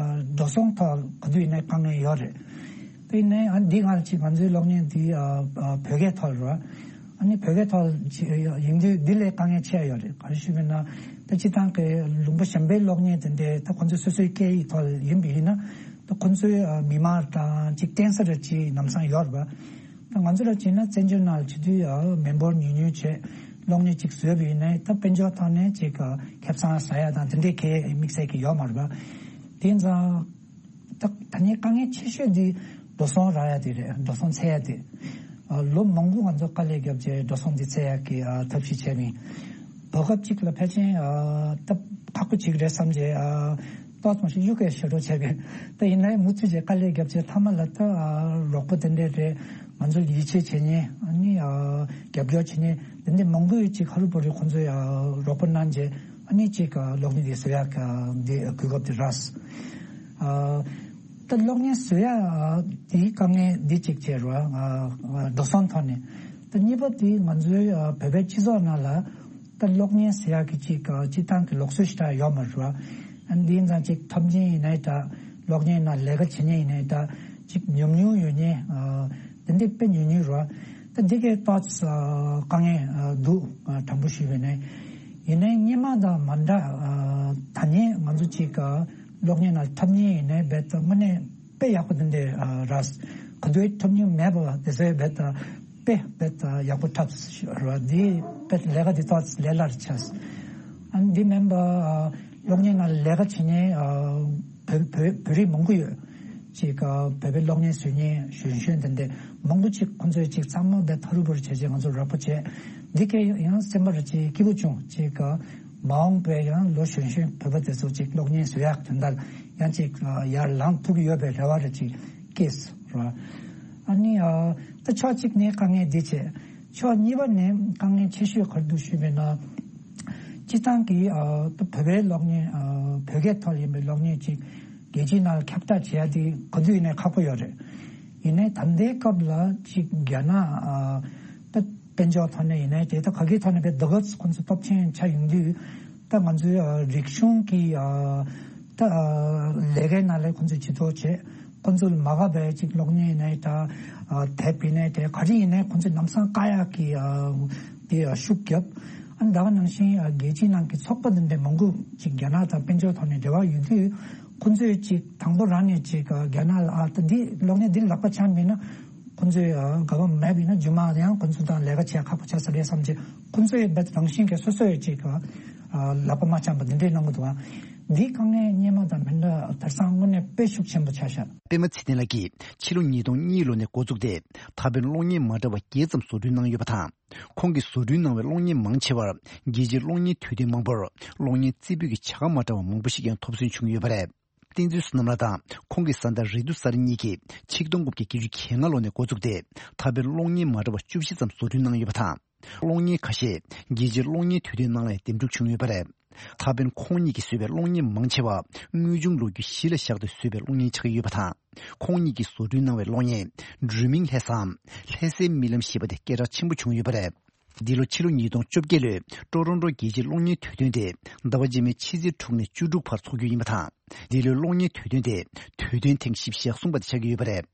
འགྲོ་སོང་ཐོག་ག་དུས་ཡིན་ནའི་དཀའ་ངལ་ཡོད་རེད། དེ་ནས་ཨ་འདི་སྔར་ཅིག་ང་ཚོའི་གློག་བརྙན་འདི་ཨ་ཨ་བོད་སྐད་ཐོག་རེད། ཨ་ནི་བོད་སྐད་ཐོག་ཅིག་ཡིན་དུས་འདི་ལས་དཀའ་ངལ་ཆེ་ཡོད་རེད། ག་རེ་ཞུ་མིན་ན་ད་སྤྱིར་བཏང་གི་ལུང་པ་གཞན་པའི་གློག་བརྙན་དེ་འདྲའི་ད་ཁོ་ཚོའི་སོ་སོའི་སྐད་ཡིག་ཐོག་ཡིན་པ་ཡིན་ན་ད་ཁོ་ཚོའི་ཨ་མི་མང་དང་ཅིག་བརྟེན་ས་རེ་ཅིག་ལམ་སང་ཡོད་རེད་པ། ད་ང་ཚོ་ར་བྱས་ན་བཙན་བྱོལ་ནང་ལ་བྱེད་དུས་ཨ་མི་འབོར་ཉུང་ཉུང་བྱས། གློག་བརྙན་ཅིག་བཟོས་པ་ཡིན་ནའི་ད་དཔལ་འབྱོར་ཐོག་ནས་ཅིག་ཁེ་བཟང་ཟ་ཡ་དང་དེ་འདྲའི་གི་དམིགས་བསལ་གྱི་ཡོད་མ་རེད་པ། དེ་ཡིན་ཙང་། ད་ད་ནི་དཀའ་ངལ་ཆེ་ཤོས་འདི་འགྲོ་སོང་རག་ཡ་དེ་རེད། འགྲོ་སོང་འཚོལ་ཡ་དེ། ཨ། ལོ་མང་པོ་ང་ཚོ་དཀའ་ལས་བརྒྱབ་རྗེས་འགྲོ་སོང་འདི་འཚོལ་ཡ་གི་ཨ་ཐབས་ཤེས་བྱས་མིན། བར་སྐབས་གཅིག་ལ་ཕལ་ཆེར་ཨ་ད་ཁག་པོ་ཅིག་རེད་བསམ་རྗེས་ཨ་ཏོག་ཙམ་ཞིག་གཡུག་གི་ཞེ་དྲག་བྱས་པས། ད་ཡིན་ནའི་མུ་མཐུད་བྱས་དཀའ་ལས་བརྒྱབ་རྗེས་མཐའ་མ་ལ་ད་ཨ་རོགས་པ་དེ་འདྲས་རེད། ང་ཚོ་ཡིད་ཆེས་བྱེད་མཁན། ཨ་ནི་ཨ་རྒྱབ་སྐྱོར་བྱེད་མཁན་དེ་འདྲས་མང་པོས་ཅིག་ཧ་རུ་བ་རུ་ཁོང་ཚོས་ཨ་རོགས་པ་གནང་རྗེས། ཨ་ནི་ཅིག་གློག་བརྙན་འདི་བཟོ་ཡག་འདི་གོ་སྐབས་འདི་རག་ཨ། ད་གློག་བརྙན་བཟོ་ཡག་འདིའི་དཀའ་ངལ་འདི་གཅིག་བྱས་རོགས། ཨ། འགྲོ་སོང་ཐོག་ནས། ད་གཉིས་པ་འདི་ང་ཚོའི་ཨ་བོད་པའི་སྤྱི་ཚོགས་ནང་ལ་ད་གློག་བརྙན་བཟོ་ཡག་གི་ཅིག་ཨ་སྤྱི་བཏང་གི་ལུགས་སྲོལ་ཞིག་ད་ཡོད་མ་རེད་བ། ཨ། འདི་ཡིན་ཙང་ཅིག་འཁྲབ་མཁན་ཡིན་ནའི་འདྲ། གློག་བརྙན་ནང་ལས་ཀ་བྱེད་མཁན་ཡིན་ནའི་འདྲ། ཅིག་ཉུང་ཉུང་ཡོད་མཁན། ཨ། དེ་འདྲའི་དཔེ་ཉུང་ཉུང་རེད་བ། ད་འདི་གའི་ཏོག་ཙམ་དཀའ་ངལ་འདུག་དྲང་པོ་ཞུས་པ་ཡིན་ན། ཡིན་ནའི་སྔོན་མ་དང་མ་འདྲ། ད་ནི་ང་ཚོ་ཅིག་གློག་བརྙན་ནང་འཁྲབ་མཁན་ཡིན་ནའི་རྦད་དེ་དངོས་གནས་དཔེ་ཡག་པོ་དེ་འདྲ་རེད། ག་དུས་འཁྲབ་མྱོང་མེད་པ་དེ་ཚོས་རྦད་དེ་དཔེ་རྦད་དེ་ཡག་པོ་འཁྲབ་རེད་བ། འདི་རྦད་ལས་ཀ་འདི་ཏོག་ཙམ་ལས་སླ་རུ་ཆགས། ཨ་ནི་འདི་མིན་པ་གློག་བརྙན་ནང་ལས་ཀ་བྱེད་མཁན་བོད་བོད་བོད་རིགས་མང་པོ་ཡོད། ཅིག་བོད་པའི་གློག་བརྙན་བཟོ་མཁན་གཞོན་གཞོན་དེ་འདྲ་མང་པོ་ཅིག་ཁོང་ཚོས་ཅིག་ཚང་མ་དཔེ་ཐ་རུ་བུ་རུ་བྱས་རྗེས་ང་ཚོར་རོགས་པ་བྱས། འདི་གས་ཡང་སེམས་པར་ཅིག་སྐྱིད་པོ་བྱུང་། ཅིག་མ་འོངས་པའི་ཡང་ལོ་གཞོན་གཞོན་བོད་པ་དེ་ཚོ་ཅིག་གློག་བརྙན་བཟོ་ཡག་དོན་དག་ཡང་ཅིག་ཡར་ལངས་ཐུབ་ཀྱི་ཡོད་པའི་རེ་བ་རེ་ཅིག་སྐྱེས་རོགས། ཨ་ནི་ཨ་ད་ཕྱོགས་གཅིག་ནས་དཀའ་ངལ་འདི་བྱས། ཕྱོགས་གཉིས་པ་ནས་དཀའ་ངལ་ཆེ་ཤོས་ག་རེ་འདུག་ཞུས་པ་ཡིན་ན། སྤྱི་བཏང་གི་ཨ་ད་བོད་པའི་གློག་བརྙན། ཨ་བོད་སྐད་ཐོག་ཡིན་པའི་གློག་བརྙན་ཅིག་རྒྱལ་སྤྱིའི་ནང་ལ་ཁྱབ་བསྒྲགས་བྱེད་ཡ་དེ་ག་དུས་ཡིན་ནའི་ཁག་པོ་ཡོད་རེད། ཡིན་ནའི་ད་ལྟའི་སྐབས་ལ་ཅིག་རྒྱ་ནག་ཨ་ད་དཔལ་འབྱོར་ཐོག་ནས་ཡིན་ནའི་དེ་ད་ག་གི་ཐོག་ནས་དཔེ་དེ་ག་ཁོང་ཚོ་སྟོབས་ཆེན་ཆགས་ཡོང་དུས། ད་ང་ཚོའི་ཨ་རིག་གཞུང་གི་ཨ་ད་ཨ་ལས་ཀའི་ནང་ལ་ཁོང་ཚོས་ཇུས་གཏོགས་བྱས། ཁོང་ཚོ་ལ་མ་དགའ་བའི་ཅིག་གློག་བརྙན་ཡིན་ནའི་འདྲ། ཨ་དེབ་ཡིན་ནའི་འདྲ། ག་རེ་ཡིན་ནའི་ཁོང་ཚོས་ལམ་སང་བཀག་ཡག་གི་ཨ་དེ་ཨ་ཤུགས་བརྒྱབ། ཨ་ད་ག་ནང་བཞིན་ཨ་རྒྱལ་སྤྱིའི་ནང་གི་ཚོགས་པ་འདི་འདྲ་མང་པོ་ཅིག་རྒྱ་ནག་དང་དཔལ་འབྱོར་ཐོག་ནས་འབྲེལ་བ་ཡོད་དུས། ཁོང་ཚོས་ཅིག་དང་པོ་རང་ནས་ཅིག་ཨ་རྒྱ་ནག་ལ་ཨ་ད་འདི་གློག་བརྙན་འདི་ལག་པ་འཆང་མིན་ན། ཁོང་ཚོས་ཨ་དགའ་བ་མེད་པ་ཡིན་ན་རྗེས་མ་ཡང་ཁོང་ཚོ་དང་ལས་ཀ་བྱེད་ཁག་པོ་ཆགས་ས་རེད་བསམ་བྱས། ཁོང་ཚོས་རྦད་རང་བཞིན་གྱིས་སོ་སོ་ཡི་ཅིག་ཨ་ལག་པ་མ་འཆང་པ་འདི་འདྲའི་གནང་གི་འདུག་ཨ། འདིའི་དཀའ་ངལ་སྔོན་མ་དང་མི་འདྲ། དེང་སང་དངོས་གནས་དཔེ་ཤུགས་ཆེན་པོ་ཆགས་ཤག་པད་མ་ཚེ་བརྟན་ལགས་ཀྱིས་ཕྱི་ལོ་ཉིས་སྟོང་གཉིས་ལོ་ནས་འགོ་བཙུགས་ཏེ། ད་ཕན་གློག་བརྙན་མ་འདྲ་བ་བརྒྱད་ཙམ་བཟོ་སྐྲུན་གནང་ཡོད་པ་དང་། ཁོང་གིས་བཟོ་སྐྲུན་གནང་བའི་གློག་བརྙན་མང་ཆེ་བར་རྒྱལ་སྤྱིའི་གློག་བརྙན་དུས་སྟོན་མང་པོར་གློག་བརྙན་རྩེ་ཕུད་ཀྱི་བྱ་དགའ་མ་འདྲ་བ་མང་པོ་ཞིག་ཡང་ཐོབ་སོན་བྱུང་ཡོད་པ་རེད། བསྟན་འཛིན་བསོད་ནམས་ལགས་དང་ཁོང་གི་བཟའ་ཟླ་རེ་ཏུ་གསར་གཉིས་ཀྱིས་ཆིག་སྟོང་དགུ་བརྒྱ་བརྒྱད་ཅུ་གྱ་ལྔ་ལོ་ནས་འགོ་བཙུགས་ཏེ། ད་ཕན་གློག་བརྙན་མ་འདྲ་བ་བཅུ་བཞི་ཙམ་བཟོ་སྐྲུན་གནང་ཡོད་པ་དང་། གློག་བརྙན་ཁ་ཤས་རྒྱལ་སྤྱིའི་གློག་བརྙན་དུས་སྟོན་ནང་ལ་འདེམས་སྒྲུག་བྱུང་ཡོད་པ་རེད། ད་ཕན་ཁོང་གཉིས་ཀྱིས་བཟོས་པའི་གློག་བརྙན་མང་ཆེ་བ་དངོས་བྱུང་ལོ་རྒྱུས་གཞི་ལ་བཞག་སྟེ་བཟོས་པའི་གློག་བརྙན་ཆགས་ཀྱི་ཡོད་པ་དང་། ཁོང་གཉིས་ཀྱིས་བཟོ་སྐྲུན་གནང་བའི་གློག་བརྙན་སྒྲོན་མེའི་ལྷ་ས་འམ་ལྷ་སའི་རྨི་ལམ་ཞེས་པ་དེ་སྐད་གྲགས་ཆེན་པོ་བྱུང་ཡོད་པ་རེད། འདི་ལོ་ཕྱི་ལོ་ཉིས་སྟོང་བཅོ་བརྒྱད་ལོའི་ཀྲོ་རོན་ཀྲོ་རྒྱལ་སྤྱིའི་གློག་བརྙན་དུས་སྟོན་དེ་ཟླ་བ་རྗེས་མའི་ཕྱི་ཚེས་དྲུག་ནས་བཅུ་དྲུག་བར་འཚོགས་རྒྱུ་ཡིན་པ་དང་། འདི་ལོའི་གློག་བརྙན་དུས་སྟོན་དེ་དུས་སྟོན་ཐེངས་བཞི་བཅུ་ཞེ་གསུམ་པ་དེ་ཆགས་ཀྱི་ཡོད་པ་རེད།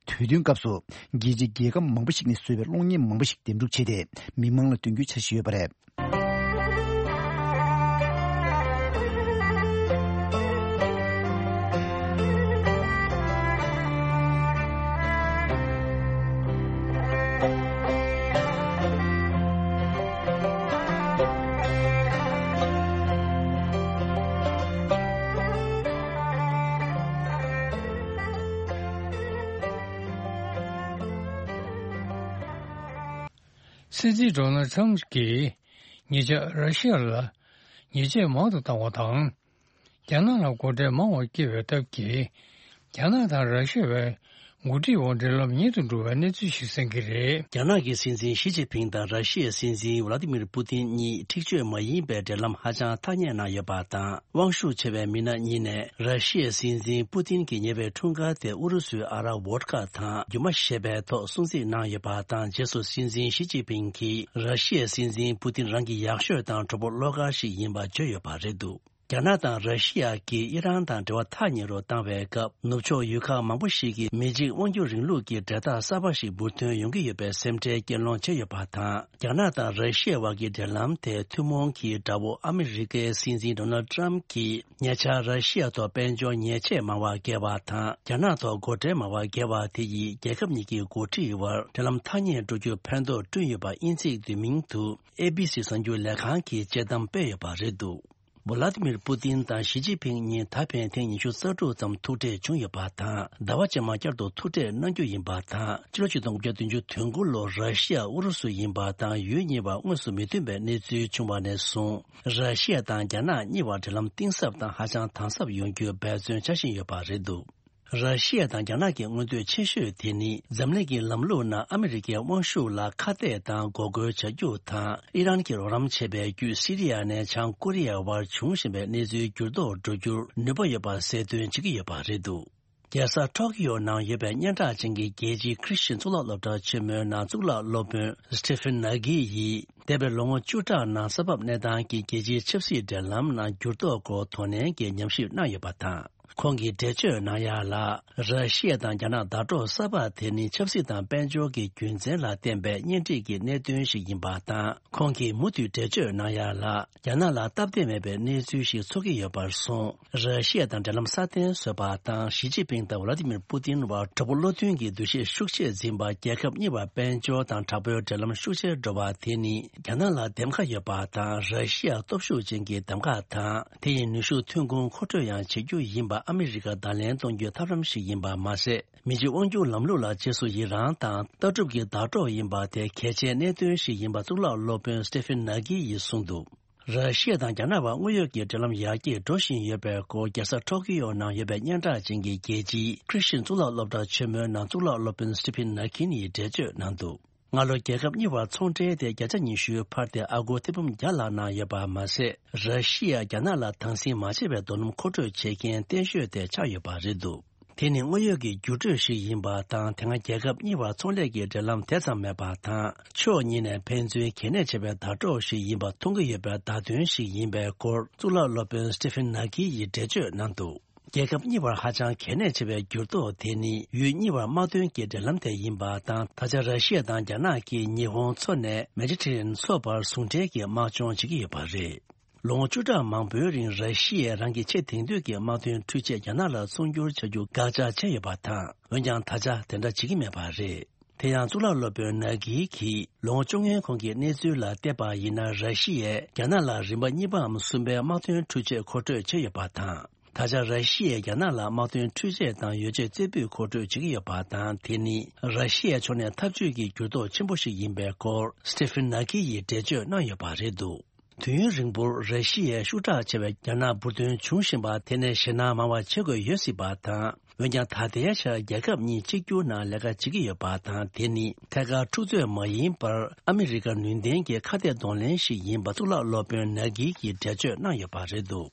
དུས་སྟོན་སྐབས་སུ་རྒྱལ་སྤྱིའི་རྒྱལ་ཁབ་མང་པོ་ཞིག་ནས་བཟོས་པའི་གློག་བརྙན་མང་པོ་ཞིག་འདེམས་སྒྲུག་བྱས་ཏེ་མི་མང་ལ་སྟོན་རྒྱུའི་འཆར་གཞི་ཡོད་པ་རེད། སྲིད་འཛིན་ཌོ་ནལ་ཁྲམ་གྱིས་ཉེ་ཆར་ར་ཤི་ཡ་ལ་ཉེས་ཆད་མང་དུ་བཏང་བ་དང་། རྒྱ་ནག་ལ་སྒོ་ཁྲལ་མང་བ་བསྐྱེད་པའི་སྟབས་ཀྱིས། རྒྱ་ནག་དང་ར་ཤི་ཡ་བའི་འགོ་ཁྲིད་དབར་འབྲེལ་ལམ་ཉེ་དུ་འགྲོ་བའི་གནས་ཚུལ་ཞིག་གསན་གྱི་རེད། རྒྱ་ནག་གི་སྲིད་འཛིན་ཞི་ཅིན་ཕིང་དང་ར་ཤི་ཡའི་སྲིད་འཛིན་ཝ་ལ་ཏི་མིར་པུ་ཏིན་གཉིས་འཁྲིག་སྤྱོད་མ་ཡིན་པའི་འབྲེལ་ལམ་ཧ་ཅང་ཐག་ཉེ་གནང་ཡོད་པ་དང་། དབང་ཤུགས་ཆེ་བའི་མི་སྣ་གཉིས་ནས་ར་ཤི་ཡའི་སྲིད་འཛིན་པུ་ཏིན་གྱི་ཉེ་བའི་འཁྲུངས་སྐར་དེ་ཨུ་རུ་སུའི་ཨ་རག་བོད་ཀ་དང་རྒྱུ་མ་ཞེས་པའི་ཐོག་སྲུང་བརྩི་གནང་ཡོད་པ་དང་། རྗེས་སུ་སྲིད་འཛིན་ཞི་ཅིན་ཕིང་གིས་ར་ཤི་ཡའི་སྲིད་འཛིན་པུ་ཏིན་རང་གི་ཡག་ཤོས་དང་གྲོགས་པོ་བློ་དཀར་ཞིག་ཡིན་པ་བརྗོད་ཡོད་པ་རེད་འདུག། རྒྱ་ནག་དང་ར་ཤི་ཡ་གིས་ཨི་རན་དང་འབྲེལ་བ་ཐག་ཉེ་རུ་བཏང་བའི་སྐབས། ནུབ་ཕྱོགས་ཡུལ་ཁག་མང་པོ་ཞིག་གིས་མི་གཅིག་དབང་སྒྱུར་རིང་ལུགས་ཀྱི་འབྲེལ་ཐག་གསར་པ་ཞིག་འབུར་ཐོན་ཡོང་གི་ཡོད་པའི་སེམས་ཁྲལ་སྐྱེད་སློང་བྱས་ཡོད་པ་དང་། རྒྱ་ནག་དང་ར་ཤི་ཡ་བར་གྱི་འབྲེལ་ལམ་དེ་ཐུན་མོང་གི་དགྲ་བོ་ཨ་མི་རི་ཀའི་སྲིད་འཛིན་ཌོ་ནལ་ཊམ་གྱིས་ཉེ་ཆར་ར་ཤི་ཡ་ཐོག་དཔལ་འབྱོར་ཉེས་ཆད་མང་བ་བཀལ་བ་དང་། རྒྱ་ནག་ཐོག་སྒོ་ཁྲལ་མང་བ་བཀལ་བ་དེ་ཡིས་རྒྱལ་ཁབ་གཉིས་ཀྱི་འགོ་ཁྲིད་བར་འབྲེལ་ལམ་ཐག་ཉེ་འགྲོ་རྒྱུར་ཕན་ཐོགས་བསྐྲུན་ཡོད་པ་དབྱིན་ཚིག་བསྡུས་མིང་དུ་ཨེ་བྷི་སི་གསར་འགྱུར་ལས་ཁང་གིས་དཔྱད་གཏམ་སྤེལ་ཡོད་པ་རེད་འདུག་ཝ་ལ་ཏི་མིར་པུ་ཏིན་དང་ཞི་ཅིན་ཕིང་གཉིས་ད་ཕན་ཐེངས་ཉི་ཤུ་རྩ་དྲུག་ཙམ་ཐུག་འཕྲད་བྱུང་ཡོད་པ་དང་། ཟླ་བ་རྗེས་མ་བསྐྱར་དུ་ཐུག་འཕྲད་གནང་རྒྱུ་ཡིན་པ་དང་། ཕྱི་ལོ་ཆིག་སྟོང་དགུ་བརྒྱ་བདུན་ཅུ་དོན་དགུ་ལོར་ར་ཤི་ཡ་ཨུ་རུ་སུ་ཡིན་པ་དང་ཡུལ་གཉིས་བར་དངོས་སུ་མི་མཐུན་པའི་གནས་ཚུལ་བྱུང་བ་ནས་བཟུང་། ར་ཤི་ཡ་དང་རྒྱ་ནག་གཉིས་བར་འབྲེལ་ལམ་གཏིང་ཟབ་དང་ཧ་ཅང་དམ་ཟབ་ཡོང་རྒྱུའི་འབད་བརྩོན་བྱ་བཞིན་ཡོད་པ་རེད་འདུག་ར་ཤི་ཡ་དང་རྒྱ་ནག་གི་མངོན་འདོད་ཆེ་ཤོས་དེ་ནི། འཛམ་གླིང་གི་ལམ་ལུགས་ནང་ཨ་མི་རི་ཀའི་དབང་ཤུགས་ལ་ཁ་གཏད་དང་འགོག་རྒོལ་བྱ་རྒྱུ་དང་། ཨི་རན་གྱིས་རོགས་རམ་བྱས་པའི་བརྒྱུད་སི་རི་ཡ་ནས་བྱང་ཀོ་རི་ཡ་བར་འབྱུང་བཞིན་པའི་གནས་ཚུལ་འགྱུར་ལྡོག་འགྲོ་རྒྱུར་ནུས་པ་ཡོད་པ་གསལ་སྟོན་བྱེད་ཀྱི་ཡོད་པ་རེད་འདུག་རྒྱལ་ས་ཊོ་ཀི་ཡོ་ནང་ཡོད་པའི་སྙན་གྲགས་ཅན་གྱི་རྒྱལ་སྤྱིའི་ཁྲི་ཤིན་གཙུག་ལག་སློབ་གྲྭ་ཆེན་མོའི་ནང་གཙུག་ལག་སློབ་དཔོན་སི་ཏི་ཕིན་ནཱ་གི་ཡིས། འདས་པའི་ལོ་ངོ་བཅུ་ཕྲག་ནང་ས་བབ་གནས་སྟངས་ཀྱིས་རྒྱལ་སྤྱིའི་ཆབ་སྲིད་འབྲེལ་ལམ་ནང་འགྱུར་ལྡོག་སྐོར་དོ་ནན་གྱི་ཉམས་ཞིབ་གནང་ཡོད་པ་དང་། ཁོང་གིས་འགྲེལ་བརྗོད་གནང་ཡ་ལ། ར་ཤི་ཡ་དང་རྒྱ་ནག་ཟླ་གྲོགས་གསར་པ་དེ་ནི་ཆབ་སྲིད་དང་དཔལ་འབྱོར་གྱི་རྒྱུ་མཚན་ལ་བརྟེན་པའི་གཉེན་སྒྲིག་གི་གནད་དོན་ཞིག་ཡིན་པ་དང་། ཁོང་གིས་མུ་མཐུད་འགྲེལ་བརྗོད་གནང་ཡ་ལ། རྒྱ་ནག་ལ་སྟབས་བདེ་མེད་པའི་གནས་ཚུལ་ཞིག་ཚོར་གྱི་ཡོད་པར་སོང་། ར་ཤི་ཡ་དང་འབྲེལ་ལམ་སྲ་བརྟན་བཟོས་པ་དང་། ཞི་ཅིན་ཕིང་དང་ཝ་ལ་ཏི་མིར་པུ་ཏིན་བར་གྲོགས་པོ་བློ་མཐུན་གྱི་འདུ་ཤེས་ཤུགས་ཆེར་འཛིན་པ། རྒྱལ་ཁབ་གཉིས་བར་དཔལ་འབྱོར་དང་དྲག་པོའི་འབྲེལ་ལམ་ཤུགས་ཆེར་འགྲོ་བ་དེ་ནི། རྒྱ་ནག་ལ་འདེམས་ཁ་ཡོད་པ་དང་། ར་ཤི་ཡ་སྟོབས་ཤུགས་ཅན་གྱི་གདམ་ག་དང་། དེ་ཡི་ནུས་ཤུགས་ཐོན་ཁུངས་མཁོ་སྤྲོད་ཡང་བྱེད་རྒྱུ་ཡིན་པ་ཨ་མི་རི་ཀ་བརྡ་ལན་གཏོང་རྒྱུའི་ཐབས་ལམ་ཞིག་ཡིན་པ་མ་ཟད། མི་གཅིག་དབང་སྒྱུར་ལམ་ལུགས་ལ་རྗེས་སུ་ཡི་རང་དང་། ལྟ་གྲུབ་ཀྱི་ཟླ་གྲོགས་ཡིན་པ་དེ་གལ་ཆེའི་གནད་དོན་ཞིག་ཡིན་པ་གཙུག་ལག་སློབ་དཔོན་སི་ཏི་ཕིན་ནཱ་གི་ཡིས་གསུངས་འདུག་ར་ཤི་ཡ་དང་རྒྱ་ནག་བར་དངོས་ཡོད་ཀྱི་འབྲེལ་ལམ་ཡར་རྒྱས་འགྲོ་བཞིན་ཡོད་པའི་སྐོར། རྒྱལ་ས་ཊོ་ཀི་ཡོ་ནང་ཡོད་པའི་སྙན་གྲགས་ཅན་གྱི་རྒྱལ་སྤྱིའི་ཁྲི་ཤིན་གཙུག་ལག་སློབ་གྲྭ་ཆེན་མོའི་ནང་གཙུག་ལག་སློབ་དཔོན་སི་ཏི་ཕིན་ནཱ་གིན་ཡིས་འགྲེལ་བརྗོད་གནང་འདུག་སྔ་ལོ་རྒྱལ་ཁབ་གཉིས་བར་ཚོང་འབྲེལ་དེ་བརྒྱ་ཆ་ཉི་ཤུའི་བར་དེ་ཨ་སྒོར་ཐེར་འབུམ་བརྒྱ་ལྷག་གནང་ཡོད་པ་མ་ཟད། ར་ཤི་ཡ་རྒྱ་ནག་ལ་དྭངས་སིལ་མ་བྱས་པའི་རྡོ་སྣུམ་མཁོ་སྤྲོད་བྱེད་མཁན་བརྟན་ཤོས་དེ་ཆགས་ཡོད་པ་རེད་འདུག་དེ་ནི་དངོས་ཡོད་ཀྱི་འགྱུར་འགྲོས་ཤིག་ཡིན་པ་དང་། དེ་སྔ་རྒྱལ་ཁབ་གཉིས་བར་ཚོང་ལས་ཀྱི་འབྲེལ་ལམ་དེ་ཙམ་མེད་པ་དང་། ཕྱོགས་གཉིས་ནས་ཕན་ཚུན་གལ་གནད་ཆེ་བའི་ཟླ་གྲོགས་ཤིག་ཡིན་པ་མཐོང་གི་ཡོད་པའི་བརྡ་སྟོན་ཞིག་ཡིན་པའི་སྐོར། གཙུག་ལག་སློབ་དཔོན་སི་ཏི་ཕིན་ནཱ་གི་ཡིས་འགྲེལ་བརྗོད་གནང་འདུག་རྒྱལ་ཁབ་གཉིས་བར་ཧ་ཅང་གལ་གནད་ཆེ་བའི་འགྱུར་ལྡོག་དེ་ནི། ཡུལ་གཉིས་བར་དམག་དོན་གྱི་འབྲེལ་ལམ་དེ་ཡིན་པ་དང་། ད་ཆ་ར་ཤི་ཡ་དང་རྒྱ་ནག་གིས་ཉི་ཧོང་མཚོ་ནས་མེ་ཌི་ཊེ་རེ་ནི་ཡན་མཚོ་བར་ཟུང་འབྲེལ་གྱི་དམག་སྦྱོང་བྱེད་ཀྱི་ཡོད་པ་རེད། ལོ་ངོ་བཅུ་ཕྲག་མང་པོའི་རིང་ར་ཤི་ཡས་རང་གི་ཆེས་དེང་དུས་ཀྱི་དམག་དོན་འཕྲུལ་ཆས་རྒྱ་ནག་ལ་ཚོང་སྒྱུར་བྱ་རྒྱུ་བཀག་ཆ་བྱས་ཡོད་པ་དང་། འོན་ཀྱང་ད་ཆ་དེ་འདྲ་བྱེད་ཀྱི་མེད་པ་རེད། དེ་ཡང་གཙུག་ལག་སློབ་དཔོན་ནཱ་གི་གིས་ལོ་ངོ་བཅོ་ལྔའི་གོང་གི་གནས་ཚུལ་ལ་བལྟས་པ་ཡིན་ན། ར་ཤི་ཡས་རྒྱ་ནག་ལ་རིམ་པ་གཉིས་པའམ་གསུམ་པའི་དམག་དོན་འཕྲུལ་ཆས་མཁོ་སྤྲོད་བྱས་ཡོད་པ་དང་། ད་ཆ་ར་ཤི་ཡས་རྒྱ་ནག་ལ་དམག་དོན་འཕྲུལ་ཆས་དང་ཡོ་བྱད་རྩེ་ཕུད་མཁོ་སྤྲོད་བྱེད་ཀྱི་ཡོད་པ་དང་། དེ་ནི་ར་ཤི་ཡའི་ཕྱོགས་ནས་འཐབ་ཇུས་ཀྱི་འགྱུར་ལྡོག་ཆེན་པོ་ཞིག་ཡིན་པའི་སྐོར། སི་ཏི་ཕིན་ནཱ་གི་ཡིས་འགྲེལ་བརྗོད་གནང་ཡོད་པ་རེད་འདུག་དུས་ཡུན་རིང་པོར་ར་ཤི་ཡའི་ཤུགས་དྲག་ཆེ་བའི་རྒྱ་ནག་འབུར་ཐོན་བྱུང་བཞིན་པ་དེ་ནས་ཞེད་སྣང་མང་བ་བྱེད་དགོས་ཡོད་སྲིད་པ་དང་། འོན་ཀྱང་ད་ལྟའི་ཆར་རྒྱལ་ཁབ་གཉིས་གཅིག་གྱུར་ནང་ལས་ཀ་བྱེད་ཀྱི་ཡོད་པ་དང་། དེ་ནི་ཐད་ཀར་འཁྲུག་རྩོད་མ་ཡིན་པར་ཨ་མི་རི་ཀ་ནུས་ལྡན་གྱི་ཁ་གཏད་གདོང་ལེན་ཞིག་ཡིན་པ་གཙུག་ལག་སློབ་དཔོན་ནཱ་གི་གིས་འགྲེལ་བརྗོད་གནང་ཡོད་པ་རེད་འདུག་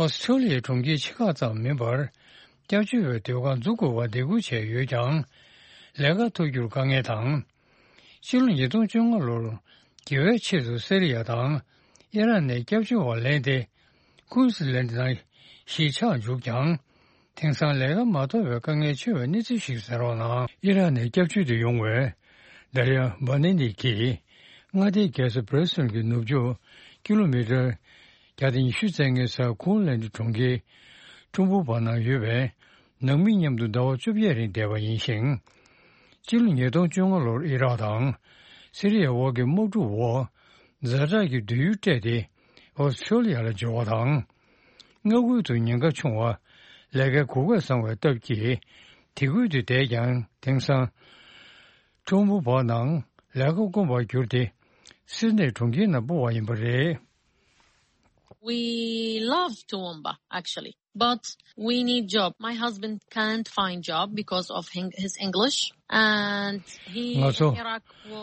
ཨོ་སི་ཁྲུ་ལི་ཡའི་གྲོང་ཁྱེར་ཆེ་ཁག་ཙམ་མིན་པར། སྐྱབས་བཅོལ་བའི་སྡོད་ཁང་འཛུགས་དགོས་པར་སྡིགས་སྐུལ་བྱས་ཡོད་ཀྱང་། ལས་ཀ་ཐོབ་རྒྱུར་དཀའ་ངལ་དང་། ཕྱི་ལོ་ཉིས་སྟོང་བཅོ་ལྔ་ལོར་རྒྱལ་བའི་ཆེད་དུ་སི་རི་ཡ་དང་ཨི་རག་ནས་སྐྱབས་བཅོལ་བ་ལེན་ཏེ། ཀུན་སི་ལན་ནང་གཞིས་ཆགས་འཇུག་ཀྱང་། དེང་སང་ལས་ཀ་མ་ཐོབ་པའི་དཀའ་ངལ་ཆེ་བའི་གནས་ཚུལ་ཞིག་གསན་རོགས་གནང་། ཨི་རག་ནས་སྐྱབས་བཅོལ་དུ་ཡོང་བའི་དར་ཡ་བྷ་ནི་ནི་གིས་མངའ་སྡེའི་རྒྱལ་ས་བྷི་རི་སི་བྷིལ་གྱི་ནུབ་ཕྱོགས་ཀི་ལོ་མི་ཊར་བརྒྱ་དང་ཉི་ཤུ་རྩ་ལྔའི་སར་ཀུན་ལན་གྲོང་ཁྱེར་ཁྲོམ་བུ་བར་ན་ཡོད་པའི་ནང་མི་མཉམ་དུ་ཟླ་བ་བཅོ་བརྒྱད་རིང་བསྡད་པ་ཡིན་ཞིང་། སྤྱི་ལོ་ཉིས་སྟོང་བཅོ་ལྔ་ལོར་ཨི་རག་དང་སི་རི་ཡའི་དབར་གྱི་དམག་འཁྲུག་འོག་ཛ་དྲག་གི་སྡོད་ཡུལ་སྤྲད་དེ་ཨོ་སི་ཁྲུ་ལི་ཡ་ལ་འབྱོར་བ་དང་། མངའ་ཁུལ་དུ་ཉེན་ཁ་ཆུང་བ། ལས་ཀའི་གོ་སྐབས་བཟང་བའི་སྟབས་ཀྱིས་དེ་ཁུལ་དུ་བསྡད་ཀྱང་། དེང་སང་ཁྲོམ་བུ་བར་ནང་ལས་ཀ་དཀོན་པར་གྱུར་ཏེ་སིད་ནེ་གྲོང་ཁྱེར་ནང་སྤོ་བ་ཡིན་པ་རེད། We love Toowoomba, actually. But we need job. My husband can't find job because of his English. And he ང་ཚོ་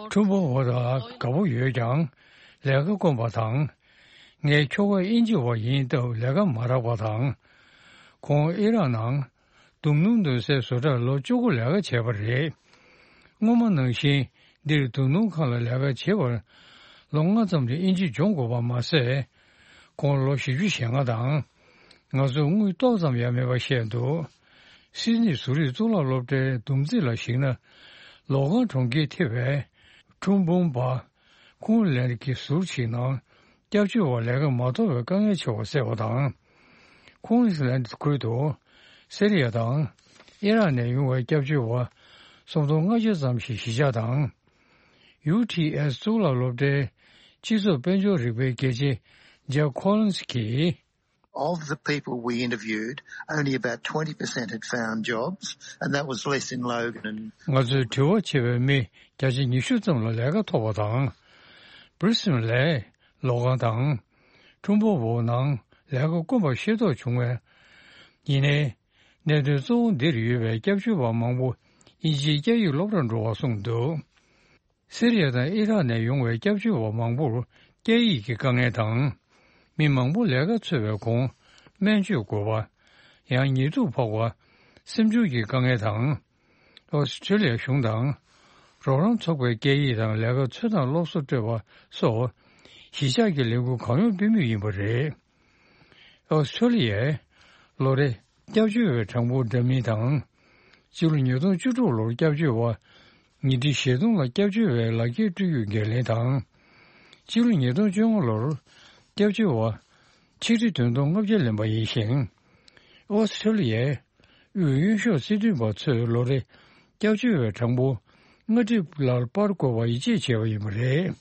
ཁྲུམ་བུ་བོ་ལ་དགའ་པོ་ཡོད་ཀྱང་ལས་ཀ་དཀོན་པ་དང་། ངའི་ཁྱོ་ག་དབྱིན་ཇི་བ་ཡིན་སྟབས་ལས་ཀ་མ་རག་པ་དང་། ཁོང་ཨི་རག་ནང་དུམ་ནུ་འདོན་སའི་བཟོ་གྲྭར་ལོ་བཅུ་དགུ་ལས་ཀ་བྱས་པ་རེད། སྔོན་མ་ནང་བཞིན་འདིར་དུམ་ནུ་ཁང་ལ་ལས་ཀ་བྱེད་པར་ལོ་ལྔ་ཙམ་རིང་དབྱིན་ཇི་སྦྱོང་དགོས་པ་མ་ཟད། ཁོང་ལོ་བཞི་བཅུ་ཞེ་ལྔ་དང་། ང་ཚོར་དངུལ་ཏོག་ཙམ་ཡང་མེད་པ་བཤད་འདུག་སིད་ནི་ཟུ་རིག་གཙུག་ལག་སློབ་གྲྭའི་བསྡོམས་རྩིས་ལ་གཞིགས་ན། ལོག་ཁང་གྲོང་ཁྱེར་ཐེ་བའི་ཁྲུམ་བུམ་པ་ཁུང་ལན་གྱི་ཟུར་ཞིག་ནང་སྐྱབས་བཅོལ་བ་ལས་ཀ་མ་ཐོབ་པའི་དཀའ་ངལ་ཆེ་བ་གསལ་བ་དང་། ཁུང་ལན་ཁུལ་དུ་སི་རི་ཡ་དང་ཨི་རག་ནས་ཡོང་བའི་སྐྱབས་བཅོལ་བ་སུམ་སྟོང་ལྔ་བརྒྱ་ཙམ་ཞིག་གཞིས་ཆགས་དང་། ཡུ་ཊི་ཨེས་གཙུག་ལག་སློབ་གྲྭའི་སྤྱི་ཚོགས་དཔལ་འབྱོར་རིག་པའི་དགེ་ཆེ་ཇེབ་ཁོ་ལིན་སི་གིས། Of the people we interviewed, only about twenty percent had found jobs, and that was less in Logan and ང་ཚོས་དྲི་བ་བྱས་པའི་མི་བརྒྱ་ཆ་ཉི་ཤུ་ཙམ་ལ་ལས་ཀ་ཐོབ་པ་དང་། Brisbane ལས་ལོག་ཁང་དང་ཁྲུམ་བུམ་པ་ནང་ལས་ཀ་དཀོན་པ་ཤེས་རྟོགས་བྱུང་བས། ཡིན་ནའི། གནད་དོན་གཙོ་བོ་འདིར་ཡོད་པའི་སྐྱབས་བཅོལ་བ་མང་པོ་དབྱིན་ཇིའི་སྐད་ཡིག་སློབ་གྲྭར་འགྲོ་བར་གསུངས་འདུག་སི་རི་ཡ་དང་ཨི་རག་ནས་ཡོང་བའི་སྐྱབས་བཅོལ་བ་མང་པོར་སྐད་ཡིག་གི་དཀའ་ངལ་དང་། མི་མང་པོ་ལས་ཀ་འཚོལ་བའི་གོང་སྨན་བཅོས་དགོས་པ། ཡང་ཉེས་དུག་ཕོག་པ། སེམས་ཤུགས་ཀྱི་དཀའ་ངལ་དང་། ཨོ་སི་ཁྲེ་ལི་ཡ་གཞུང་དང་། རོགས་རམ་ཚོགས་པའི་སྐད་ཡིག་དང་ལས་ཀ་འཚོལ་སྟངས་སློབ་གསོ་སྤྲོད་པ་སོགས་གཞིས་ཆགས་ཀྱི་ལས་འགུལ་གང་ཡོང་སྤེལ་མུས་ཡིན་པ་རེད། ཨོ་སི་ཁྲེ་ལི་ཡའི་ལོ་རེ་སྐྱབས་བཅོལ་བའི་གྲངས་འབོར་འདྲ་མིན་དང་། སྤྱི་ལོ་ཉིས་སྟོང་བཅུ་དྲུག་ལོར་སྐྱབས་བཅོལ་བ་ཉིས་ཁྲི་ཞེ་གདུང་ལ་སྐྱབས་བཅོལ་བའི་ལག་འཁྱེར་སྤྲོད་རྒྱུ་འགན་ལེན་དང་། སྤྱི་ལོ་ཉིས་སྟོང་བཅོ་ལྔ་ལོར་སྐྱབས་བཅོལ་བ་ཆིག་ཁྲི་བདུན་སྟོང་ལྔ་བརྒྱ་ལེན་པ་ཡིན་ཞིང་། ཨོ་སི་ཁྲེ་ལི་ཡའི་དབུས་གཡོན་ཕྱོགས་སྲིད་དོན་པ་ཚོས་ལོ་རེ་སྐྱབས་བཅོལ་བའི་གྲངས་འབོར་ལྔ་ཁྲི་ལ་སྤར་དགོས་པ་ཡིད་ཆེས་བྱས་པ་ཡིན་པ་རེད།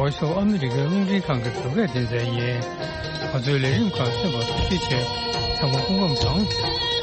ཝོ་ཤི་ཨོཕ་ཨ་མི་རི་ཀའི་རླུང་འཕྲིན་ཁང་གི་བོད་སྐད་སྡེ་ཚན་ཡིན། ང་ཚོའི་ལས་རིམ་ཁག་གསན་པར་ཐུགས་རྗེ་ཆེ། ཚང་མ་སྐུ་ཁམས་བཟང་།